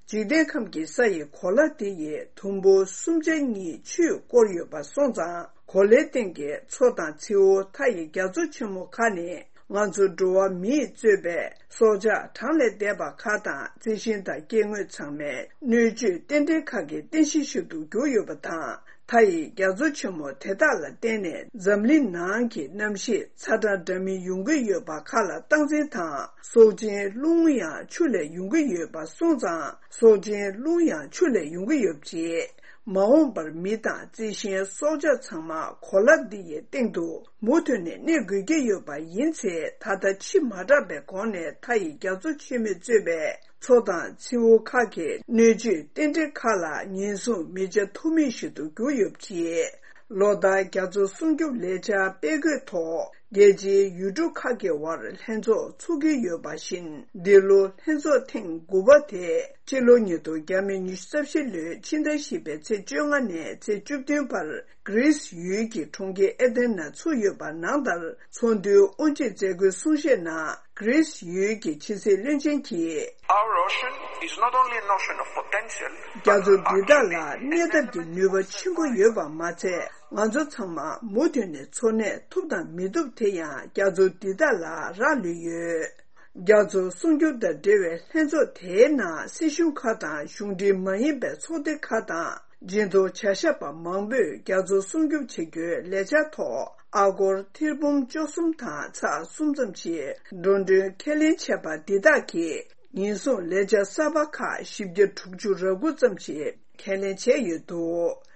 འཇིག་རྟེན་ཁམས་ཀྱི་ས་ཡི་གོ་ལ་དེ་ཡི་དུམ་བུ་གསུམ་ཆ་གཉིས་ཆུས་བསྐོར་ཡོད་པ་སོང་ཙང་། གོ་ལའི་སྟེང་གི་མཚོ་དང་མཚེའུ་མཐའ་ཡི་རྒྱ་མཚོ་ཆེན་མོ་ཁག་ནི། ང་ཚོ་འགྲོ་བ་མིས་གཙོས་པའི་སྲོག་ཆགས་གྲངས་ལས་འདས་པ་ཁག་དང་རྩི་ཤིང་དང་སྐྱེ་དངོས་ཚང་མའི་སྣོད་བཅུད་རྟེན་འབྲེལ་ཁག་གི་རྟེན་གཞི་ཞིག་ཏུ་གྱུར་ཡོད་པ་དང་། མཐའ་ཡི་རྒྱ་མཚོ་ཆེན་མོ་དེ་དག་ལ་བརྟེན་ནས་འཛམ་གླིང་ནང་གི་གནམ་གཤིས་ཚ་གྲང་འདྲ་མིན་ཡོང་གི་ཡོད་པ་ཁག་ལ་སྟངས་འཛིན་དང་། སྲོག་ཆགས་རླུང་ཡང་ཆུ་ལས་ཡོང་གི་ཡོད་པ་སོང་ཙང་། སྲོག་ཆགས་རླུང་ཡང་ཆུ་ལས་ཡོང་གི་ཡོད་པ་བྱས། མ་འོངས་པར་མི་དང་རྩི་ཤིང་སྲོག་ཆགས་ཚང་མ་གོ་ལ་འདི་ཡི་སྟེང་དུ་མུ་མཐུད་ནས་གནས་དགོས་ཀྱི་ཡོད་པ་ཡིན་ཚེ། ད་ལྟ་ཕྱི་མ་དྲགས་པའི་གོང་ནས་མཐའ་ཡི་རྒྱ་མཚོ་ཆེན་མོས་གཙོས་པའི་མཚོ་དང་མཚེའུ་ཁག་གི་སྣོད་བཅུད་རྟེན་འབྲེལ་ཁག་ལ་ཉེན་སྲུང་མི་བྱ་ཐུབ་མིན་ཞིག་ཏུ་གྱུར་ཡོད་པ་བྱས། ལོ་ལྟར་རྒྱ་མཚོ་སྲུང་སྐྱོབ་ལས་འཆར་སྤེལ་དགོས་ཐོག་རྒྱལ་སྤྱིའི་ཡུལ་གྲུ་ཁག་གི་དབར་ལྷན་ཚོགས་ཚོགས་ཀྱི་ཡོད་པ་བཞིན། འདི་ལོ་ལྷན་ཚོགས་ཐེངས་དགུ་པ་དེ་ཕྱི་ལོ་ཉིས་སྟོང་ཉི་ཤུ་རྩ་བཞི་ལོའི་ཕྱི་ཟླ་བཞི་པའི་ཚེས་བཅོ་ལྔ་ནས་ཚེས་བཅུ་བདུན་བར་གྷི་རིས་ཡུལ་གྱི་གྲོང་ཁྱེར་ཨེ་ཐེན་ན་ཚུགས་ཡོད་པ་ནང་ལྟར། ཚོགས་འདུའི་དབུ་འབྱེད་མཛད་སྒོའི་གསུང་བཤད་ནང་གྷི་རིས་ཡུལ་གྱི་ཕྱི་སྲིད་བློན་ཆེན་གྱིས། Our ocean is not only an ocean of potential, རྒྱ་མཚོ་འདི་དག་ལ་གནས་ཐབས་ཀྱི་ནུས་པ་ཆེན་པོ་ཡོད་པ་མ་ཚད། ང་ཚོ་ཚང་མ་མུ་མཐུད་ནས་འཚོ་གནས་ཐུབ་དང་མི་ཐུབ་དེ་ཡང་རྒྱ་མཚོ་འདི་དག་ལ་རག་ལུས་ཡོད། རྒྱ་མཚོ་སྲུང་སྐྱོབ་དང་འབྲེལ་བའི་ལྷན་ཚོགས་དེའི་ནང་སྲིད་གཞུང་ཁག་དང་གཞུང་འབྲེལ་མ་ཡིན་པའི་ཚོགས་སྡེ་ཁག་དང་། སྦྱིན་གཏོང་བྱ་ཞབས་པ་མང་པོས་རྒྱ་མཚོ་སྲུང་སྐྱོབ་བྱེད་རྒྱུའི་ལས་འཆར་ཐོག་ཨ་སྒོར་ཐེར་འབུམ་བཅུ་གསུམ་དང་ཚེག་གསུམ་ཙམ་ཞིག་འགྲོ་གྲོན་ཁས་ལེན་བྱས་པ་འདི་དག་གིས། ཉེན་སྲུང་ལས་འཆར་གསར་པ་ཁག་བཞི་བརྒྱ་དྲུག་ཅུ་རེ་དགུ་ཙམ་ཞིག་ཁས་ལེན་བྱས་ཡོད་འདུག་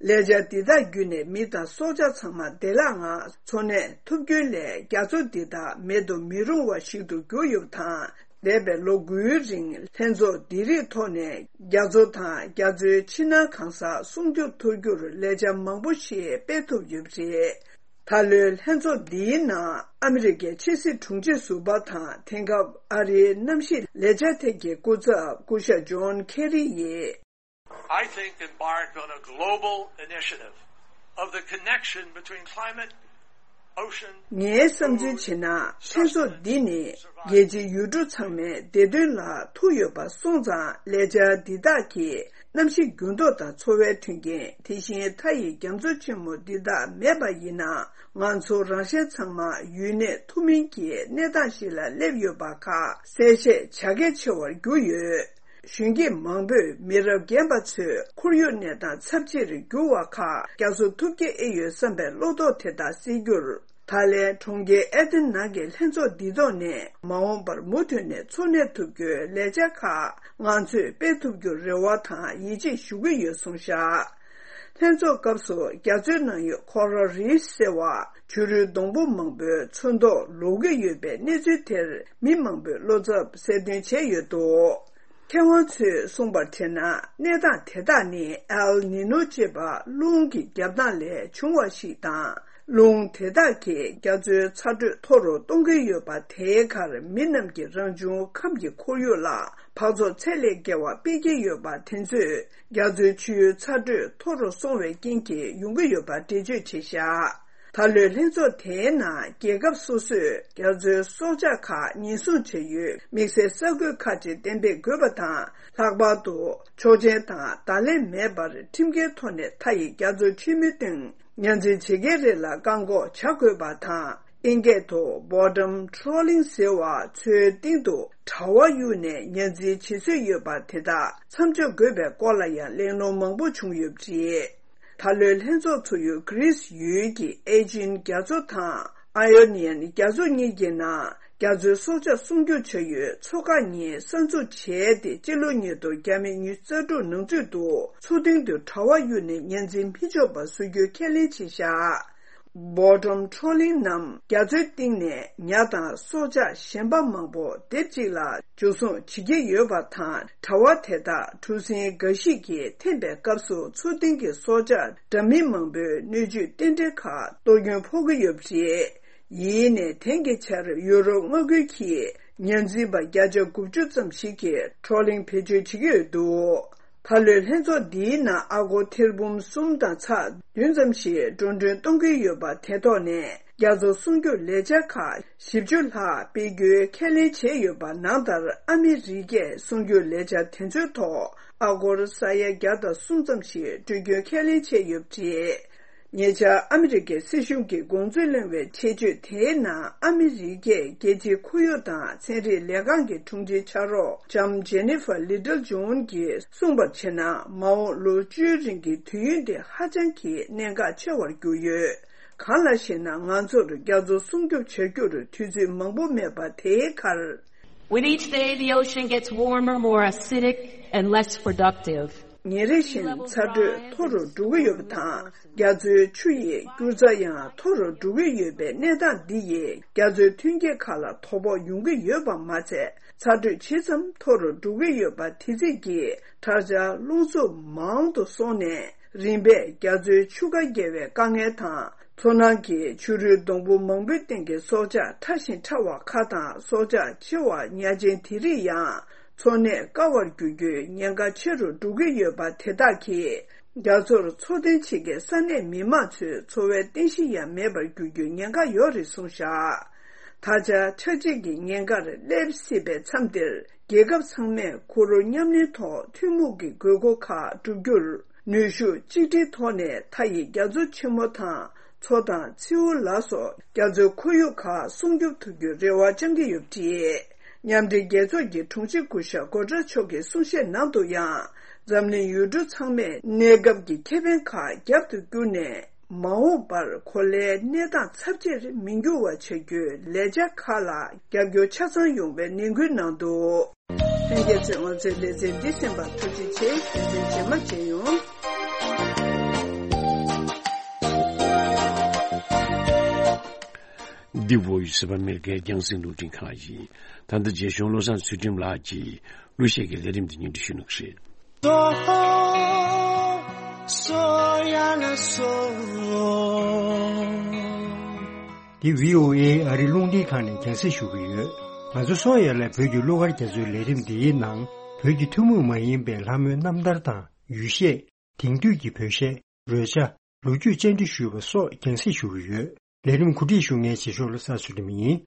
ལས་འཆར་འདི་དག་བརྒྱུད་ནས་མི་དང་སྲོག་ཆགས་ཚང་མ་བདེ་བླག་ངང་འཚོ་གནས་ཐུབ་རྒྱུའི་སླད། རྒྱ་མཚོ་འདི་དག་མེད་དུ་མི་རུང་བ་ཞིག་ཏུ་གྱུར་ཡོད་པ་དང་། འདས་པའི་ལོ་དགུའི་རིང་ལྷན་ཚོགས་འདི་རིགས་ཐོག་ནས་རྒྱ་མཚོ་དང་རྒྱ་མཚོའི་ཕྱི་ནང་གང་ས་སྲུང་སྐྱོབ་ཐུབ་རྒྱུར་ལས་འཆར་མང་པོ་ཞིག་སྤེལ་ཐུབ་ཡོད་པ་རེད། ད་ལོའི་ལྷན་ཚོགས་འདིའི་ནང་ཨ་མི་རི་ཀའི་ཕྱི་སྲིད་དྲུང་ཆེ་ཟུར་པ་དང་། དེང་སྐབས་ཨ་རིའི་གནམ་གཤིས་ལས་འཆར་ཐད་ཀྱི་སྐུ་ཚབ་སྐུ་ཞབས་ཇོན་ཁེ་རི་ཡིས། I think embarked on a global initiative of the connection between climate, ocean, ངའི་བསམ་ཚུལ་བྱས་ན། ལྷན་ཚོགས་འདི་ནི་རྒྱལ་སྤྱིའི་ཡུལ་གྲུ་ཚང་མའི་བདེ་དོན་ལ་ཐུག་ཡོད་པ་སོང་ཙང་། ལས་འཆར་འདི་དག་གིས་གནམ་གཤིས་འགྱུར་ལྡོག་དང་འཚོ་བའི་མཐུན་རྐྱེན། དེ་བཞིན་མཐའ་ཡི་རྒྱ་མཚོ་ཆེན་མོ་འདི་དག་མེད་པ་ཡིན་ན། ང་ཚོ་རང་གཞན་ཚང་མ་ཡུན་གནས་ཐུབ་མིན་གྱི་གནས་སྟངས་ཤིག་ལ་སླེབས་ཡོད་པ་ཁག་གསལ་བཤད་བྱ་གལ་ཆེ་བར་གྱུར་ཡོད། གཞོན་སྐྱེས་མང་པོས་མི་རབས་རྒན་པ་ཚོའི་ཁོར་ཡུག་གནས་སྟངས་ཚབས་ཆེར་འགྱུར་བ་ཁག་རྒྱ་མཚོ་ཐུབ་ཀྱི་ཨེ་ཡོད་བསམ་པའི་བློ་དོགས་དེ་དག་སེལ་རྒྱུར། ད་ལན་གྲོང་ཁྱེར་ཨེ་ཐེན་ནང་གི་ལྷན་ཚོགས་འདི་ཐོག་ནས། མ་འོངས་པར་མུ་མཐུད་ནས་འཚོ་གནས་ཐུབ་རྒྱུའི་ལས་འཆར་ཁག་ང་ཚོས་སྤེལ་ཐུབ་རྒྱུར་རེ་བ་དང་ཡིད་ཆེས་ཞུ་གི་ཡོད་གསུངས་བཞག་ལྷན་ཚོགས་སྐབས་སུ་རྒྱ་མཚོའི་ནང་ཡོད་ཁོ་རལ་རིཕ་ཟེར་བ་བྱུ་རུའི་སྡོང་པོ་མང་པོའི་ཚོན་མདོག་ལོག་གི་ཡོད་པའི་གནས་ཚུལ་དེར་མི་མང་པོས་བློ་འཚབ་གསལ་སྟོན་བྱས་ཡོད་འདུག་མཁས་དབང་ཚོས་གསུངས་པར་བྱས་ན། གནས་སྟངས་དེ་དག་ནི་ཨེལ་ནི་ནོ་ཅེས་པ་རླུང་གི་རྒྱབ་ཐང་ལས་བྱུང་བ་ཞིག་དང་། རླུང་དེ་དག་གིས་རྒྱ་མཚོའི་ཚ་དྲོད་མཐོ་རུ་གཏོང་གི་ཡོད་པ་དེའི་ཁར། མི་རྣམས་ཀྱིས་རང་བྱུང་ཁམས་ཀྱི་ཁོར་ཡུག་ལ་འཕག་ཚོགས་ཚད་ལས་བརྒལ་བ་སྤེལ་གྱི་ཡོད་པ་དེ་ཚོས་རྒྱ་མཚོའི་ཆུའི་ཚ་དྲོད་མཐོ་རུ་སོང་བའི་རྐྱེན་གྱིས་ཡོང་གི་ཡོད་པ་འགྲེལ་བརྗོད་བྱས་བཞག་ད་ལོའི་ལྷན་ཚོགས་དེའི་ནང་རྒྱལ་ཁབ་སོ་སོས་རྒྱ་མཚོའི་སྲོག་ཆགས་ཁག་ཉེན་སྲུང་བྱ་ཡུལ་དམིགས་བསལ་ས་ཁུལ་ཁག་ཅིག་གཏན་འབེབས་དགོས་པ་དང་། ལྷག་པར་དུ་ཆོག་མཆན་དང་བརྡ་ལན་མེད་པར་ཁྲིམས་འགལ་ཐོག་ནས་མཐའ་ཡི་རྒྱ་མཚོ་ཆེན་མོའི་སྟེང་ཉ་འཛིན་བྱེད་མཁན་རེ་ལ་བཀག་འགོག་བྱ་དགོས་པ་དང་། ཨིན་སྐད་དུ་bottom trawling ཟེར་བ་མཚོའི་སྟེང་དུ་དྲ་བ་གཡུགས་ནས་ཉ་འཛིན་བྱེད་སྲོལ་ཡོད་པ་དེ་དག་མཚམས་འཇོག་དགོས་པའི་སྐོར་ལ་ཡང་གླེང་སློང་མང་པོ་བྱུང་ཡོད་པ་རེད། ད་ལོའི་ལྷན་ཚོགས་ཚུགས་ཡུལ་གྷི་རིས་ཡུལ་གྱི་ཨེ་ཇིན་རྒྱ་མཚོ་དང་ཨ་ཡོ་ནི་ཡན་རྒྱ་མཚོ་གཉིས་ཀྱི་ནང་རྒྱ་མཚོའི་སྲོག་ཆགས་སྲུང་སྐྱོབ་བྱ་ཡུལ་མཚོ་ཁག་གཉིས་གསར་འཛུགས་བྱས་ཏེ། སྤྱི་ལོ་ཉིས་སྟོང་བརྒྱ་མེད་ཉི་ཤུ་རྩ་དྲུག་ནང་ཚུད་དུ་མཚོ་གཏིང་དུ་དྲ་བ་གཡུགས་ནས་ཉ་འཛིན་མི་འཇོག་པ་བཟོ་རྒྱུའི་ཁས་ལེན་བྱས་བཞག bottom trawling ནམ་རྒྱ་མཚོའི་གཏིང་ནས་ཉ་དང་སྲོག་ཆགས་གཞན་པ་མང་པོ་སྡེབ་གཅིག་ལ་འཇུ་བཟུང་བྱེད་ཀྱི་ཡོད་པ་དང་། དྲ་བ་དེ་དག་གྲུ་གཟིངས་འགའ་ཞིག་གིས་འཐེན་པའི་སྐབས་སུ་མཚོ་གཏིང་གི་སྲོག་ཆགས་འདྲ་མིན་མང་པོའི་སྣོད་བཅུད་རྟེན་འབྲེལ་ཁག་གཏོར་སྐྱོན་ཕོག་གི་ཡོད་པ་རེད། ཡིན་ནའི་དེང་གི་ཆར་ཡུ་རོབ་མངའ་ཁུལ་གྱི་ཉ་འཛིན་པ་བརྒྱ་ཆ་དགུ་བཅུ་ཙམ་ཞིག་གིས་ཁྲོ་ལིང་བེད་སྤྱོད་བྱེད་ཀྱི་ཡོད་འདུག་ད་ལོའི་ལྷན་ཚོགས་འདིའི་ནང་ཨ་སྒོར་ཐེར་འབུམ་གསུམ་དང་ཚེག་བདུན་ཙམ་ཞིག་འགྲོ་གྲོན་གཏོང་གི་ཡོད་པ་དེ་ཐོག་ནས་རྒྱ་མཚོ་སྲུང་སྐྱོབ་ལས་འཆར་ཁག་བཞི་བཅུ་ལྷག་སྤེལ་རྒྱུའི་ཁས་ལེན་བྱས་ཡོད་པ་ནང་ལྟར། ཨ་མི་རི་ཀས་སྲུང་སྐྱོབ་ལས་འཆར་དེ་ཚོའི་ཐོག་ཨ་སྒོར་ས་ཡ་བརྒྱ་དང་གསུམ་ཙམ་ཞིག་སྤྲོད་རྒྱུའི་ཁས་ལེན་བྱས་ཡོད་པ་རེད། ཉེ་ཆར་ཨ་མི་རི་ཀའི་སྲིད་གཞུང་གི་དགོངས་ཚུལ་གླེང་བའི་ཆེད་བརྗོད་དེའི་ནང་། ཨ་མི་རི་ཀའི་རྒྱལ་སྤྱིའི་ཁོར་ཡུག་དང་ཚན་རིག་ལས་ཁང་གི་དྲུང་ཆེ་ཕྱག་རོགས་ལྕམ་ཇེ་ནི་ཧྥར་ལི་ཏལ་ཇོན་གྱིས་གསུངས་པར་བྱས་ན། མ་འོངས་ལོ་བཅུའི་རིང་གི་དུས་ཡུན་དེ་ཧ་ཅང་གི་གནད་འགག་ཆེ་བར་གྱུར་ཡོད། གང་ལགས་ཤེ་ན། ང་ཚོར་རྒྱ་མཚོ་སྲུང་སྐྱོབ་བྱ་རྒྱུར་དུས་ཚོད་མང་པོ་མེད་པ་དེའི་ཁར། With each day, the ocean gets warmer, more acidic, and less productive. ཉིན་རེ་བཞིན་ཚ་དྲོད་མཐོ་རུ་འགྲོ་གི་ཡོད་པ་དང་། རྒྱ་མཚོའི་ཆུ་ཡི་སྐྱུར་རྩ་ཡང་མཐོ་རུ་འགྲོ་གི་ཡོད་པའི་གནས་སྟངས་འདི་ཡིས་རྒྱ་མཚོའི་ཐོན་སྐྱེད་ཁག་ལ་དོ་ཕོག་ཡོང་གི་ཡོད་པ་མ་ཚད། ཚ་དྲོད་ཇི་ཙམ་མཐོ་རུ་འགྲོ་གི་ཡོད་པ་དེ་ཙམ་གྱིས་དྲག་ཆར་རླུང་འཚུབ་མང་དུ་སོང་ནས། རིམ་པས་རྒྱ་མཚོའི་ཆུ་ཁ་བརྒལ་བའི་དཀའ་ངལ་དང་། མཚོ་ནང་གི་ཆུ་རུལ་སྡོང་པོ་མང་པོའི་སྟེང་གི་སྲོག་ཆགས་ཕྲ་ཞིང་ཕྲ་བ་ཁག་དང་། སྲོག་ཆགས་ཆེ་བ་ཉ་ཆེན་དེ་རིགས་ཡང་འཚོ་གནས་དཀའ་བར་འགྱུར་རྒྱུའི་ཉེན་ཁ་ཆེ་རུ་འགྲོ་གི་ཡོད་པ་དེ་དག་གིས། རྒྱ་མཚོར་འཚོ་རྟེན་བྱེད་མཁན་ས་གནས་མི་མང་ཚོའི་འཚོ་བའི་རྟེན་གཞི་ཡང་མེད་པར་འགྱུར་རྒྱུའི་ཉེན་ཁ་ཡོད་རེད་གསུངས་བཞག་ད་ཆ་ཆར་ཆད་ཀྱི་ཉེན་ཁར་སླེབས་སྲིད་པའི་མཚམས་འདིར། རྒྱལ་ཁབ་ཚང་མས་ཁོར་ཡུག་ཉམས་ལེན་ཐོག་ཐུན་མོང་གི་དགོས་མཁོ་ཁག་བསྒྲུབ་རྒྱུར། ནུས་ཤུགས་གཅིག་སྒྲིལ་ཐོག་ནས་མཐའ་ཡི་རྒྱ་མཚོ་ཆེན་མོ་དང་། མཚོ་དང་མཚེའུ་ལ་སོགས་རྒྱ་མཚོའི་ཁོར་ཡུག་ཁག་སྲུང་སྐྱོབ་ཐུབ་རྒྱུའི་རེ་བ་བཅང་གི་ཡོད་པ་རེད། མཉམ་འབྲེལ་རྒྱལ་ཚོགས་ཀྱི་དྲུང་ཆེ་སྐུ་ཞབས་སྒོ་ཊེ་རེས་མཆོག་གི་གསུང་བཤད་ནང་དུ་ཡང་། འཛམ་གླིང་ཡུལ་གྲུ་ཚང་མས་གནས་སྐབས་ཀྱི་ཁེ་ཕན་ཁག་རྒྱབ་ཏུ་བསྐྱུར་ནས། མ་འོངས་པར་གོ་ལའི་གནས་སྟངས་ཚབས་ཆེར་མི་འགྱུར་བ་བྱ་རྒྱུའི་ལས་འཆར་ཁག་ལ་རྒྱབ་སྐྱོར་ཆ་ཚང་ཡོང་བའི་ནན་སྐུལ་གནང་འདུག་ལྷན་རྒྱས་ཚོས་ང་ཚོའི་ལེ་ཚན་འདི་གསན་པར་ཐུགས་རྗེ་ཆེ། ལེ་ཚན་རྗེས་མ་མཇལ་ཡོང་། འདི་བོད་ཡིག་གསར་པ་ཨ་མེ་རི་ཁའི་རྒྱང་སྲིང་རླུང་འཕྲིན་ཁང་ཡིན། ད་ལྟ་རྗེ་གཞུང་བློ་བཟང་ཚུལ་ཁྲིམས་ལགས་ཀྱིས་གླུ་གཞས་ཀྱི་ལས་རིམ་འདི་སྙན་སྒྲོན་ཞུ་གནང་གི་རེད། འདི་བྷི་ཨོ་ཨེ་ཨ་རིའི་རླུང་འཕྲིན་ཁང་ནས་རྒྱང་སྲིང་ཞུ་གི་ཡོད། ང་ཚོ་སོ་ཡ་ལ་བོད་ཀྱི་གླུ་གར་རྒྱ་མཚོའི་ལས་རིམ་འདིའི་ནང་། བོད་ཀྱི་ཐུན་མོང་མ་ཡིན་པའི་ལྷ་མོའི་རྣམ་ཐར་དང་ཡུལ་གཞས། དེང་དུས་ཀྱི་བོད་གཞས། རོལ་ཆ། ལོ་རྒྱུས་བཅར་འདྲི་ཞུས་པ་སོགས་རྒྱང་སྲིང་ཞུ་གི་ཡོད། ལས་རིམ་གོ་སྒྲིག་ཞུ་མཁན་རྗེས་ཕྱོགས་བློ་བཟང་ཚུལ་ཁྲིམས་ཡིན།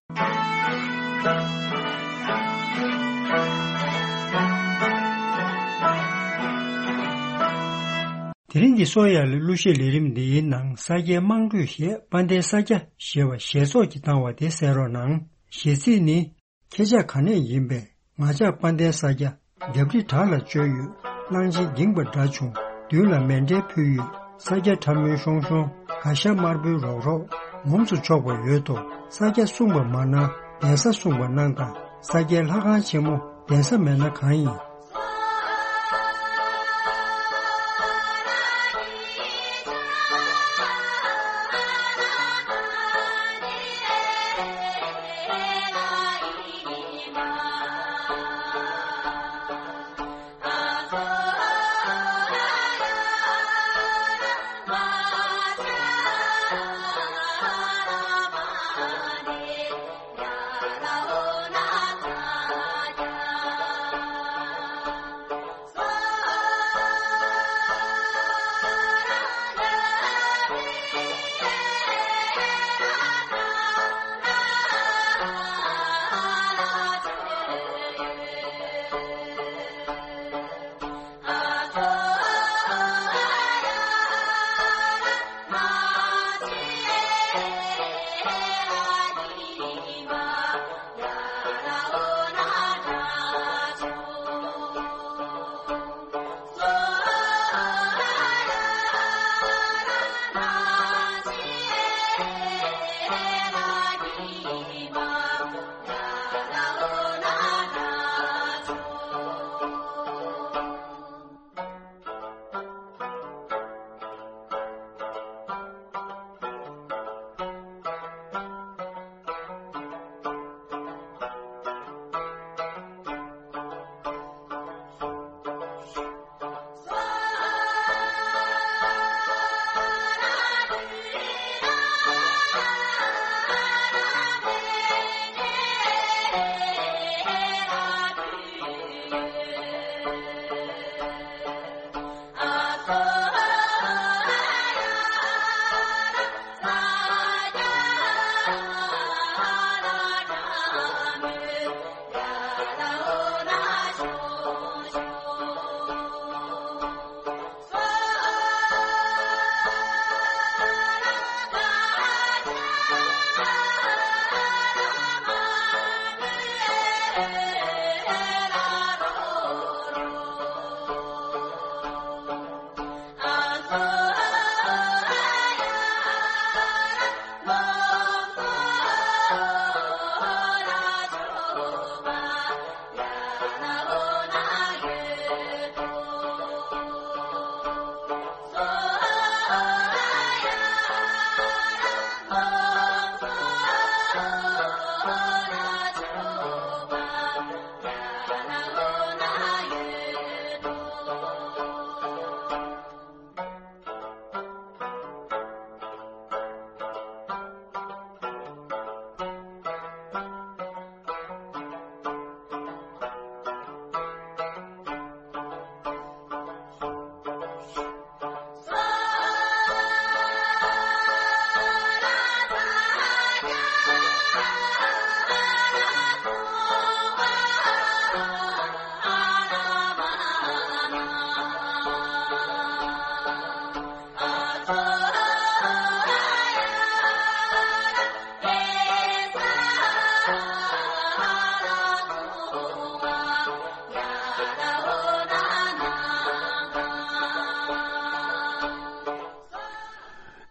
དེ་རིང་གི་སོ་ཡ་ལ་གླུ་གཞས་ལས་རིམ་འདིའི་ནང་། ས་སྐྱའི་དམངས་ཁྲོད་གཞས་དཔལ་ལྡན་ས་སྐྱ་ཞེས་པ་ཞེས་ཚོགས་ཀྱིས་བཏང་བ་དེ་གསན་རོགས་གནང་། གཞས་ཚིག་ནི། ཁྱེད་ཅག་ག་ནས་ཡིན་པས། ང་ཅག་དཔལ་ལྡན་ས་སྐྱ། རྒྱབ་རི་བྲག་ལ་བཅོལ་ཡོད། གླང་ཆེན་འགྱིང་བ་འདྲ་བྱུང་། མདུན་ལ་མཎྜལ་ཕུལ་ཡོད། ས་སྐྱ་ཁྲ་མོའི་ཤོང་ཤོང་། ག་ཤ་དམར་པོའི་རོག་རོག་ངོམས་སུ་ཆོག་པ་ཡོད་དོ། ས་སྐྱ་གསུངས་པ་མ་གནང་། གདན་ས་གསུངས་པ་གནང་དང་། ས་སྐྱའི་ལྷ་ཁང་ཆེན་མོ། གདན་ས་མེད་ན་གང་ཡིན།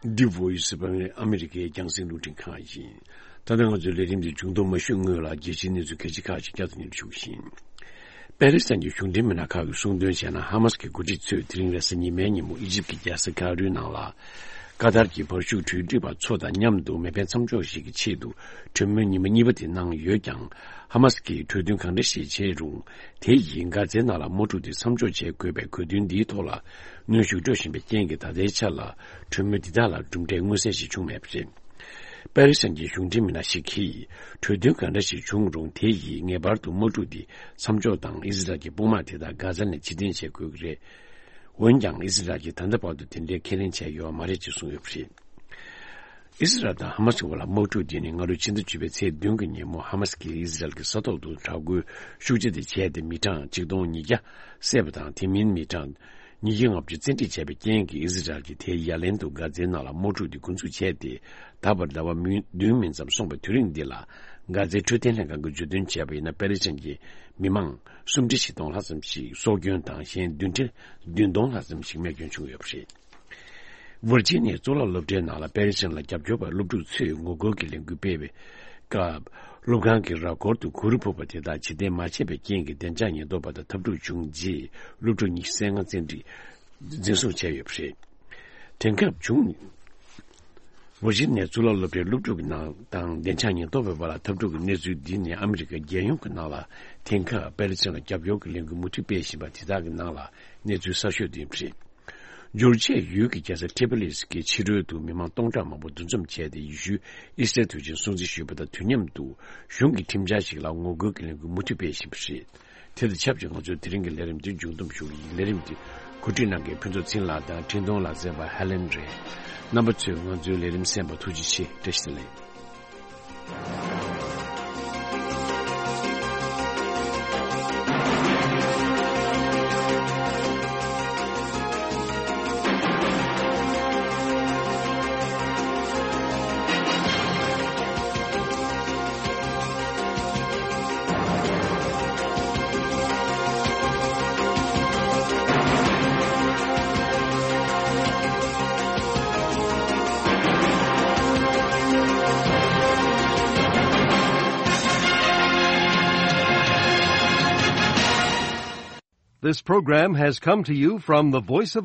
The Voice of America ཨ་མི་རི་ཀའི་རྒྱང་སྲིང་རླུང་འཕྲིན་ཁང་ཡིན། ད་ལྟ་ང་ཚོའི་ལས་རིམ་འདི་མཇུག་བསྡོམས་མ་ཞུས་སྔོན་ལ་རྒྱལ་སྤྱིའི་གནས་ཚུལ་གལ་ཆེ་ཁག་ཅིག་བསྐྱར་དུ་སྙན་སྒྲོན་ཞུ་གི་ཡིན། པེ་ལི་སི་ཐན་གྱི་གཞུང་འབྲེལ་མི་སྣ་ཁག་གིས་གསུངས་དོན་བྱས་ན། ཧ་མ་སི་ཀྱི་འགོ་ཁྲིད་ཚོས་དེ་རིང་རེས་གཟའ་ཉི་མའི་ཉིན་མོ་ཨི་ཇིབ་ཀྱི་རྒྱལ་ས་ཁ་ཡིརོའི་ནང་ལ། ཀ་ཏར་གྱི་བར་ཤུགས་གྲོས་འགྲིག་པ་ཚོ་དང་མཉམ་དུ་མེ་འཕེན་མཚམས་འཇོག་ཞིག་གི་ཆེད་དུ་གྲོས་མོལ་ཉི་མ་གཉིས་པ་དེ་གནང་ཡོད་ཀྱང་། ཧ་མ་སི་ཀྱིས་གྲོས་མཐུན་གང་འདྲ་ཞིག་བྱས་རུང་། དེ་ཡིས་གྷ་ཛའི་ནང་ལ་དམག་འཁྲུག་དེ་མཚམས་འཇོག་བྱེད་དགོས་པའི་གོ་དོན་འདིའི་ཐོག་ལ་གནོན་ཤུགས་སྤྲོད་བཞིན་པའི་རྐྱེན་གྱིས། ད་ལྟའི་ཆར་ལ་གྲོས་མོལ་འདི་དག་ལ་གྲུབ་འབྲས་མངོན་གསལ་ཞིག་བྱུང་མེད་པ་རེད། པེ་ལི་སི་ཐན་གྱི་གཞུང་འབྲེལ་མི་སྣ་ཞིག་གིས། གྲོས་མཐུན་གང་འདྲ་ཞིག་བྱུང་རུང་། དེ་ཡིས་ངེས་པར་དུ་དམག་འཁྲུག་འདི་མཚམས་འཇོག་དང་། ཨི་ཟི་རལ་གྱི་དཔུང་དམག་དེ་དག་གྷ་ཛ་ནས་ཕྱིར་འཐེན་བྱེད་དགོས་ཀྱི་རེད། འོན་ཀྱང་། ཨི་ཟི་རལ་གྱིས་ད་ལྟ་བར་དུ་དེ་འདྲའི་ཁས་ལེན་བྱས་ཡོད་པ་མ་རེད་ཅེས་གསུངས་ཡོད་པ་རེད། ཨི་ཟི་རལ་དང་ཧ་མ་སི་བར་ལ་དམག་འཁྲུག་འདི་ནི་སྔ་ལོའི་ཕྱི་ཟླ་བཅུ་པའི་ཚེས་བདུན་གྱི་ཉིན་མོ། ཧ་མ་སི་ཀྱིས་ཨི་ཟི་རལ་གྱི་ས་ཐོག་ཏུ་དྲག་རྒོལ་ཤུགས་ཆེ་དེ་བྱས་ཏེ། མི་གྲངས་གཅིག་སྟོང་ཉིས་བརྒྱ་བསད་པ་དང་། དེ་མིན་མི་གྲངས་ཉིས་བརྒྱ་ལྔ་བཅུ་བཙན་ཁྲིད་བྱས་པའི་རྐྱེན་གྱིས། ཨི་ཟི་རལ་གྱིས་དེའི་ཡ་ལན་དུ་གྷ་ཛའི་ནང་ལ་དམག་འཁྲུག་འདི་འགོ་འཛུགས་བྱས་ཏེ། ད་བར་ཟླ་བ་མི་བདུན་མིན་ཙམ་སོང་བའི་དུས་རིང་འདི་ལ། གྷ་ཛའི་འཕྲོད་བསྟེན་ལྷན་ཁང་གིས་བརྗོད་དོན་བྱས་པ་ཡིན་ན། པེ་ལི་སི་ཐན་གྱི་མི་མང་སུམ་ཁྲི་བཞི་སྟོང་ལྷག་ཙམ་ཞིག་སྲོག་སྐྱོན་དང་། གཞན་བདུན་ཁྲི་བདུན་སྟོང་ལྷག་ཙམ་ཞིག་རྨས་སྐྱོན་བྱུང་ཡོད་པ་རེད། ཝར་ཇི་ནི་ཡའི་གཙུག་ལག་སློབ་གྲྭའི་ནང་ལ་པེ་ལི་སི་ཐན་ལ་རྒྱབ་སྐྱོར་བ་སློབ་ཕྲུག་ཚོས་ངོ་རྒོལ་གྱི་ལས་འགུལ་སྤེལ་བའི་སྐབས། སློབ་ཁང་གི་ར་སྐོར་དུ་གུ་རུ་ཕུབ་པ་དེ་དག་ཕྱིར་འཐེན་མ་བྱས་པའི་རྐྱེན་གྱིས། བདེ་འཇགས་ཉེན་རྟོག་པ་དང་འཐབ་འཁྲུག་བྱུང་རྗེས། སློབ་ཕྲུག་ཉི་ཤུ་རྩ་ལྔ་བཙན་ཁྲིད་འཛིན་བཟུང་བྱས་ཡོད་པ་རེད། དེང་སྐབས་བྱུང་། ཝར་ཇི་ནི་ཡའི་གཙུག་ལག་སློབ་གྲྭའི་སློབ་ཕྲུག་གི་ནང་དང་བདེ་འཇགས་ཉེན་རྟོག་པའི་བར་ལ་འཐབ་འཁྲུག་གི་གནས་ཚུལ་འདི་ནི། ཨ་མི་རི་ཀ་རྒྱལ་ཡོངས་ཀྱི་ནང་ལ་དེང་སྐབས་པེ་ལི་སི་ཐན་ལ་རྒྱབ་སྐྱོར་གྱི་ལས་འགུལ་མུ་མཐུད་སྤེལ་བཞིན་པ་དེ་དག་གི་ནང་ལ་གནས་ཚུལ་གསར་ཤོས་དེ་ཡིན་པ་རེད། འགྱུར་བཅོས་ཡུལ་གྱི་རྒྱལ་ས་ཏྲི་པོ་ལིས་ཀྱི་ཕྱི་རོལ་དུ་མི་མང་སྟོང་ཕྲག་མང་པོ་འདུ་འཛོམས་བྱས་ཏེ། ཡེ་ཤུའི་ཨི་སི་ཊར་དུས་ཆེན་སྲུང་བརྩི་ཞུས་པ་དང་དུས་མཉམ་དུ། གཞུང་གི་ཁྲིམས་འཆར་ཞིག་ལ་ངོ་རྒོལ་གྱི་ལས་འགུལ་མུ་མཐུད་སྤེལ་བཞིན་པ་རེད། དེ་དང་ཆབས་ཅིག་ང་ཚོའི་དེ་རིང་གི་ལས་རིམ་འདི་མཇུག་བསྡོམས་ཞུ་གི་ཡིན། ལས་རིམ་འདི་གོ་སྒྲིག་གནང་མཁན་ཕུན་ཚོགས་ཚེ་རིང་ལགས་དང་འཕྲིན་གཏོང་ལག་རྩལ་བ་ཧེ་ལེན་རེད། རྣམ་པ་ཚོས་ང་ཚོའི་ལས་རིམ་གསན་པར་ཐུགས་རྗེ་ཆེ། བཀྲ་ཤིས་བདེ་ལེགས། This program has come to you from the Voice of